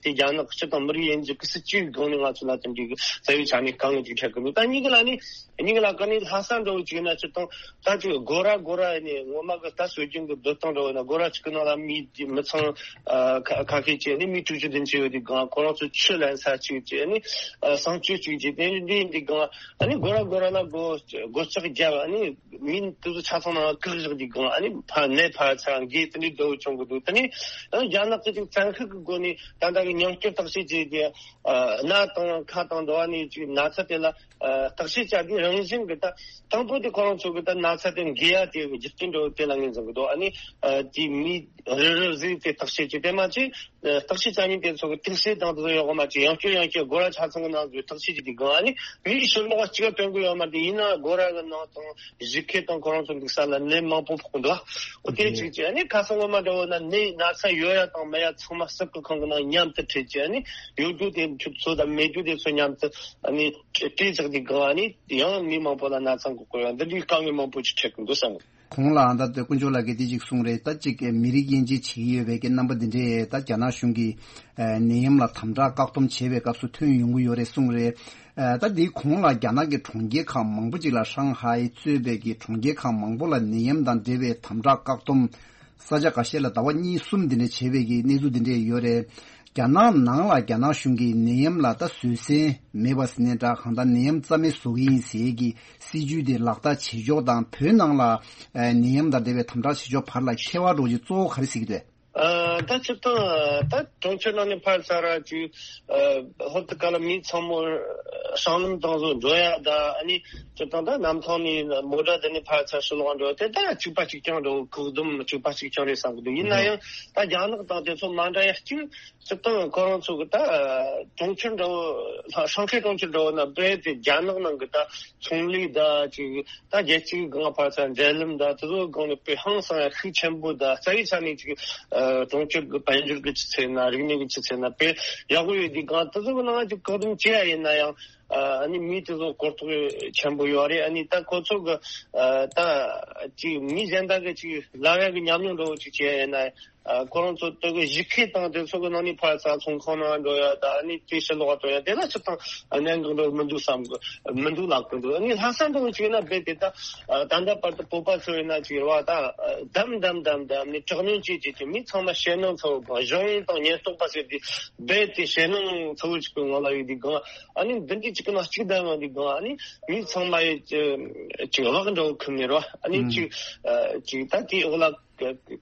དེ་རྒྱ་ནག་སྤྱི་དང་མི་རིགས་དབྱེ་འབྱེད་ཀྱི་སྲིད་ཇུས་སྒང་ནས་ང་ཚོ་ལ་དེ་འདྲའི་རྩ་བའི་ཆ་ནས་དཀའ་ངལ་ཅིག་འཕྲད་གི་འདུག་ད་གཉིས་ཀ་ལ་ནི་གཉིས་ཀ་ལ་ཀ་ནི་ལྷག་བསམ་འདྲ་བོ་ཅིག་ཡོད་ན་སྤྱིར་བཏང་ད་ཅིག་སྒོ་ར་སྒོ་ར་ཨ་ནི་ངོ་མ་གི་ད་སྲོལ་རྒྱུན་གི་སྡོད་སྟངས་འདྲ་བོ་ཡིན་ན། སྒོ་ར་གཅིག་གི་ནང་ལ་མི་མི་ཚང་ཨ་ཁ་ཁ་ཤས་ཅིག་ཨ་ནི་མི་དྲུག་ཅུ་བདུན་ཅུ་ཡོད་དུས་སྒང་ཁོ་རང་ཚོ་ཆུ་ལེན་ས་གཅིག་ཅིག་ཨ་ནི་ཨ་གསང་སྤྱོད་གཅིག་ཅིག་དེ་འདྲ་ཡིན་དུས་སྒང་ཨ་ནི་སྒོ་ར་སྒོ་ར་ལ་སྒོ་སྒོ་ལྕགས་བརྒྱབ། ཨ་ནི་མི་དེ་ཚོ་ཆ་ཚང་ནང་བཀག་བཞག་དུས་སྒང་ཨ་ནི་ཕར་ནད་ཕར་ཚུར་འགོས། དེ་འདྲའི་འདྲ་བོ་བྱུང་གི་འདུག་དེ་ནི་ཨ་ནི་རྒྱ་ནག་གི་ཅིག་བཙན་ཤུགས་ཀྱི་སྒོ་ནས་ད་ལྟ་གི་ཉམས་བཅོས་བརྟག་དཔྱད་བྱས་ཏེ་ཨ་སྣ་དང་ཁ་དང་འདྲ་བ་ནས་ཅིག་ན་ཚ་དེ་ལ་ཨ་བརྟག་དཔྱད་བྱ་དུས་རང་བཞིན་གྱི་ད་དང་པོ་དེ་ཁོ་རང་ཚོ་གི་ད་ན་ཚ་དེ་འགོས་ཡ་དེ་གི་རྒྱུ་རྐྱེན་འདྲ་བོ་དེ་ལ་ངོས་འཛིན་གི་འདུག་ཨ་ནི་ཨ་དེ་མི་རེ་རེ་ཟིག་དེ་བརྟག་དཔྱད་བྱས། དེ་མ་ཚད་ཨ་བརྟག་དཔྱད་བྱ་མཁན་དེ་ཚོ་གི་དུག་སེལ་དང་དེ་ཚོ་ཡོད་མ་ཅིག་ཡང་བསྐྱར་ཡང་བསྐྱར་སྒོ་ར་ཆ་ཚང་གི་ནང་དུ་བརྟག་དཔྱད་བྱེད་དུས་སྒང་ཨ་ནི་མིའི་ཕྱི་ལོགས་གཅིག་སྟོན་གི་ཡོད་མ་རེད། ཡིན་ན་སྒོ་ར་གི་ནང་དང་གཞུག་ཁེ་དང་ཁོ་རང་ཚོ་འདུག་ས་ལ་ནད་མང་པོ་ཕོག་གི་འདུག་འོ་དེ་གཅིག་བྱས། ཨ་ནི་ཁ་སང་ངོ་མ་འདྲ་བོ་ན་ནད་ན་ཚ་ཡོད་ཡ་དང་མེད་ཡ་ཚང་མ་སུབ་ཀྱི་ཁང་གི་ནང་མཉམ་དུ་ཁྲིད་བྱས། ཨ་ནི་ཡོད་རྒྱུ་དེ་ཚོ་དང་མེད་རྒྱུ་དེ་ཚོ་མཉམ་དུ་ཨ་ནི་སྤྲད་བཞག་དུས་སྒང་ཨ་ནི་ཡང་མི་མང་པོ་ལ་ན་ཚ་འགོ་གོ་ཡ་འདི་འདྲའི་དཀའ་ངལ་མང་པོ་ཅིག་འཕྲད་གི་འདུག་བསམ་གི། ཁོང་ལ་ད་ལྟ་དཀོན་མཆོག་ལགས་ཀྱིས་དེ་གཅིག་གསུངས་རེད། ད་གཅིག་མི་རིགས་དབྱེ་འབྱེད་བྱེད་ཀྱི་ཡོད་པའི་གི་རྣམ་པ་འདི་འདྲས་ད་རྒྱ་ནག་གཞུང་གིས་ནད་ཡམས་ལ་དམ་དྲག་བཀག་སྡོམ་བྱེད་པའི་སྐབས་སུ་ཐོན་ཡོང་གི་ཡོད་རེད་གསུངས་རེད། ད་འདི་གོང་ལ་རྒྱ་ནག་གི་གྲོང་ཁྱེར་ཁག་མང་པོ་ཅིག་ལ་ཧྲང་ཧའེ་གཙོས་པའི་གི་གྲོང་ཁྱེར་ཁག་མང་པོ་ལ་ནད་ཡམས་དང་འབྲེལ་བའི་དམ་དྲག་བཀག་སྡོམ་ས་ཆ་འགའ་ཤས་ལ་ཟླ་བ་གཉིས་གསུམ་འདི་འདྲས་བྱས་པའི་གི་གནས་ཚུལ་འདི་འདྲས་ཡོད་རེད། རྒྱ་ནག་ནང་ལ་རྒྱ་ནག་གཞུང་གིས་ནད་ཡམས་ལ་ད་བཟོད་བསྲན་མེད་པ་ཟེར་ནའི་འདྲ། གང་ལྟར་ནད་ཡམས་རྩ་མེད་བཟོ་གི་ཡིན་ཟེར་གི་སྲིད་ཇུས་དེ་ལག་བསྟར་བྱེད་ཕྱོགས་དང་། བོད་ནང་ལ་ཨ་ནད་ཡམས་དང་འབྲེལ་བའི་དམ་དྲག་བྱེད་ཕྱོགས་བར་ལ་ཁྱད་པར་འདྲ་བོ་ཅིག་གཙོ་བོ་ག་རེ་གཟིགས་ཀྱི་འདུག་ཨ་ད་སྤྱིར་བཏང་ད་གྲོང་ཁྱེར་ནང་ནས་ཕར་ཚུར་ཅིག་ཨ་ཧོབ་ཏེ་ཁ་ལ་མི་ཚང་མ་སྲང་ལམ་དེ་ཚོ་འགྲོ་ཡ་ད་ཨ་ནི་སྤྱིར་བཏང་ད་གནམ་ཐང་ནས་མོ་ཊ་དེ་ནས་ཕར་ཚུར་ཕྱི་ལོགས་འགྲོ་དེ་ད་གཅིག་པ་གཅིག་རྐྱང་འདྲ་བོ། བཀག་སྡོམ་གཅིག་པ་གཅིག་རྐྱང་རེད་བསམ་གི་འདུག་ཡིན་ན་ཡང་ད་རྒྱ་ནག་དང་དེ་ཚོ་མ་འདྲ་ཡ་གཅིག་སྤྱིར་བཏང་ཁོ་རང་ཚོ་གི་ད་གྲོང་ཁྱེར་འདྲ་བོ་ཧྲང་ཧའེ་གྲོང་ཁྱེར་འདྲ་བོ་ན་རྦད་དེ་རྒྱ་ནག་ནང་གི་ད་ཚོང་ལས་ད་ཅིག་ད་རྒྱལ་སྤྱིའི་སྒང་ཕར་ཚུར་འབྲེལ་ལམ་ད་དེ་ཚོའི་སྒང་ནས་དཔེ་ཧང་སང་ཡ་ཤུགས་ཆེན་པོ། ད་རྩ་བའི་ཆ་ནས་ཅིག་གྲོང་ཁྱེར་གི་དཔལ་འབྱོར་གི་ཆུ་ཚད་ན་རིག་གནས་གི་ཆུ་ཚད་ན་དཔེ་ཡག་པོ་ཡོད་དུས་སྒང་དེ་ཚོ་གི་ནང་ཅིག་བཀག་སྡོམ་བྱེད་ཡ་ཡིན་ན་ཡང་ཨ་ནི་མི་དེ་ཚོ་གོ་རྟོགས་ཆེན་པོ་ཡོད་རེད། ཨ་ནི་ད་ཁོ་ཚོ་གི་ད་ཅིག་མི་གཞན་དག་གི་ཅིག་ལབ་ཡ་གི་ཉམས་མྱོང་འདྲ་བོ་ཅིག་བྱེད་ཡ་ཡིན་ན། ཨ་ཁོ་རང་ཚོ་དེ་གི་གཞུག་ཁེ་དང་དེ་ཚོ་གི་ནང་ནས་ཕར་ཚུར་ཚོང་ཁང་ནང་འགྲོ་ཡ་ད་ཨ་ནི་དེ་ཕྱི་ལོགས་འགྲོ་ཡ་དེ་ལ་སྤྱིར་བཏང་གནད་འགག་འདྲ་བོ་མི་འདུག་བསམ་གི་མི་འདུག་ལབ་གི་འདུག་ཨ་ནི་ལྷག་བསམ་འདྲ་བོ་བྱས་ན་རྦད་དེ་ད་ད་ལྟ་བར་དུ་བོད་པ་ཚོ་ཡིན་ན་ཅིག་རེད་བ། ད་བསྡམས་བསྡམས་བསྡམས་བསྡམས་ནས་དྲག་གནོན་བྱས་བྱས་ཀྱི་མི་ཚང་མ་ཞེད་སྣང་ཚ་བོ་སྒང་། གཞུང་དང་ཉེན་རྟོག་པ་ཟེར་དུས་རྦད་དེ་ཞེད་སྣང་ཚ་བོ་ཅིག་གི་ངང་ལ་ཡོད་དུས་སྒང་། ཨ་ནི་འདི་འདྲའི་གཅིག་གི་ནང་གཅིག་བསྡད་ཡོང་དུས་སྒང་ཨ་ནི་མི་ཚང་མ་ཡི་ཅིག་བག་འདྲ་བོ་ཁུར་ནས་རེད་བ། ཨ་ནི་ཅིག་ཅིག་ད་དེའི་འོག་ལ་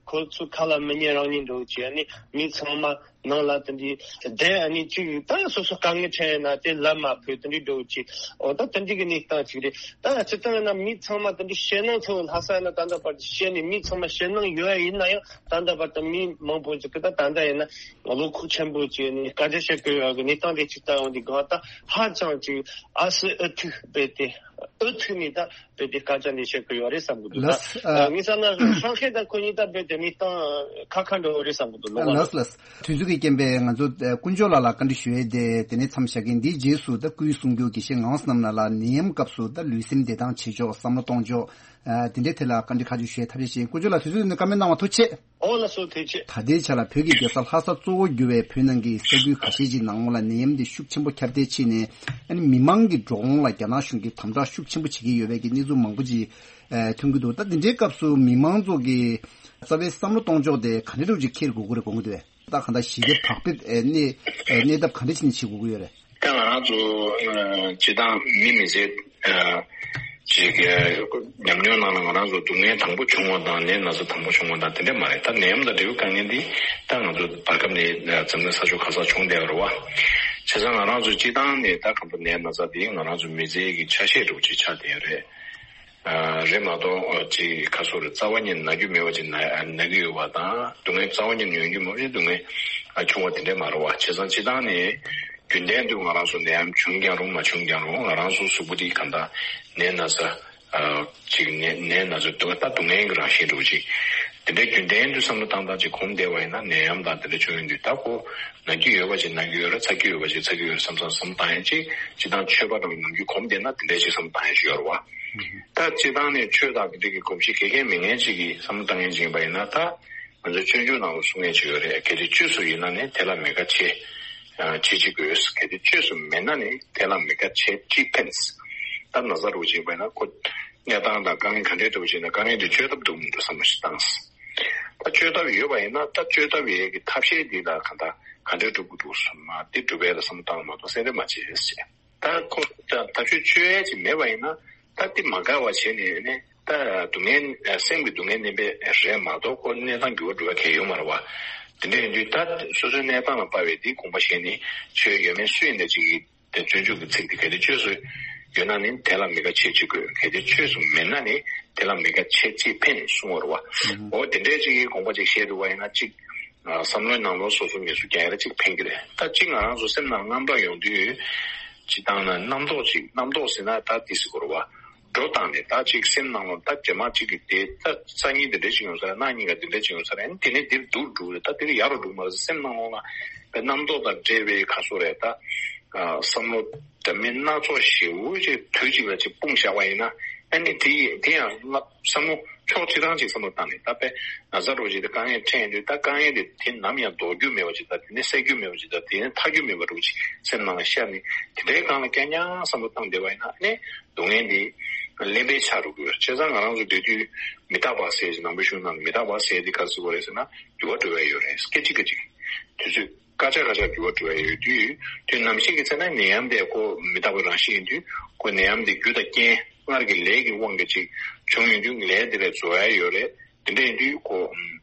ཁོ་ཚོ་ཁ་ལ་མི་ཉན་རང་ཉན་འདྲ་བོ་བྱས། ཨ་ནི་མི་ཚང་མ་ནང་ལ་དེ་འདྲའི་བསྡད། ཨ་ནི་ཅིག་ད་སོ་སོ་དཀའ་ངལ་འཕྲད་ཡོད་ན་དེ་ལབ་མ་ཕོད། དེ་འདྲའི་འདྲ་བོ་བྱས། འོ་ད་དེ་འདྲའི་གི་གནས་སྟངས་ཅིག་རེད། ད་སྤྱིར་བཏང་ཡིན་ན་མི་ཚང་མ་དེ་འདྲའི་ཞེད་སྣང་ཚ་བོ་ལྷག་བསམ་ཡིན་ན་ད་ལྟ་བར་དུ་བཤད་ནས་མི་ཚང་མ་ཞེད་སྣང་ཡོད་ཡ་ཡིན་ན་ཡང་། ད་ལྟ་བར་དུ་མི་མང་པོ་ཅིག་གིས་ད་ད་ལྟ་ཡིན་ན་བློ་ཁོག་ཆེན་པོ་བྱས་ནས་སྐད་ཆ་བཤད་གི་ཡོད་གི་གནས་སྟངས་དེ་ཅིག་ལྟ་ཡོང་དུས་སྒང་ད་ཧ་ཅང་ཅིག་ཨ་སི་ཨུ་ཐུག་རྦད་དེ་ཨུ་ཐུག་ནས་ད་རྦད་དེ་སྐད་ཆ་འདི་བཤད་གི་ཡོད་རེད་བསམ་གི་འདུག་ད་ལགས། ཨ། ངས་བསམ་ན་ཧྲང་ཧའེ་དང་ཁོ་གཉིས་ད་རྦད་དེ་གནས་སྟངས་ཁག་ཁག་འདྲ་བོ་རེད་བསམ་གི་འདུག་ལོ་ལགས་ལགས། དུས་ཚོད་ཀྱི་རྐྱེན་པས་ང་ཚོ་དཀོན་མཆོག་ལགས་ལ་བཀའ་འདྲི་ཞུ་ཡས་དེ་དེ་ནས་མཚམས་བཞག་གི། འདིའི་རྗེས་སུ་ད་སྐུའི་གསུང་སྒྱུར་དགེ་བཤེས་ངག་དབང་བསོད་ནམས་ལགས་ལ་ནད་ཡམས་སྐབས་སུ་ད་ལུས་སེམས་བདེ་ཐང་བྱེད་ཕྱོགས་བསམ་བློ་གཏོང་ཕྱོགས། ཨ། དེ་འདྲའི་ཐད་ལ་བཀའ་འདྲི་ཁ་ཤས་ཞུ་ཡས་ཐབས་ཤེས་བྱེད། དཀོན་མཆོག་ལགས་དུས་ཚོད་འདི་བཀའ་མོལ་གནང་བ་ཐུགས་རྗེ་ཆེ། ཨོ་ལགས་སོ་ཐུགས་རྗེ་ཆེ། ད་ལྟའི་ཆ་ལ་བོད་ཀྱི་རྒྱལ་ས་ལྷ་ས་གཙོ་བོ་གྱུར་བའི་བོད་ནང་གི་ས་ཁུལ་ཁ་ཤས་ཀྱི་ནང་ལ་ནད་ཡམས་འདི་ཤུགས་ཆེན་པོ་ཁྱབ་གདལ་ཕྱིན་ནས། ཨ་ནི་མི་མང་གི་འགྲོ་འོང་ལ་རྒྱ་ནག་གཞུང་གིས་དམ་དྲག་ཤུགས་ཆེན་པོ་བྱེད་ཀྱི་ཡོད་པའི་གི་གནས་ཚུལ་མང་པོ་ཅིག་ཨ་ཐོན་གྱི་འདུག་ད་འདི་འདྲའི་སྐབས་སུ་མི་མང་ཚོ་གི་རྩ་བའི་བསམ་བློ་གཏོང་ཕྱོགས་དེ་ག་འདྲ་འདྲ་ཅིག་འཁྱེར་དགོས་ཀྱི་རེད་དགོངས་ཀྱི་འདུག་གས། ད་གང་ལྟར་ཞི་བདེ་བག་ཕེབས་ཨ་གནས་ཨ་གནས་ཐབས་ག་འདྲ་བྱས་ནས་བྱེད་དགོས་ཀྱི་ཡོད་རེད། ད་ང་རང་ཚོ་ཨ་སྤྱིར་བཏང་མི་མི་ཚེ་ཨ་ཅིག་གི་ཉམས་མྱོང་ནང་ལ་ང་རང་ཚོ་སྡུག་བསྔལ་དང་པོ་བྱུང་བ་དང་ནད་ན་ཚ་དང་པོ་བྱུང་བ་དང་དེ་འདྲ་མ་རེད། ད་ནད་ཡམས་དང་འབྲེལ་བའི་དཀའ་ངལ་འདི་ད་ང་ཚོ་བར་སྐབས་ནས་འཛམ་གླིང་ས་ཕྱོགས་ག་སར་བྱུང་བསྡད་ཡོད་རེད་བ། བྱས་ཙང་ང་རང་ཚོ་སྤྱིར་བཏང་ནས་ད་གང་ལྟར་ནད་ན་ཚ་འདི་ང་རང་ཚོ་མི་ཚེ་གི་ཆ་ཤས་འདྲ་བོ་ཅིག་ཆགས་བསྡད་ཡོད་རེད། རེད་མ་གཏོགས་ཅིག་ཁ་སོ་རེ་རྩ་བ་ཉིད་ན་རྒྱུ་མེད་པ་ཅིག་ན་ན་གི་ཡོད་པ་དང་སྡུག་བསྔལ་རྩ་བ་ཉིད་ཡོང་རྒྱུ་མ་རེད། སྡུག་བསྔལ་ཆུང་བ་དེ་འདྲས་མ་རེད་བ། བྱས་ཙང་སྤྱིར་བཏང་ནས་རྒྱུན་ལྡན་དུ་ང་རང་ཚོ་ནད་ཡམས་བྱུང་ཀྱང་རུང་མ་བྱུང་ཀྱང་རུང་ང་རང་ཚོ་གཟུགས་པོ་འདི་གང་ལྟར་ནད་ན་ཚ་ཅིག་ནད་ནད་ན་ཚ་སྡུག་ད་སྡུག་བསྔལ་གྱི་རང་བཞིན་འདྲ་བོ་ཅིག་དེ་འདྲས་རྒྱུན་ལྡན་དུ་བསམ་བློ་བཏང་སྟངས་ཅིག་གོམས་བསྡད་པ་ཡིན་ན་ནད་ཡམས་དང་དེ་འདྲས་བྱུང་ཡོང་དུས་ད་ཁོ་ན་རྒྱུ་ཡོད་པ་ཅིག་ན་རྒྱུ་ཡོད་རེད། ཚ་རྒྱུ་ཡོད་པ་ཅིག་ཚ་རྒྱུ་ཡོད་རེད་བསམ་བསམ་བསམ་བཏང་ཡང་ཅིག་སྤྱིར་བཏང་ཆོས་པ་རང་ནམ་རྒྱུན་གོམས་བསྡད་ན་དེ་འདྲས་ཅིག་བསམ་བཏང་ཡང་ཅིག་ཡོད་རེད་བ། ད་སྤྱིར་བཏང་ནས་ཆོས་དང་དེ་འདྲ་གི་གོམས་གཤིས་ག་གེ་མེད་མཁན་ཅིག་གིས་བསམ་བློ་བཏང་མཁན་ཅིག་ཡིན་པ་ཡིན་ན། ད་ང་ཚོའི་སྤྱོད་འཇུག་ནང་ལ་གསུང་མཁན་ཅིག་ཡོད་རེད། གལ་ཏེ་བཅོས་སུ་ཡིན་ན་ནི་དེ་ལ་མི་དགའ་བྱེད། བྱེད་ཅིག་དགོས། གལ་ཏེ་བཅོས་སུ་མེད་ན་ནི་དེ་ལ་མི་དགའ་བྱེད་ཅིག་ཕན། ད་ན་ཚ་རུ་ཅིག་ཡིན་པ་ཡིན་ན་ཁོ་གནས་སྟངས་དང་དཀའ་ངལ་ག་འདྲའི་འདུག་ཅེ་ན་དཀའ་ངལ་དེ་བཅོས་ཐབས་འདུག་མི་འདུག་བསམ་བློ་ཞིག་བཏང་། ད་བཅོས་ཐབས་ཡོད་པ་ཡིན་ན་ད་བཅོས་ཐབས་ཡས་ཀྱི་ཐབས་ཤེས་འདི་ལ་གང་ལྟར་ག་འདྲའི་སྒྲུབ་དགོས་འདུག་བསམ་ན་དེ་སྒྲུབ་ཡས་ལ་བསམ་བློ་བཏང་མ་གཏོགས་སེམས་ཁྲལ་མ་བྱེད་ཅེས། ད་ཁོ་ད་ད་ཆོས་ཆོས་ཡས་ཅིག་མེད་པ་ཡིན་ན་ད་དེ་མ་དགའ་བ་བྱས་ནས་ནི་ད་སྡུག་བསྔལ་སེམས་ཀྱི་སྡུག་བསྔལ་བསྣན་པས་རེད་མ་གཏོགས་ཁོ་གནས་སྟངས་འགྱུར་བ་འགྲོ་བ་གལ་ཡོད་མ་རེད་བ། དེ་འདྲ་ཡིན་དུས་ད་སོ་སོའི་གནས་སྟངས་ལ་དཔག་པའི་དེའི་དགོངས་པ་བཞེས་ནས་ཆོས་ཡོད་མེད་སུ་ཡིན་ད་ཅིག་གིས་དེ་སྤྱོད་འཇུག་གི་ཚིག་དེ་གལ་ཏེ་བཅོས་སུ་ཡོད་ན་ནི་དེ་ལ་མི་དགའ་བྱེད་ཅིག་དགོས། གལ་ཏེ་བཅོས་སུ་མེད་ན་ནི་དེ་ལ་མི་དགའ་བྱེད་ཅིག་ཕན་གསུང་བ་རེད་བ། འོ་དེ་འདྲའི་ཅིག་གི་དགོངས་པ་ཅིག་བཞེས་འདུག་བ་ཡིན་ན་ཅིག་བསམ་བློའི་ནང་ལོགས་སོ་སོ་ངལ་གསོ་རྒྱག་ཡ་ལ་ཅིག་ཕན་གྱི་རེད། ད་ཅིག་ང་རང་ཚོ་སེམས་ནང་དངངས་སྐྲག་ཡོང་དུས་ཅིག་བཏང་ན་རྣམ་རྟོག་ཅིག་རྣམ་རྟོག་ཟེར་ན་ད་དེ་ཟེར་དགོས་རེད་བ། འགྲོ་བཏང་ནས་ད་ཅིག་སེམས་ནང་ལ་ད་རྗེས་མ་ཅིག་གི་དེ་ད་སང་ཉིན་དེ་འདྲ་ཅིག་ཡོང་ས་རེད། གནངས་ཉིན་ག་དེ་འདྲ་ཅིག་ཡོང་ས་རེད། དེ་ནས་དེར་སྡུག་འགྲོ་རེད། ད་དེ་རིང་ཡག་རུ་འགྲོ་མ་རེད། སེམས་ནང་ལོགས་ལ་དེ་རྣམ་རྟོག་དང་འདྲེས་པའི་ཁ་སོ་རེད། ད་བསམ་བློ་འདྲ་མིན་སྣ་ཚོགས་ཞེ་པོ་ཅིག་དུས་གཅིག་ལ་ཅིག་སྤུངས་བཞག་པ་ཡིན་ན་ཨ་ནི་དེ་དེ་ཡང་བསམ་བློ་ཕྱོགས་གཅིག་རང་ཅིག་བསམ་བློ་བཏང་ནས་ད་དཔེ་ན་ཚ་རོ་ཅིག་དེ་དཀའ་ངལ་འཕྲད་ཡོང་དུས་ད་དཀའ་ངལ་དེ་དེ་ནམ་ཡང་ལྡོག་རྒྱུ་མེད་པ་ཅིག་དང་དེ་ནས་སེལ་རྒྱུ་མེད་པ་ཅིག་དང་དེ་ནས་ཐར་རྒྱུ་མེད་པ་རུ་ཅིག་སེམས་ནང་ལ་ཤར་ནས་དེ་འདྲའི་སྒང་ལ་རྐྱང་རྐྱང་བསམ་བློ་བཏང་བསྡད་པ་ཡིན་ན་ཨ་ནི་སྡུག་བསྔལ་འདི་གླེན་པའི་ཆ་རུ་གྱུར། བྱས་ཙང་ང་རང་ཚོ་སྡོད་དུས་མི་རྟག་པ་ཟེར་ཞིག་ནང་པའི་གཞུང་ནང་མི་རྟག་པ་ཟེར་འདི་ག་རེ་ཟེར་དགོས་རེད་ཟེར་ན་འགྱུར་བ་འགྲོ་བས་ཡོད་རེད། སྐད་ཅིག་སྐད་ཅིག་དུས་ཚོད་སྐར་ཆ་སྐར་ཆ་འགྱུར་བ་འགྲོ་བས་ཡོད་དུས་དུས་ནམ་ཞིག་གི་ཚེ་ན་ནད་ཡམས་དེ་ཁོ་མི་རྟག་པའི་རང་བཞིན་ཡིན་དུས་ཁོ་ནད་ཡམས་དེ་རྒྱུ་དང་རྐྱེན་སྔར་གྱི་ལས་ཀྱི་དབང་གིས་ཅིག་བྱུང་ཡོང་དུས་ལས་དེ་ལས་རྫོགས་ཡ་ཡོད་རེད། དེ་འདྲ་ཡིན་དུས་ཁོ་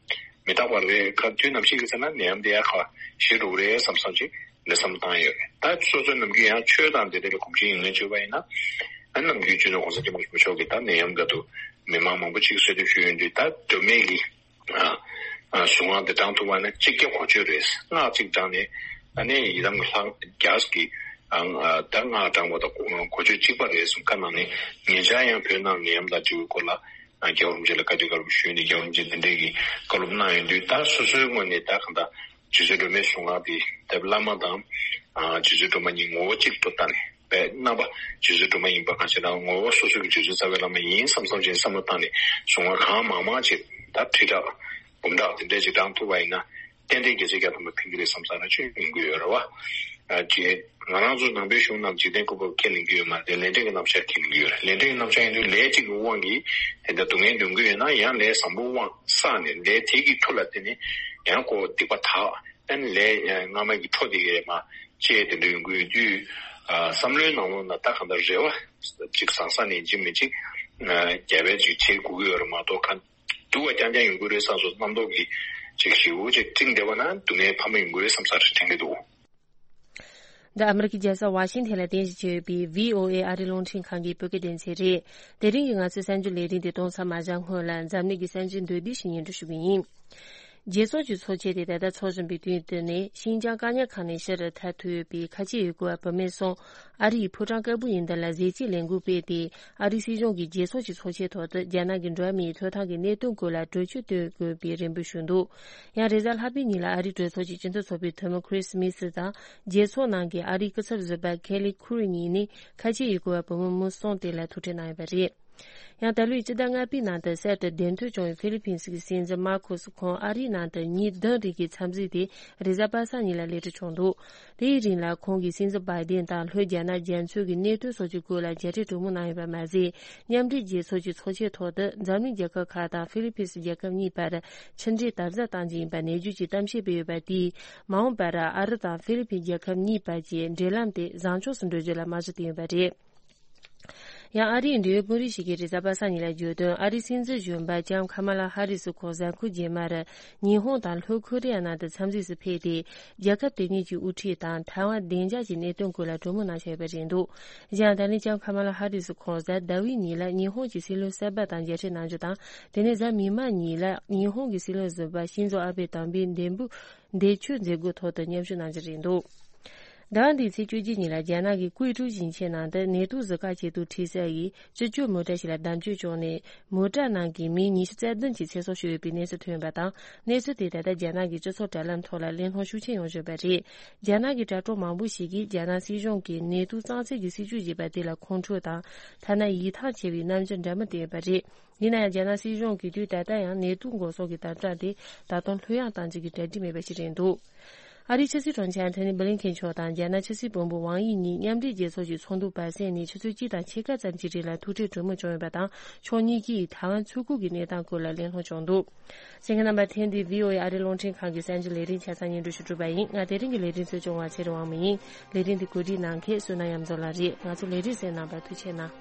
མི་རྟག་པ་རེད། ཁ་དུས་ནམ་ཞིག་གི་ཚེ་ན་ནད་ཡམས་དེ་ཡར་ཁ་ཞི་འགྲོ་གི་རེད་བསམ་བསམ་ཅིག་འདི་བསམ་བཏང་ཡོད་རེད། ད་སོ་སོའི་ནམ་རྒྱུན་ཡང་ཆོས་དང་དེ་འདྲ་ལ་གོམས་གཤིས་ཡོད་མཁན་བྱས་པ་ཡིན་ན་ཨ་ནམ་རྒྱུན་སྤྱི་ནོར་གོང་ས་སྐྱབས་མགོན་ཆེན་པོ་མཆོག་གིས་ད་ནད་ཡམས་འདི་ལ་མི་མང་མང་པོ་ཅིག་གསོད་གཏུབ་ཞུས་ཡོང་དུས་ད་མདོ་སྨད་ཀྱི་ཨ་ཨ་གཟུངས་སྔགས་འདི་བགྲང་ཐུབ་པ་ན་གཅིག་བརྒྱ་གོ་ཆོད་རེད། སྔགས་གཅིག་བགྲངས་ནས་ཨ་ནི་ཡི་དམ་གྱི་ལྷ་བརྒྱ་གི་ཨ་ཨ་ད་སྔགས་བགྲངས་པ་དང་གོ་གོ་ཆོད་གཅིག་པ་རེད་གསུངས། ཁ་ནང་ནས་ཉེ་ཆར་ཡང་བོད་ནང་ནད་ཡམས་དང་འབྲེལ་བའི་སྐོར་ལ་ཨ་རྒྱལ་བ་རིན་པོ་ཆེ་ལ་བཀའ་དྲིན་བཀའ་སློབ་ཞུས་ནས་རྒྱལ་བ་རིན་པོ་ཆེ་འདི་འདྲའི་གི་བཀའ་སློབ་གནང་ཡོང་དུས་ད་སོ་སོའི་ངོས་ནས་ད་གང་ལྟར་རྗེ་བཙུན་སྒྲོལ་མའི་གཟུངས་སྔགས་འདི་ད་བླ་མ་དང་ཨ་རྗེ་བཙུན་སྒྲོལ་མ་གཉིས་ངོ་བོ་གཅིག་ཏུ་བལྟས་ནས་པའི་རྣམ་པ་རྗེ་བཙུན་སྒྲོལ་མ་ཡིན་པ་གང་ཞིག་དང་ངོ་བོ་སོ་སོ་གི་རྗེ་བཙུན་རྩ་བའི་བླ་མ་ཡིན་བསམ་བསམ་བྱས་བསམ་བློ་བཏང་ནས་གཟུངས་སྔགས་གང་མང་མང་བྱས་ད་ཁྲི་ཕྲག་འབུམ་ཕྲག་དེ་འདྲས་ཅིག་བགྲང་ཐུབ་པ་ཡིན་ན་ཏན་ཏན་རྒྱལ་སྲས་བརྒྱ་ཐམ་པ་ཕན་གྱི་རེད་བསམ་ས་ན་ཅིག་ཡོང་གི་ཡོད་རེད་བ། ཨ་ཅེ་ང་རང་ཚོ་ནང་པའི་གཞུང་རྣམས་འཇིག་རྟེན་བཀོད་པ་ཁས་ལེན་གྱི་ཡོད་མ་རེད། ལས་འབྲས་ཀྱི་རྣམ་གཞག་ཁས་ལེན་གྱི་ཡོད་རེད། ལས་འབྲས་ཀྱི་རྣམ་གཞག་ཡིན་དུས་ལས་གཅིག་གི་དབང་གིས་དེ་འདྲ་སྡུག་བསྔལ་འདོན་གྱི་ཡོད་ན་ཡང་ལས་བཟང་པོ་དབང་བསགས་ནས་ལས་དེ་གི་མཐུ་ལ་བརྟེན་ནས་ཡང་ཁོ་སྡིག་པ་དག་ཨ་ནི་ལས་སྔ་མ་གི་འཕྲོ་དེ་གས་མ་བཅད་དེ་འདྲ་ཡོང་གི་ཡོད་དུས་ཨ་བསམ་བློའི་ནང་ལོགས་ན་ད་གང་ལྟར་རེ་བ་གཅིག་བཟང་ས་ནས་འཇིག་མི་འཇིག་རྒྱབ་པའི་ཅིག་བྱེད་དགོས་ཀྱི་ཡོད་རེད་མ་གཏོགས་ག་སྡུག་པ་རྐྱང་རྐྱང་ཡོང་གི་རེད་བསམ་སོང་། རྣམ་རྟོག་གི་ཅིག་ཞེ་པོ་ཅིག་སྤྲིངས་བསྡད་པ་ན་སྡུག་བསྔལ་འཕར་མ་ཡོང་གི་རེད་བསམ་ས་རེད་དྲན་གྱི་འདུག་འདི་ཨ་མི་རི་ཀའི་རྒྱལ་ས་ཝ་ཤིང་ཐན་ལ་རྟེན་གཞི་བྱས་ཡོད་པའི་བྷི་ཨོ་ཨེ་ཨ་རིའི་རླུང་འཕྲིན་ཁང་གི་བོད་སྐད་སྡེ་ཚན་རེད། དེ་རིང་གི་ང་ཚོའི་གསར་འགྱུར་ལས་རིམ་འདི་གཏོང་མཚམས་མ་བཞག་སྔོན་ལ་འཛམ་གླིང་གི་གསར་འགྱུར་མདོར་བསྡུས་ཤིག་སྙན་སྒྲོན་ཞུ་གི་ཡིན། རྒྱལ་ཚོགས་ཀྱི་ཚོགས་ཆེན་དེ་ད་ལྟ་འཚོགས་བཞིན་པའི་དུས་འདི་ནི་ཤིན་ཅང་བཀག་ཉར་ཁང་ནས་ཕྱིར་ཐར་ཐུབ་ཡོད་པའི་ཁ་ཆེ་ཡུ་གུར་བ་བུད་མེད་གསུམ་ཨ་རི་ཡི་ཕོ་བྲང་དཀར་པོ་ཡིན་དོན་ལ་གཟི་བརྗིད་ལས་འགུལ་སྤེལ་ཏེ། ཨ་རིའི་སྲིད་གཞུང་གིས་རྒྱལ་ཚོགས་ཀྱི་ཚོགས་ཆེན་ཐོག་ཏུ་རྒྱ་ནག་གི་འགྲོ་བ་མིའི་ཐོབ་ཐང་གི་གནད་དོན་སྐོར་ལ་གྲོས་ཆོད་གཏོང་དགོས་པའི་རེ་འབོད་ཞུས་འདུག་ཡང་རེས་གཟའ་ལྷག་པའི་ཉིན་ལ་ཨ་རིའི་གྲོས་ཚོགས་ཀྱི་སྤྱི་མཐུན་ཚོགས་པའི་འཐུས་མི་ཁྲིས་མི་སི་དང་རྒྱལ་ཚོགས་ནང་གི་ཨ་རིའི་སྐུ་ཚབ་ཟུར་པ་ཁེ་ལི་ཁུ་རི་གཉིས་ནི་ཁ་ཆེ་ཡུ་གུར་བ་བུ་མོ་མི་གསུམ་དེ་ལ་ཐུག་འཕྲད་གནང་ཡོད་པ་རེད། ཡང་ད་ལོའི་སྤྱི་ཟླ་ལྔ་པའི་ནང་དུ་གསར་དུ་གདན་ཐོབ་བྱུང་བའི་ཧྥི་ལི་ཕིན་སི་གི་སྲིད་འཛིན་མར་ཁོ་སི་ཁོང་ཨ་རིའི་ནང་དུ་ཉིན་བདུན་རིང་གི་འཚམས་གཟིགས་དེ་རེས་གཟའ་པ་སངས་ཉིན་ལ་སླེབས་གྲབས་བྱུང་འདུག་དེའི་རིང་ལ་ཁོང་གིས་སྲིད་འཛིན་བྷའི་ཌེན་དང་ལྷོ་རྒྱ་ནག་རྒྱ་མཚོའི་གི་གནད་དོན་སོགས་ཀྱི་སྐོར་ལ་མཇལ་འཕྲད་གྲོས་མོལ་གནང་ཡོད་པ་མ་ཟད། མཉམ་འབྲེལ་རྒྱལ་ཚོགས་ཀྱི་ཚོགས་ཆེན་ཐོག་ཏུ་འཛམ་གླིང་རྒྱལ་ཁབ་ཁག་དང་ཧྥི་ལི་ཕིན་སི་རྒྱལ་ཁབ་གཉིས་བར་ཕྱི་འབྲེལ་དམ་ཟབ་གཏང་རྒྱུ་ཡིན་པ་ནན་བརྗོད་ཀྱིས་གཏམ་བཤད་སྤེལ་ཡོད་པ་དེས། མ་འོངས་པར་ཨ་རི་དང་ཧྥི་ལི་ཕིན་རྒྱལ་ཁབ་གཉིས་བར་གྱི་འབྲེལ་ལམ་དེ་བཟང་ཕྱོགས་སུ་འགྲོ་རྒྱུ་ལ་རྨང་གཞི་བཏིང་ཡོད་པ་རེད། ཡང་ཨ་རིའི་འབྲེལ་ཡོད་དཔོན་རིགས་ཤིག་གིས་རེས་གཟའ་པ་སངས་ཉིན་ལ་བརྗོད་དོན། ཨ་རིའི་སྲིད་འཛིན་གཞོན་པ་ལྕམ་ཁ་མ་ལ་ཧ་རི་སི་ཁོང་གཟའ་འཁོར་རྗེས་མར་ཉི་ཧོང་དང་ལྷོ་ཁོ་རེ་ཡ་ནང་དུ་འཚམས་གཟིགས་སུ་ཕེབས་ཏེ། རྒྱལ་ཁབ་དེ་གཉིས་ཀྱི་དབུ་ཁྲིད་དང་ཐའེ་ཝན་བདེ་འཇགས་ཀྱི་གནད་དོན་སྐོར་ལ་གྲོས་མོལ་གནང་འཆར་ཡོད་པ་རེད་འདུག། གཞན་ད་ནི་ལྕམ་ཁ་མ་ལ་ཧ་རི་སི་ཁོང་གཟའ་ཟླ་བའི་ཉིན་ལ་ཉི་ཧོང་གི་སྲིད་བློན་གསར་པ་དང་མཇལ་འཕྲད་གནང་རྒྱུ་དང་། དེ་ནས་གཟའ་མིག་དམར་ཉིན་ལ་ཉི་ཧོང་གི་སྲིད་བློན་གཞོན་པ་ཤིན་ཛོ་ཨ་བྷེ་དམ་པའི་འདེམས་བསྐོ་འདས་མཆོད་མཛད་སྒོའི་ཐོག་ཏུ་མཉམ་ཞུགས་གནང་རྒྱུ་རེད་འདུག། ཟླ་བ་འདིའི་ཚེས་བཅུ་གཅིག་ཉིན་ལ་རྒྱ་ནག་གི་ཀུའེ་ཀྲུའུ་ཞིང་ཆེན་ནང་དུ་ནེ་ཏུ་གཟི་ཁ་ཆེ་ཏུ་ཁྲི་སར་ཡིས་སྤྱི་སྤྱོད་མོ་ཊ་ཞིག་ལ་བརྡབ་གཅོད་བྱུང་ནས། མོ་ཊ་ནང་གི་མི་ཉི་ཤུ་རྩ་བདུན་གྱིས་ཚེ་སྲོག་ཤོར་ཡོད་པའི་གནས་ཚུལ་ཐོན་ཡོད་པ་དང་། གནས་ཚུལ་དེ་ད་ལྟ་རྒྱ་ནག་གི་སྤྱི་ཚོགས་དྲ་ལམ་ཐོག་ལ་གླེང་སློང་ཤུགས་ཆེན་ཡོང་བཞིན་པ་རེད། རྒྱ་ནག་གི་དྲ་གྲོགས་མང་པོ་ཞིག་གིས་རྒྱ་ནག་སྲིད་གཞུང་གིས་ནེ་ཏུ་གཙང་སེལ་གྱི་སྲིད་ཇུས་བྱས་པ་དེ་ལ་ཁོང་ཁྲོ་དང་། ཐ་ན་ཡིད་ཐང་ཆད་པའི་རྣམ་འགྱུར་འདྲ་མིན་བསྟན་ཡོད་པ་རེད། ཡིན་ན་ཡང་། རྒྱ་ནག་སྲིད་གཞུང་གིས་དུས་ད་ལྟ་ཡང་ནེ་ཏུ་འགོག་སྲུང་གི་དམ་དྲག་དེ་ད་དུང་ལྷོད་ཡངས་གཏོང་རྒྱུ་གི་གྲ་སྒྲིག་མེད་པ་ཞིག་རེད་འདུག། ཨ་རིའི་ཕྱི་སྲིད་དྲུང་ཆེ་ཨན་ཐོ་ནི་བྷི་ལིན་ཁེན་མཆོག་དང་རྒྱ་ནག་ཕྱི་སྲིད་བློན་པོ་ཝང་དབྱི་གཉིས་མཉམ་འབྲེལ་རྒྱལ་ཚོགས་ཀྱི་ཚོགས་འདུ་བར་གསེང་ནས་ཆུ་ཚོད་གཅིག་དང་ཕྱེད་ཀ་ཙམ་གྱི་རིང་ལ་ཐུག་འཕྲད་གྲོས་མོལ་བྱུང་ཡོད་པ་དང་། ཕྱོགས་གཉིས་ཀྱིས་ཐའེ་ཝན་མཚོ་ཁུག་གི་གནས་སྟངས་སྐོར་ལ་གླེང་སློང་བྱུང་འདུག། གསན་མཁན་རྣམ་པ། ཐེངས་འདིའི་བྷི་ཨོ་ཨེ་ཨ་རིའི་རླུང་འཕྲིན་ཁང་གི་གསར་འགྱུར་ལས་རིམ་ཆ་ཚང་སྙན་སྒྲོན་ཞུ་གྲུབ་པ་ཡིན། ང་དེ་རིང་གི་ལས་རིམ་གཙོ་སྐྱོང་བ་ཚེ་རིང་དབང་མོ་ཡིན། ལས་རིམ་འདི་གོ་སྒྲིག་གནང་མཁན་བསོད་ནམས་གཡང་འཛོམས་ལགས་རེད། ང་ཚོ་ལས་རིམ་གསན་གནང་བར་ཐུགས་རྗེ་གནང་།